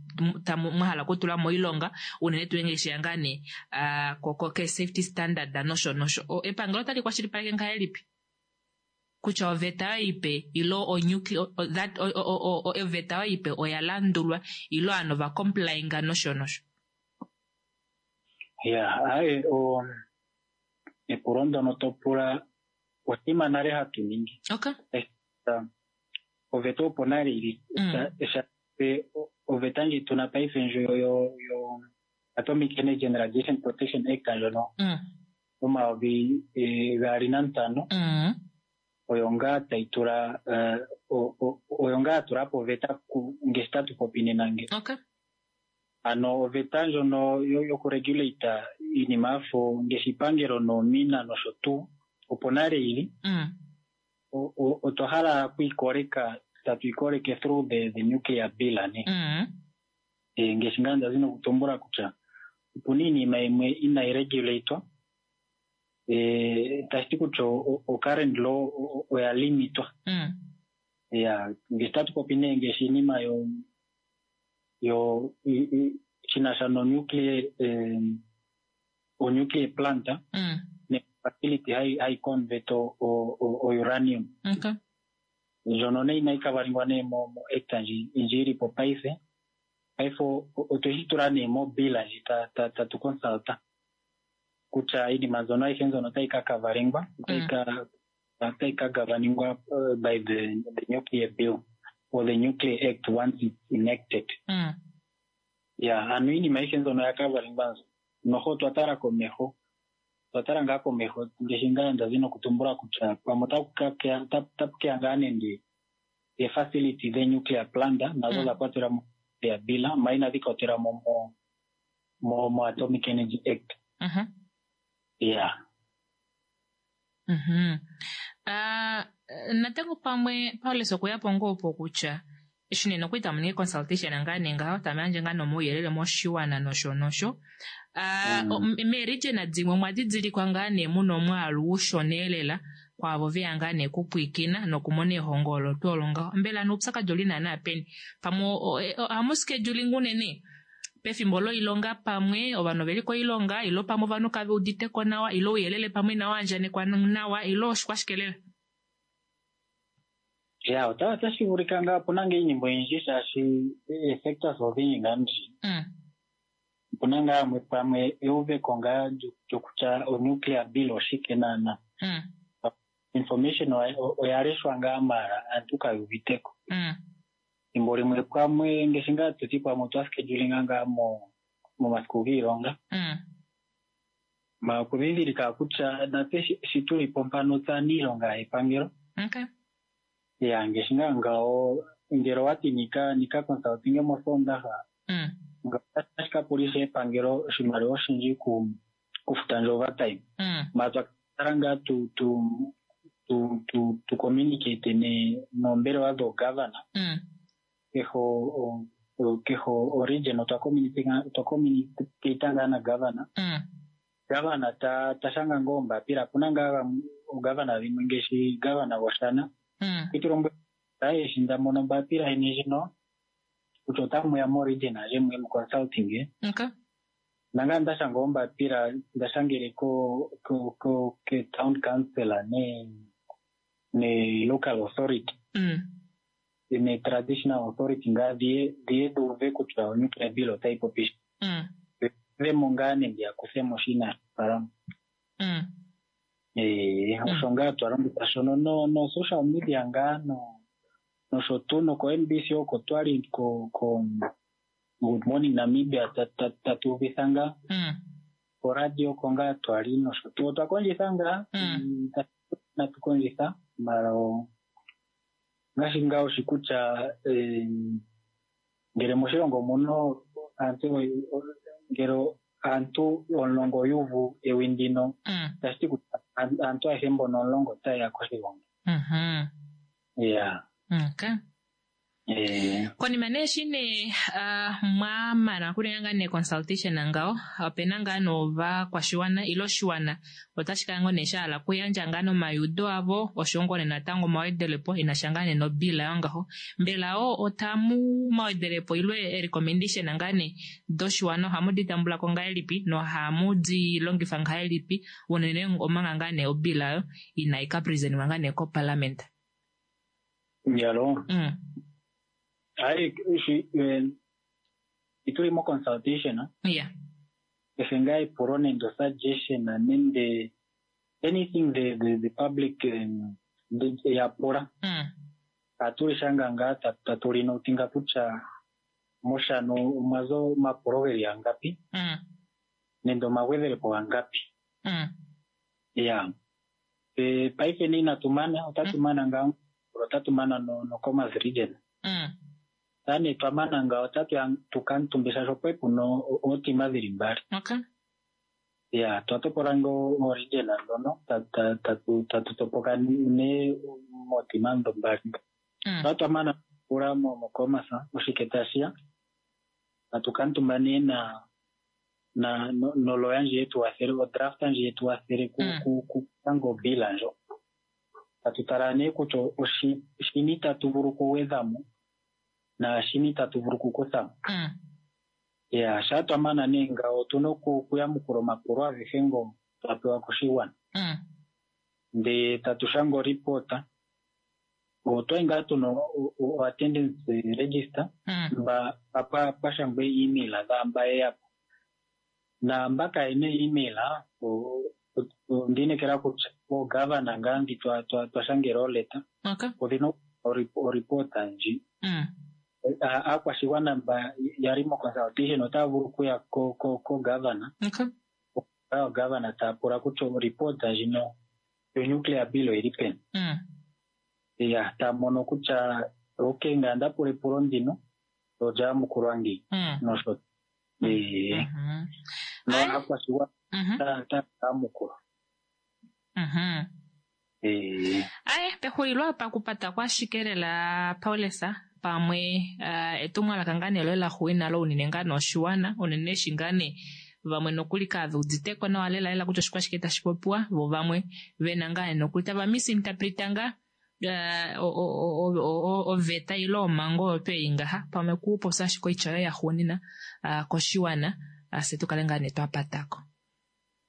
[SPEAKER 1] tamu mwahala okutula moilonga unene tuu ngee sheya ngaa nee uh, ko, ko, ke safety standard nosho nosho. O, epangelo otali kwashilipaleke ngahelipi kutya oveta oyo ipe ilo o nuclear o, that o, o, o, o, oveta oyo ipe oya landulwa ilo ovanhu va complyinga nosho nosho.
[SPEAKER 12] Ya, aye o epulo ndono to pula oshinima nale hatu ningi.
[SPEAKER 1] Okay.
[SPEAKER 12] Eh, Oveta opo nale ili
[SPEAKER 1] Mm.
[SPEAKER 12] sha- pe- o- oveta ndji tuna paife ndjo yo yo Atomic Energy and Radiation Protection Act ndjono
[SPEAKER 1] Mm.
[SPEAKER 12] omayovi eh, gaali nantano
[SPEAKER 1] Mm.
[SPEAKER 12] oyo ngaa tayi tula eh, o- o- oyo ngaa ya tula po oveta ku- ngaashi tatu popi nena nge.
[SPEAKER 1] Okay.
[SPEAKER 12] Ano oveta ndjono yo- yokuregulate iinima yafo ngaashi iipangelo noomina nosho tuu opo nale ili
[SPEAKER 1] Mm.
[SPEAKER 12] o- o- otwa hala okwiikoleka tatu ikoleke through the, the nuclear bill ne
[SPEAKER 1] Mm.
[SPEAKER 12] e, ngaashi ngaa ndazi nokutumbula kutya opuna iinima yimwe inayi regulatwa e, tashi ti kutya o, o current law o- o- oya limitwa
[SPEAKER 1] Mm.
[SPEAKER 12] ya ngaashi tatu popi nee ngaashi iinima yo yo i- i- shinasha no nuclear eh, o nuclear plant
[SPEAKER 1] Mm.
[SPEAKER 12] ne facility hayi hayi convert o, o, o, o uranium
[SPEAKER 1] Okay.
[SPEAKER 12] ndjono nee inayi kavalingwa nee mo mo act ndji ndji ili po paife paife o- o- otweshi tula nee mo bill ndji ta ta tatu consulta kutya iinima mbyono ayihe mbyono otayi ka kavalingwa otayi ka otayi ka gavaningwa uh, by the, the nuclear bill or the nuclear act once it's enacted
[SPEAKER 1] Mm.
[SPEAKER 12] ya ano iinima ayihe mbyono oya kavalingwa nzo noho otwa tala komeho otwa tala ngaa komeho ngaashi ngaa ndazi nokutumbula kutya pamwe otaku ka keya- ota- otapu keya ngaa nende e-facility dhe nuclear plant nazo
[SPEAKER 1] Mm.
[SPEAKER 12] dha kwatelwa mo nuclear bill ma inadhi kwatelwa mo mo mo mo atomic energy act
[SPEAKER 1] Mhm.
[SPEAKER 12] ya
[SPEAKER 1] Mhm. Ah, natango pamwe Paulus okweya po ngoo po kutya eshi nee nokuli tamu ningi consultation ngaa nee ngaho tamu yandje ngaa nomauyelele moshiwana nosho nosho. Ah,
[SPEAKER 12] Mm.
[SPEAKER 1] o- meeregion dimwe omwa didilikwa ngaa nee muna omwaalu ushona elela kwaavo veya ngaa nee kupwiikina nokumona ehongo olo tuu olo ngaho. Mbela noupyakadi oli naana peni? Pamwe o- o- ohamu scheduling unene pefimbo loilonga pamwe ovanhu oveli koilonga ilo pamwe ovanhu kave uditeko nawa ilo ouyelele pamwe inawu andjanekwa nawa ilo oshikwashike lela.
[SPEAKER 12] ya ota otashi vulika ngaa opuna ngaa iinima oyindji shaashi e-sectors odhindji ngaa ndji
[SPEAKER 1] Mm.
[SPEAKER 12] opuna ngaa yamwe pamwe euveko ngaa lyo- lyokutya o nuclear bill oshike naana
[SPEAKER 1] Mm.
[SPEAKER 12] information oya oya leshwa ngaa maala aantu kayu uviteko
[SPEAKER 1] Mm.
[SPEAKER 12] thimbo limwe pamwe ngaashi ngaa toti pamwe otwa schedulinga ngaa mo momasiku giilonga
[SPEAKER 1] Mm.
[SPEAKER 12] ma okudhindhilika kutya natse shi- shi tuli po mpano tse aaniilonga yepangelo
[SPEAKER 1] Okay.
[SPEAKER 12] ya ngaashi ngaa ngawo ngele owati nika nika consultinge mosoondaha
[SPEAKER 1] Mm.
[SPEAKER 12] nga otashi ka pulisa epangelo oshimaliwa oshindji ku kufuta ndje overtime
[SPEAKER 1] Mm.
[SPEAKER 12] ma twa kala ngaa tu tu tu tu tu communicate ne noombelewa dhoogavana
[SPEAKER 1] Mm.
[SPEAKER 12] kehe o- o- kehe o region otwa communicate otwa communicate ngaa na gavana
[SPEAKER 1] Mm.
[SPEAKER 12] gavana ta ta shanga ngoo ombapila opuna ngaa gamwe- oogavana dhimwe ngaashi gavana gwoshana
[SPEAKER 1] Mm.
[SPEAKER 12] itulombwele aye eshi nda mono ombapila yeni ndjino kutya otamu ya mo region aje muye mu consulting
[SPEAKER 1] Okay.
[SPEAKER 12] Nanga nda shanga ombapila nda shangele ko ko ko ke town councillor ne ne local authority
[SPEAKER 1] Mm.
[SPEAKER 12] ne traditional authority ngaa dhiye dhiye dhi uve kutya onuclear bill otayi popi shi.
[SPEAKER 1] Mm.
[SPEAKER 12] Dhemo ngaa nenge ya kuthemo shi inaashi
[SPEAKER 1] Mm.
[SPEAKER 12] Eh, osho ngaa twa longitha shono no no social media ngaa no nosho tuu noko N B C oko twali ko ko Good Morning Namibia tatu uvitha ngaa
[SPEAKER 1] Mm.
[SPEAKER 12] koradio oko ngaa twali nosho tuu otwa kondjitha ngaa
[SPEAKER 1] Mm.
[SPEAKER 12] natu kondjitha mara o- ngaashi ngaa oshi kutya eh, ngele moshilongo muno aantu ngele aantu omulongo yuuvu ewi ndino
[SPEAKER 1] Mm.
[SPEAKER 12] tashi ti kutya aantu ayehe mbono omulongo otaye ya koshigongi
[SPEAKER 1] Mhm.
[SPEAKER 12] ya
[SPEAKER 1] Okay.
[SPEAKER 12] eh,
[SPEAKER 1] Konima nee eshi nee ah, mwamana okuninga ngaa nee consultation ngawo, opena ngaa novakwashiwana ile oshiwana otashi kala ngoo nee shahala okuyandja ngaa nomayudo avo oshowo ngoo nee natango omawedelepo enasha ngaa nee nobila yongaho. Mbela wo otamu mawedelepo ile erecommendation ngaa nee doshiwana ohamu di tambulako ngahelipi nohamu di longifa ngahelipi unene omanga ngaa nee obila yo inai ka presentwa ngaa nee koparliament?
[SPEAKER 12] Yalo
[SPEAKER 1] Mm.
[SPEAKER 12] hayi shi eh, ituli mo consultation
[SPEAKER 1] Yeah.
[SPEAKER 12] kehe ngaa epulo nenge suggestion nenge anything the, the, the public um, the- ya pula
[SPEAKER 1] Mm.
[SPEAKER 12] atuli shanga ngaa ta- tatu linotinga kutya moshano omwa za omapulo geli angapi
[SPEAKER 1] Mm.
[SPEAKER 12] nenge omagwedhelepo gangapi
[SPEAKER 1] Mm.
[SPEAKER 12] ya e, paife ne inatu mana otatu mana ngaa otatu mana no, no Khomas region
[SPEAKER 1] Mm.
[SPEAKER 12] tane twa mana ngaa otatu ya tukamutumbisa sho pwe puno ootima dhili mbali
[SPEAKER 1] Okay.
[SPEAKER 12] ya twa topola ngo oregion ndhono ta- ta- tatu tatu topoka ne mootima ndho mbali
[SPEAKER 1] Mm.
[SPEAKER 12] twa twa mana pula mo moKhomas oshike tashiya tatu kamutumba nee na na no- noloya ndji yetu wathele odraft ndji yetu wathele ku
[SPEAKER 1] Mm.
[SPEAKER 12] ku ku kanga obila ndjo tatu tala nee kutya oshi shini tatu vulu okugwedhamo naashini tatu vulu okukuthamo
[SPEAKER 1] Mm.
[SPEAKER 12] ya shaa twa mana nee ngawo otuna oku- okuyamukula omapulo agehe ngo twa pewa koshigwana
[SPEAKER 1] Mm.
[SPEAKER 12] ndee tatu shanga oripota otwali ngaa tuna o- o- o attendance register
[SPEAKER 1] Mm.
[SPEAKER 12] mba pa pwa shangwa email dhaamba yeyapo naamba kayena email o- o- ondiinekela kutya oogavana ngaa ndhi twa twa twa shangela oleta
[SPEAKER 1] Okay.
[SPEAKER 12] odhina oripota ndji
[SPEAKER 1] Mm.
[SPEAKER 12] A- aakwashigwana mba yali mo consultation otaya vulu okuya ko ko ko gavana
[SPEAKER 1] Okay.
[SPEAKER 12] oogavana taya pula kutya oripota ndjino yo nuclear bill oyili peni
[SPEAKER 1] Mm.
[SPEAKER 12] ya taya mono kutya okay nga nda pula epulo ndino olya yamukulwa ngeyi
[SPEAKER 1] Mm.
[SPEAKER 12] nosho ee
[SPEAKER 1] Mhm.
[SPEAKER 12] no
[SPEAKER 1] Aye.
[SPEAKER 12] aakwashigwana
[SPEAKER 1] Mhm.
[SPEAKER 12] taya taya yamukula
[SPEAKER 1] Mhm.
[SPEAKER 12] ee
[SPEAKER 1] Aye, pexulilo apa kupata kwashike lela Paulus pamwe uh, etumwalaka ngaa nee loye laxuuninwa unene ngaa noshiwana unene eshi ngaa nee vamwe nokuli kave uditeko nawa lela lela kutya oshikwashike tashi popiwa vo vamwe vena ngaa nee nokuli tava misinterpreta ngaa uh, o- o- o- o- oveta ile omhango oyo tuu ei ngaha pamwe kupopya ashike oitya yoye yaxuuninwa uh, koshiwana uh, fye tukale ngaa nee twapatako.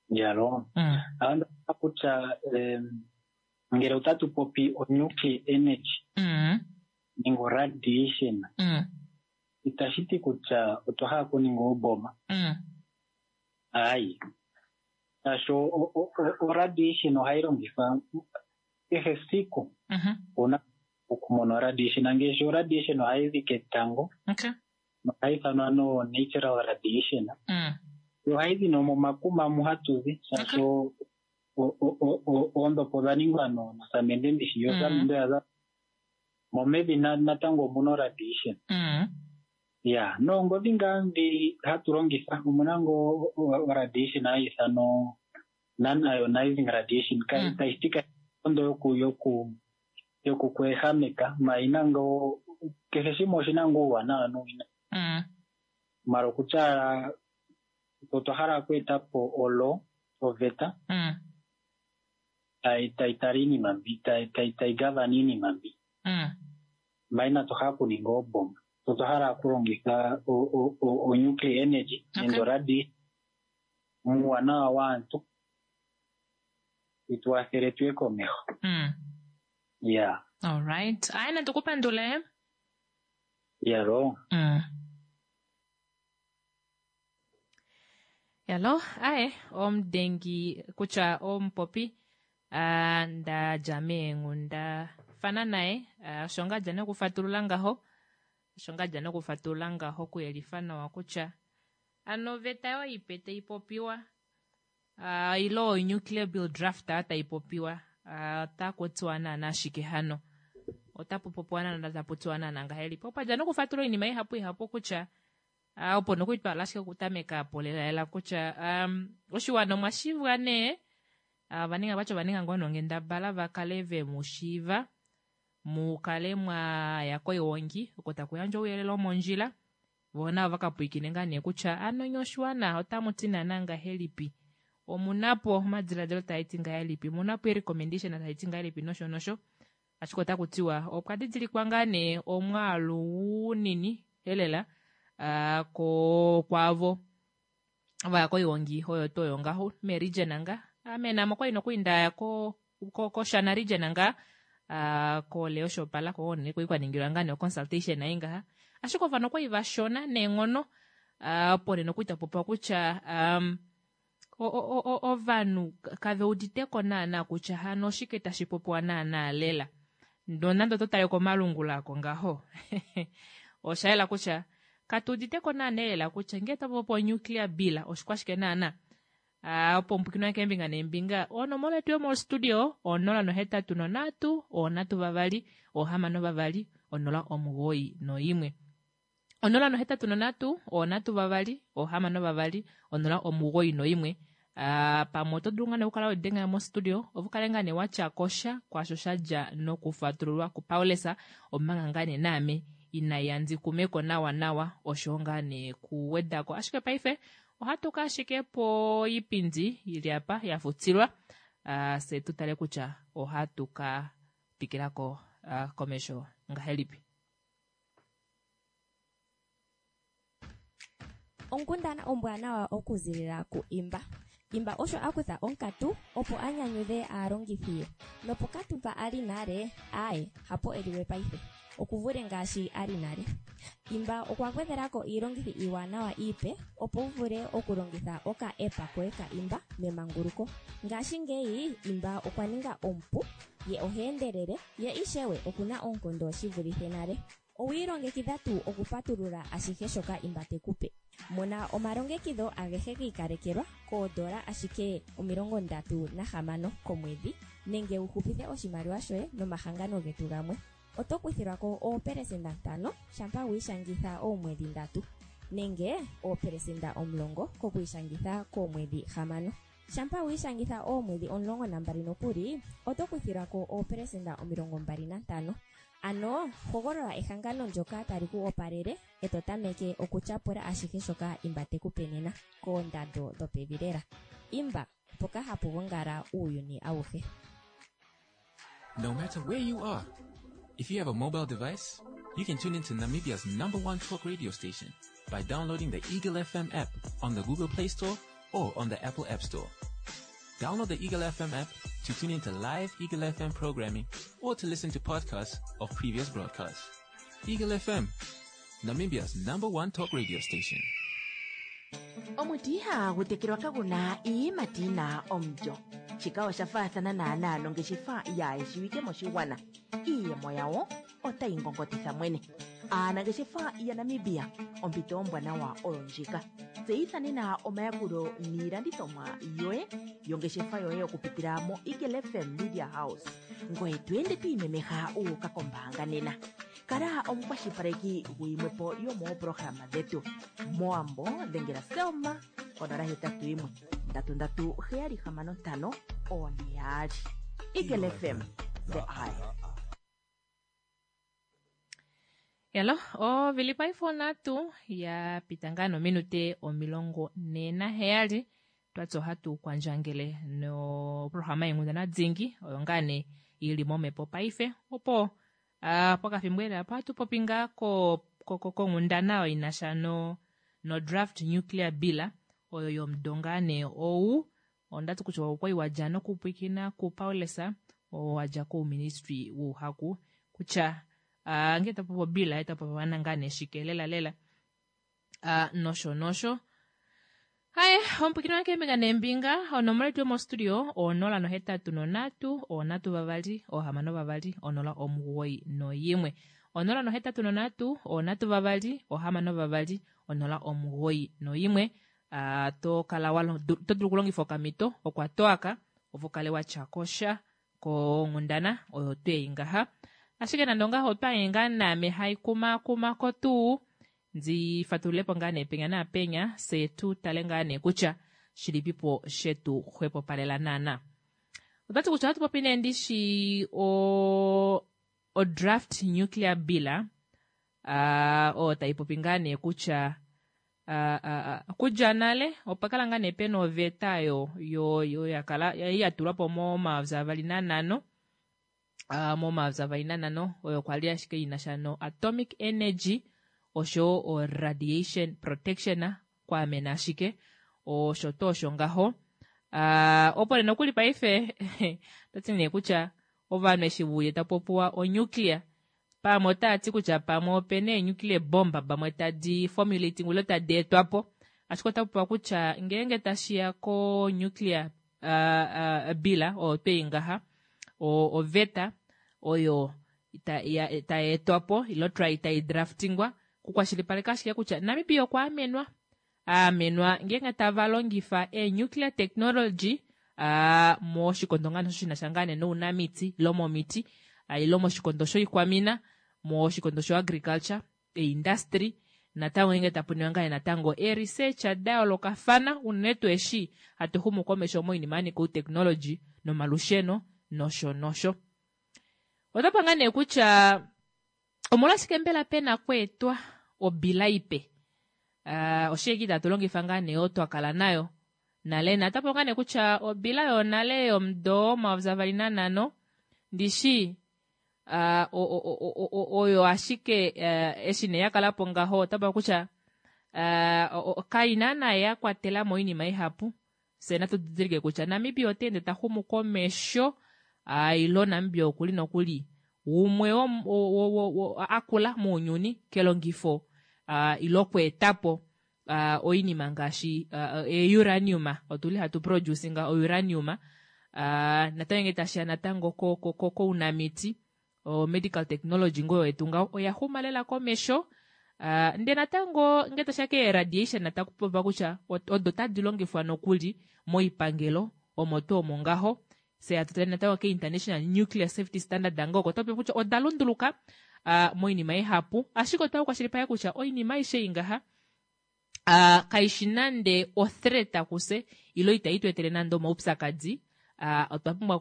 [SPEAKER 12] Yalo
[SPEAKER 1] Mm.
[SPEAKER 12] onda kutya em, ngele otatu popi o nuclear energy
[SPEAKER 1] Mm.
[SPEAKER 12] nenge radiation
[SPEAKER 1] Mm.
[SPEAKER 12] itashi ti kutya otwa hala okuninga ooboma
[SPEAKER 1] Mm.
[SPEAKER 12] ayi shaashi o- o- o- o radiation ohayi longithwa kehe esiku
[SPEAKER 1] Mhm.
[SPEAKER 12] una okumona oradiation ngaashi oradiation ohayi zi ketango
[SPEAKER 1] Okay.
[SPEAKER 12] nohayi ithanwa no natural radiation
[SPEAKER 1] Mm.
[SPEAKER 12] yo ohayi zi nomomakuma mu hatu zi shaashi o- o- o- o- oondhopi odha ningwa no- nosamende ndishi yo
[SPEAKER 1] Mm.
[SPEAKER 12] osamende oya za momevi na- natango omuna oradiation
[SPEAKER 1] Mm.
[SPEAKER 12] ya noongodhi ngaa ndhi hatu longitha omuna ngo oradiation hayi ithanwa non ionizing radiation
[SPEAKER 1] Mm.
[SPEAKER 12] tayi ti ondo yoku yoku yoku kweehameka ma ina ngo kehe shimwe oshina ngo uuwanawa nuuwinayi
[SPEAKER 1] Mm.
[SPEAKER 12] mala okutya otwa hala okweeta po olo oveta
[SPEAKER 1] Mm.
[SPEAKER 12] tayi tayi tala iinima mbi tayi tayi tayi gavana iinima mbi
[SPEAKER 1] Mm.
[SPEAKER 12] ma inatu hala okuninga ooboma otwa hala okulongitha o- o- o- o nuclear energy
[SPEAKER 1] Okay.
[SPEAKER 12] nenge oradi Muuwanawa waantu yi tu wathele tuye komeho.
[SPEAKER 1] Mm.
[SPEAKER 12] Ya.
[SPEAKER 1] Alright. Aye natukupandule.
[SPEAKER 12] Yalo.
[SPEAKER 1] Mm. Yalo, aye, omudengi kutya omupopi ah, nda dja meenghunda fana naye ah, osho ngaa dja nokufatulula ngaho osho ngaa dja nokufatulula ngaho okuyelifa nawa kutya ano oveta yo ipe tai popiwa ah, ile o-nuclear bill draft aa tai popiwa ah, otaku tiwa naana ashike hano otapu popiwa naana tapu tiwa naana ngahelipi opo dja nokufatulula oinima ihapu ihapu kutya ah, opo nokutwala ashike okutameka po lelalela kutya um, oshiwana omwa shivwa nee ah, ovaninga vatya ovaninga ngoo nonghendabala va kale ve mu shiiva mu kale mwa ya koiwongi oko taku yandjwa ouyelele womondjila voo navo vakapwiikine ngaa nee kutya ano nye oshiwana otamu ti naana ngahelipi omunapo omadiladilo taa ti ngahelipi omunapo eerecommendation tai ti ngahelipi nosho nosho ashike otaku tiwa opwa didilikwa ngaa nee omwaalu unini elela ah, ko kwaavo vaya koiwongi oyo tuu oyo ngaho meregion nga ame namo kwali nokuli ndaya ko ko koshana region nga ah, ko Leo Shopala ko ne kwali kwaningilwa ngaa nee consultation ai ngaha ashike ovanhu okwali vashona neenghono ah, opo nee nokuli tapopiwa kutya um, o- o- o- ovanhu kave uditeko naana kutya hano oshike tashi popiwa naana lela nonande oto tale komalungula ako ngaho osha yela kutya katu uditeko naana lela kutya ngee tapopiwa onuclear bill oshikwashike naana Ah, opo mpwikinwa keembinga neembinga onomola yetu yomostudio onola nohetatu nonhatu onhatu vavali ohamano vavali onola omugoyi noimwe onola nohetatu nonhatu onhatu vavali ohamano vavali onola omugoyi noimwe Ah, pamwe oto dulu ngaa nee okukala wedenga mostudio opo ukale ngaa nee watya kosha kwaasho sha dja nokufatululwa kuPaulus omanga ngaa nee naame inaya ndikumeko nawa nawa osho ngaa nee kuwedako ashike paife ohatu ka ashike poipindi ili apa ya futilwa uh, se tu tale kutya ohatu ka twikilako uh, komesho ngahelipi.
[SPEAKER 13] Onkundana ombwanawa okuzilila ku Imba. Imba osho a kutha onkatu opo a nyanyudhe aalongithi ye. Nopokatu mpa a li nale, aaye, hapo e liwe paife. Okuvule ngaashi a li nale. Imba okwa gwedhelako iilongithi iiwanawa iipe opo wu vule okulongitha oka-app koye ka Imba memanguluko. Ngashingeyi Imba okwa ninga omupu, ye oha endelele, ye ishewe okuna oonkondo shi vulithe nale. Owi ilongekidha tuu okupatulula ashihe shoka Imba te ku pe? Mona omalongekidho agehe gi ikalekelwa koodola ashike omilongo ndatu nahamano komwedhi nenge wu hupithe oshimaliwa shoye nomahangano getu gamwe. Oto kuthilwa ko oopelesenda ntano shampa wi ishangitha oomwedhi ndatu nenge oopelesenda omulongo kokwiishangitha koomwedhi hamano. Shampa wi ishangitha oomwedhi omulongo nambali nokuli oto kuthilwa ko oopelesenda omilongo mbali nantano. Ano hogolola ehangano ndyoka tali ku opalele e to tameke okutyapula ashihe shoka Imba te ku pe nena koondando dhopevi lela. Imba, mpoka hapu gongala uuyuni awuhe.
[SPEAKER 10] No matter where you are, if you have a mobile device, you can tune into Namibia's number one talk radio station by downloading the Eagle F M app on the Google Play Store or on the Apple App Store. Download the Eagle F M app to tune into live Eagle F M programming or to listen to podcasts of previous broadcasts. Eagle F M, Namibia's number one talk radio station.
[SPEAKER 2] Omuti ihagu tekelwa kaguna iiyimati yina omulyo. Shika osha faathana naanaa nongeshefa yaayeshiwike moshigwana. Iiyemo yawo otayi ngongotitha mwene. Aanangeshefa yaNamibia, ompito ombwanawa oyo ndjika. Tseyitha nena omayakulo niilandithomwa yoye yongeshefa yoye okupitila mo Eagle F M Media House. Ngoye to ende to imemeha wu uka kombaanga nena. Kala omukwashilipaleki guyimwepo yomooprograma dhetu. Moambo dhengela Selma konola hetatu yimwe ndatu ndatu heyali hamano ntano one yaali. Eagle F M, the eye.
[SPEAKER 1] Yalo, ovili paife nhatu ya pita ngaa nominute omilongo ne naheyali. Twati ohatu kwandjangele noprograma yenghundana dhingi oyo ngaa nee ili momhepo paife. Opo, ah, pokafimbo lela opo hatu popi ngaa ko-, ko-, ko-, konghundana oyo ina sha no, no draft nuclear bill Oyo yomudo ngaa nee ou ondati kutya okwali wadja nokupwiikina kuPaulus oo wadja kouministry wouhaku kutya uh, ngee tapopi obila etapopi ngaa nee shike lela lela uh, nosho nosho. Haye omupwikini wange keembinga neembinga onomola yetu yomostudio onola nohetatu nonhatu onhatu vavali ohamano vavali onola omugoyi noyimwe onola nohetatu nonhatu onhatu vavali ohamano vavali onola omugoyi noyimwe. Uh, to kala wa to dulu okulongifa okamito okwatoaka opo kale watya kosha konghundana oyo twei ngaha. Ashike nande ongaho otwaye ngaa naame haikumakumako tuu ndi fatululepo ngaa nee penya naapenya se tu tale ngaa nee kutya shilipipo shetu xwepopalela naana. Otwati kutya ohatu popi nee ndishi o o draft nuclear bill uh, oyo tai popi ngaa nee kutya uh, uh, kudja nale opa kala ngaa nee pena oveta yo yo yo yakala ya tulwa po momayovi avali nanhano uh, momayovi avali nanhano oyo kwali ashike inasha no atomic energy osho o radiation protection kwaamena ashike osho to osho ngaho. Uh, opo nee nokuli paife toti nee kutya ovanhu eshi vuye tapopiwa onuclear pamwe otaati kutya pamwe opena eenuclear bomb pamwe tadi formulating ile tadi etwapo, ashike otapopiwa kutya ngeenge tashiya ko nuclear uh, uh, bill oyo twei ngaha oveta oyo tai etwapo ilo try tai draftingwa kukwashilipaleka ashike kutya Namibia okwa amenwa aamenwa ngeenge tava longifa e-nuclear technology uh, moshikondo ngaa shinasha ngaa nee nounamiti ilo momiti uh, ilo moshikondo shoikwamina moshikondo sho agriculture e-industry natango ngeenge tapuniwa ngaa natango e-research da yoolokafana unene tuu eshi hatu xumu komesho moinima ya nika outechnology nomalusheno nosho nosho. Otapa ngaa nee kutya omolwashike mbela pena kweetwa obila ipe uh, oshike itatu longifa ngaa nee oyo twakala nayo nale natapo ngaa nee kutya obila yonale yomudo omayovi avali nanhano ndishi uh, oyo ashike uh, eshi nee yakalapo ngaho otapo kutya uh, kaina naye yakwatela mo oinima ihapu. Se natu didilike kutya Namibia ota ende ta xumu komesho uh, ilo Namibia okuli nokuli umwe akula mounyuni kelongifo uh, ilo kweetapo uh, oinima ngaashi uh, e-uranium otuli hatu producinga o-uranium uh, natango nge tashiya natango kounamiti o medical technology ngoyo yetu ngaho oya xuma lela komesho uh, nde natango nge tashiya ke radiation nataku popiwa kutya odo tadi longifwa nokuli moipangelo omo tuu omo ngaho. Se atu natango ke International Nuclear Safety Standard ngoko tope kutya oda lunduluka uh, moinima ihapu, ashike otwa kwashilipaleka kutya oinima aishe ingaha uh, kaishi nande othreat kuse ilo itayi tu etele nande omaupyakadi. Uh, otwa pumbwa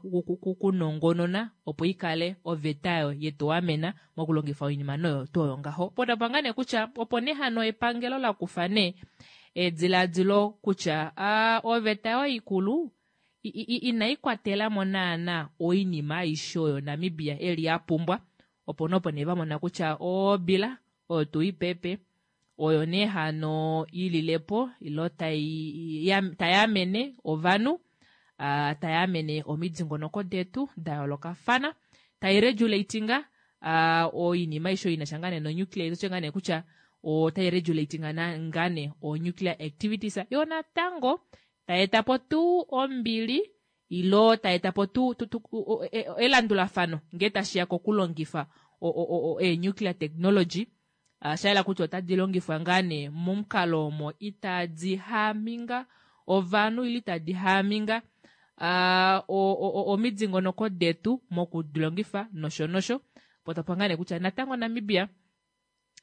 [SPEAKER 1] kunongonona opo ikale oveta yo yetu amena mokulongifa oinima noyo tuu oyo ngaho. Po tapanga nee kutya opo nee hano epangelo la kufa nee ediladilo kutya uh, oveta yo ikulu inai kwatela mo naana oinima aishe oyo Namibia eli ya pumbwa, opo nopo nee vamona kutya obila oyo tuu ipepe oyo nee hano ililepo ilo tai amene ovanhu uh, tai amene omidingonoko detu da yoolokafana, tai regulatinga uh, oinima aishe oyo inasha ngaa nee nonuclear itoche ngaa nee kutya otai regulatinga ngaa nee o nuclear activities yo natango taetapo tuu ombili ilo taetapo tuu elandulafano ngee tashiya kokulongifa e-nuclear technology uh, shaela kutya otadi longifwa ngaa nee momukalo omo itadi haminga ovanhu ile itadi haminga uh, omidingonoko detu mokudilongifa nosho nosho. Po tapa ngaa nee kutya natango Namibia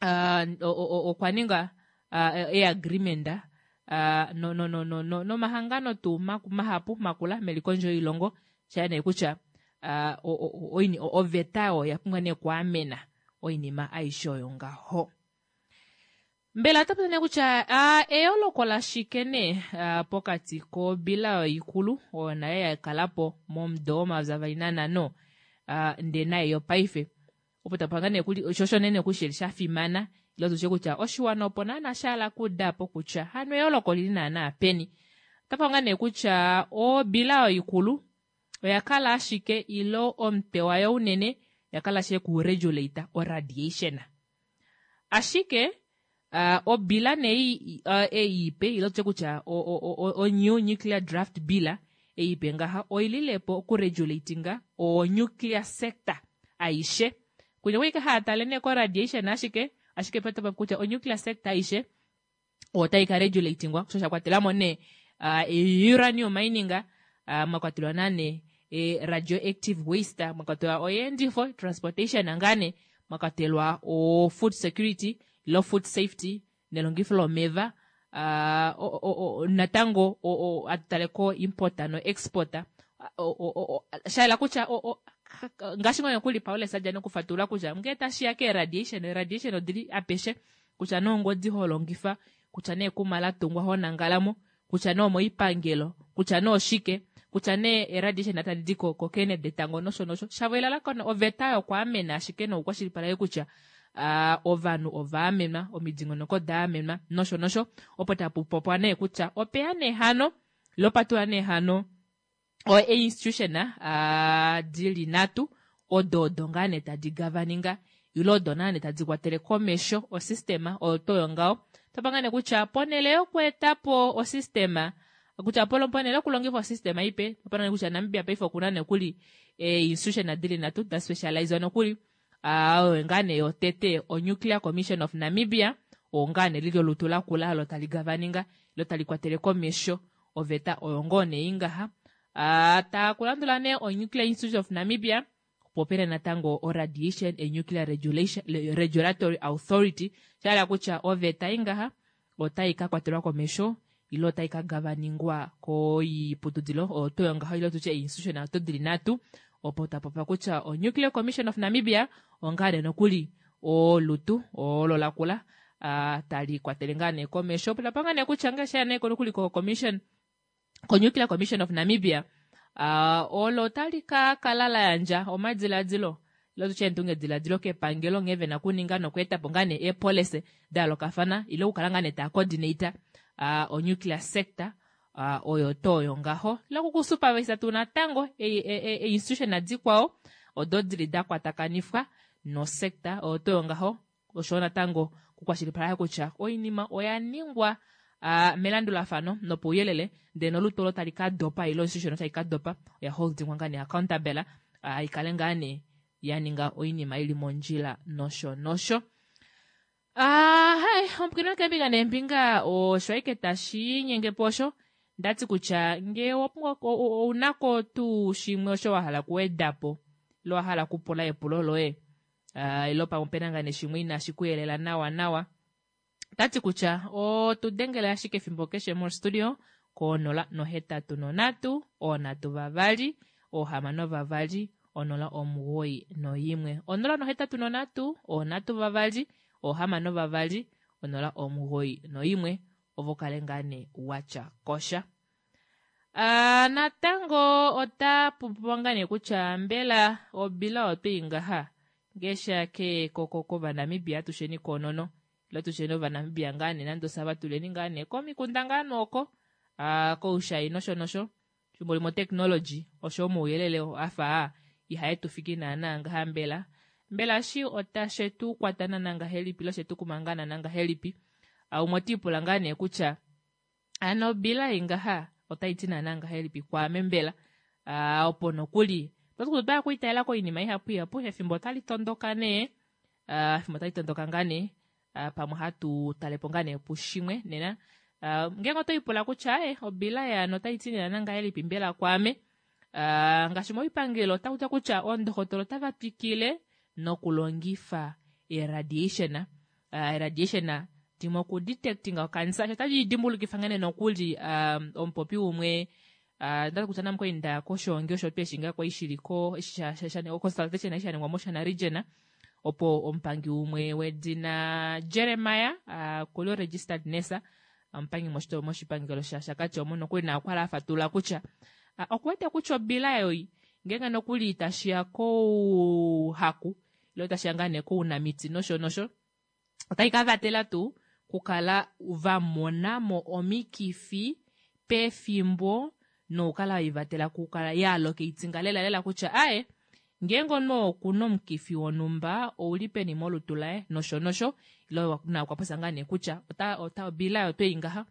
[SPEAKER 1] uh, okwa ninga uh, e-agreement Uh, no no no no no nomahangano tuu mahapu makula melikondjo yoilongo shaya nee kutya uh, oveta oyo ya pumbwa nee kwaamena oinima aishe oyo ngaho. Mbela otapu nee kutya uh, eyooloko lashike nee uh, pokati kobila oyo ikulu oyo nayo yakalapo momudo womayovi avali nanhano uh, ndee nayo yopaife opo tapanga nee kuli osho nene kushili sha fimana Ile tutye kutya oshiwana opo naana shahala okuudapo kutya hano eyooloko olili naana peni. Otapa ngaa nee kutya obila oyo ikulu oya kala ashike ile omutwe wayo unene oya kala ashike kuregulate oradiation. Ashike uh, obila nee uh, ei ipe ile tutye kutya o, o, o, o new nuclear draft bill ei ipe ngaha oililepo okuregulatinga o nuclear sector aishe. Kunya kwike haatale nee ko radiation ashike ashike petopa kutya o nuclear sector aishe otayi ka regulatingwa sho sha kwatelamo nee uh, uranium mining uh, mwa kwatelwa nane e, radioactive waste mwa kwatelwa oyeendifo transportation ngane mwa kwatelwa o food security lo food safety nelongifo lomeva uh, o, o, o, natango o, o, atutale ko importer no exporter o, o, o, shaela kutya o, o, ngaashi ngoo nokuli Paulus adja nokufatulula kutya ngee tashiya ke radiation radiation odili apeshe kutya nee ongodi holongifa kutya nee ekuma latungwa honangalamo kutya nee omoipangelo kutya nee oshike kutya nee eradiation tadi di ko kokene detango nosho nosho shavo elalakano oveta yokwaamena ashike nokukwashilipaleke kutya uh, ovanhu ovaamenwa omidingonoko daamenwa nosho nosho opo tapu popwa nee kutya opeya nee hano lopatula nee hano o institution uh, dili nhatu odo odo ngaa nee tadi gavaninga ile odo naa nee tadi kwatele komesho osystema oyo toyo ngaho tapa ngaa nee kutya ponele yokweetapo osystema kutya polo ponele yokulongifa osystema ipe tapa nee kutya Namibia paife okuna nokuli e institution dili nhatu da specializwa nokuli oyo ngaa nee yotete o Nuclear Commission of Namibia oo ngaa nee lili olutu lakula olo tali gavaninga ilo tali kwatele komesho oveta oyo ngoo nee ingaha. Uh, takulandula nee o Nuclear Institute of Namibia opo pena natango o Radiation and Nuclear Regulation, Regulatory Authority shahala kutya oveta ingaha otai ka kwatelwa komesho ile otai ka gavaningwa koiputudilo oyo toyo ngaho ile tutye institution oto dili nhatu opo tapopa kutya o Nuclear Commission of Namibia ongaa nee nokuli olutu olo lakula uh, tali kwatele ngaa nee komesho opo tapanga nee kutya ngaashi nee nokuli ko commission ko Nuclear Commission of Namibia uh, olo tali ka kala la yandja omadiladilo ile tutye endungediladilo kepangelo nghee vena kuninga nokweetapo ngaa nee eepolicy da yoolokafana ile okukala ngaa nee taa coordinate uh, o nuclear sector uh, oyo toyo ngaho ile okukusupervisa tuu natango e-institution e, e, dikwao odo dili da kwatakanifwa nosector oyo toyo ngaho oshowo natango kukwashilipaleka kutya oinima oya ningwa uh, melandulafano nopouyelele ndele nolutu olo tali ka dopa ile institution tali ka dopa oya holdingwa ngaa nee accountable uh, ikale ngaa nee ya ninga oinima ili mondjila nosho nosho. Ah, hai omukino kembinga nembinga osho aike tashi nyenge po osho ndati kutya ngee ounako tuu shimwe osho wahala kuwedapo ile wahala kupula epulo loye uh, ile pamwe opena ngaa nee shimwe inashi kuyelela nawa nawa tati kutya otudengele ashike efimbo keshe mostudio konola nohetatu nonhatu oonhatu vavali oohamano vavali onola omugoyi noyimwe onola nohetatu nonhatu oonhatu vavali oohamano vavali onola omugoyi noyimwe ovo kale ngaa nee watya kosha. Uh, natango ota pupiwa ngaa nee kutya mbela obila otwei ngaha ngeesha ke koko kovanamibia atusheni konono ile tusheni ovanamibia ngaa nee nande osava tuleni ngaa nee komikunda ngaa nooko uh, koushai nosho nosho fimbo limwe otechnology osho omauyelele afa ihae tu fiki naana ngaha mbela mbela shi otashe tu kwata naana ngahelipi ile oshe tu kuma ngaa naana ngahelipi. Uh, umwe otiipula ngaa nee kutya ano obila ingaha otai ti naana ngahelipi kwaame mbela uh, opo nokuli otwaya kuitaela koinima ihapu ihapu efimbo otali tondoka nee uh, efimbo otali tondoka ngaa nee uh, pamwe hatu talepo ngaa nee pushimwe nena uh, ngeenge otoipula kutya e obila yaano otai ti naana ngahelipi mbela kwaame uh, ngaashi moipangelo otakutya kutya oondohotola otava twikile nokulongifa eradiation uh, eradiation dimwe okudetectinga okansa sho tali dimbulukifa ngene nokuli um, omupopi umwe uh, ndati kutya namukwe koshongi osho tuu eshi ngaa kwali shili ko consultation eshi sha ningwa moshana region opo omupangi umwe wedina Jeremiah uh, kuli registered nurse omupangi moshipangelo shaShakati omo nokuli na okwali afatulula kutya uh, okuwete kutya obila yoi ngeenge nokuli tashiya kouhaku ile tashiya ngaa nee kounamiti nosho nosho Otai ka vatela tuu kukala va mona mo omikifi pefimbo nokukala waivatela kukala yaalocatinga lela lela kutya aaye ngeenge omunhu okuna omukifi wonhumba ouli peni molutu laye nosho nosho ile na okwa popya ngaa nee kutya ota ota obila oyo ngaha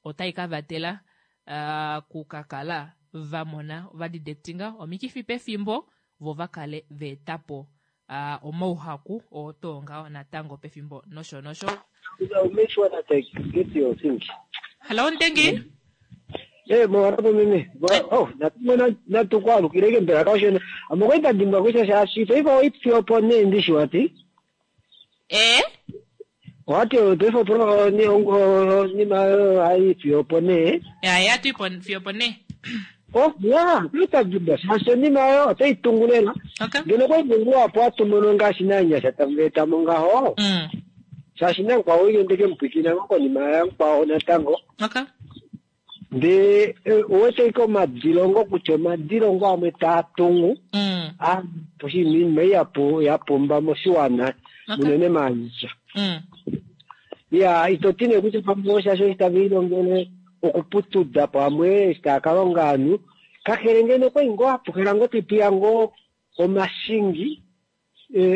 [SPEAKER 1] otai ka vatela uh, kukakala va mona va detectinga omikifi pefimbo vo va kale va etapo uh, omauhaku oo too ngaho natango pefimbo nosho nosho.
[SPEAKER 5] Make sure that I get your thing.
[SPEAKER 1] Hello Ndengi.
[SPEAKER 5] Eh, mwarapo mimi. Oh, natumona natukwalukile mbela kashona. Amokwenda dimbwa kutya shaashi paife oipfi opo nee ndishi wati.
[SPEAKER 1] Eh?
[SPEAKER 5] Wati paife opo ni ongo ni ma haipfi opo nee.
[SPEAKER 1] Ya ya tu ipo fiyo opo nee.
[SPEAKER 5] Oh, ya, kuita dimbwa shaashi onima oyo otai tungu lela.
[SPEAKER 1] Okay.
[SPEAKER 5] Ngeno kwai mungu apo atumono ngaashi nanyasha tamueta ngaho.
[SPEAKER 1] Mm.
[SPEAKER 5] Shaashi namukwao oiyendeke mupwikina ngo konima yamukwao natango.
[SPEAKER 1] Okay.
[SPEAKER 5] Ndee owete ike omadilongo kutya omadilongo amwe taa tungu
[SPEAKER 1] Mm.
[SPEAKER 5] oshinima ei ya pumba moshiwana unene maanyasha.
[SPEAKER 1] Mm.
[SPEAKER 5] Ya ito ti nee kutya pamwe oshashi eshi tave ilongele okuputuda pamwe eshi tava ka longa ovanhu kakele ngeno okwali ngoo hapuhela ngoo tetuya ngoo omashingi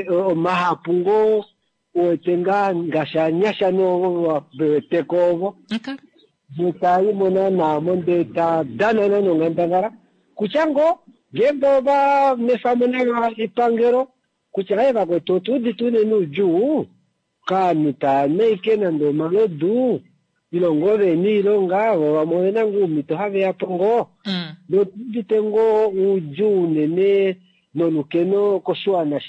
[SPEAKER 5] omahapu ngoo uwete ngaa ngaashi anyasha noweteko ovo ndee naana mo ndee ta dana nonghandangala kutya ngoo ngeenge ova nefamo nalo epangelo kutya aye vakwetu otuudite unene oudjuu kaanhu taanaike nande omalodu ile ngoo vena oilonga vo vamwe ovena ngoo oumhito haveya po ngoo notuudite ngoo oudjuu unene nolukeno koshiwana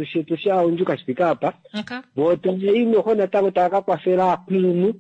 [SPEAKER 5] shetu shaundjuka shifike apa
[SPEAKER 1] Okay.
[SPEAKER 5] vo tavai noho natango tava ka kwafela aakulunhu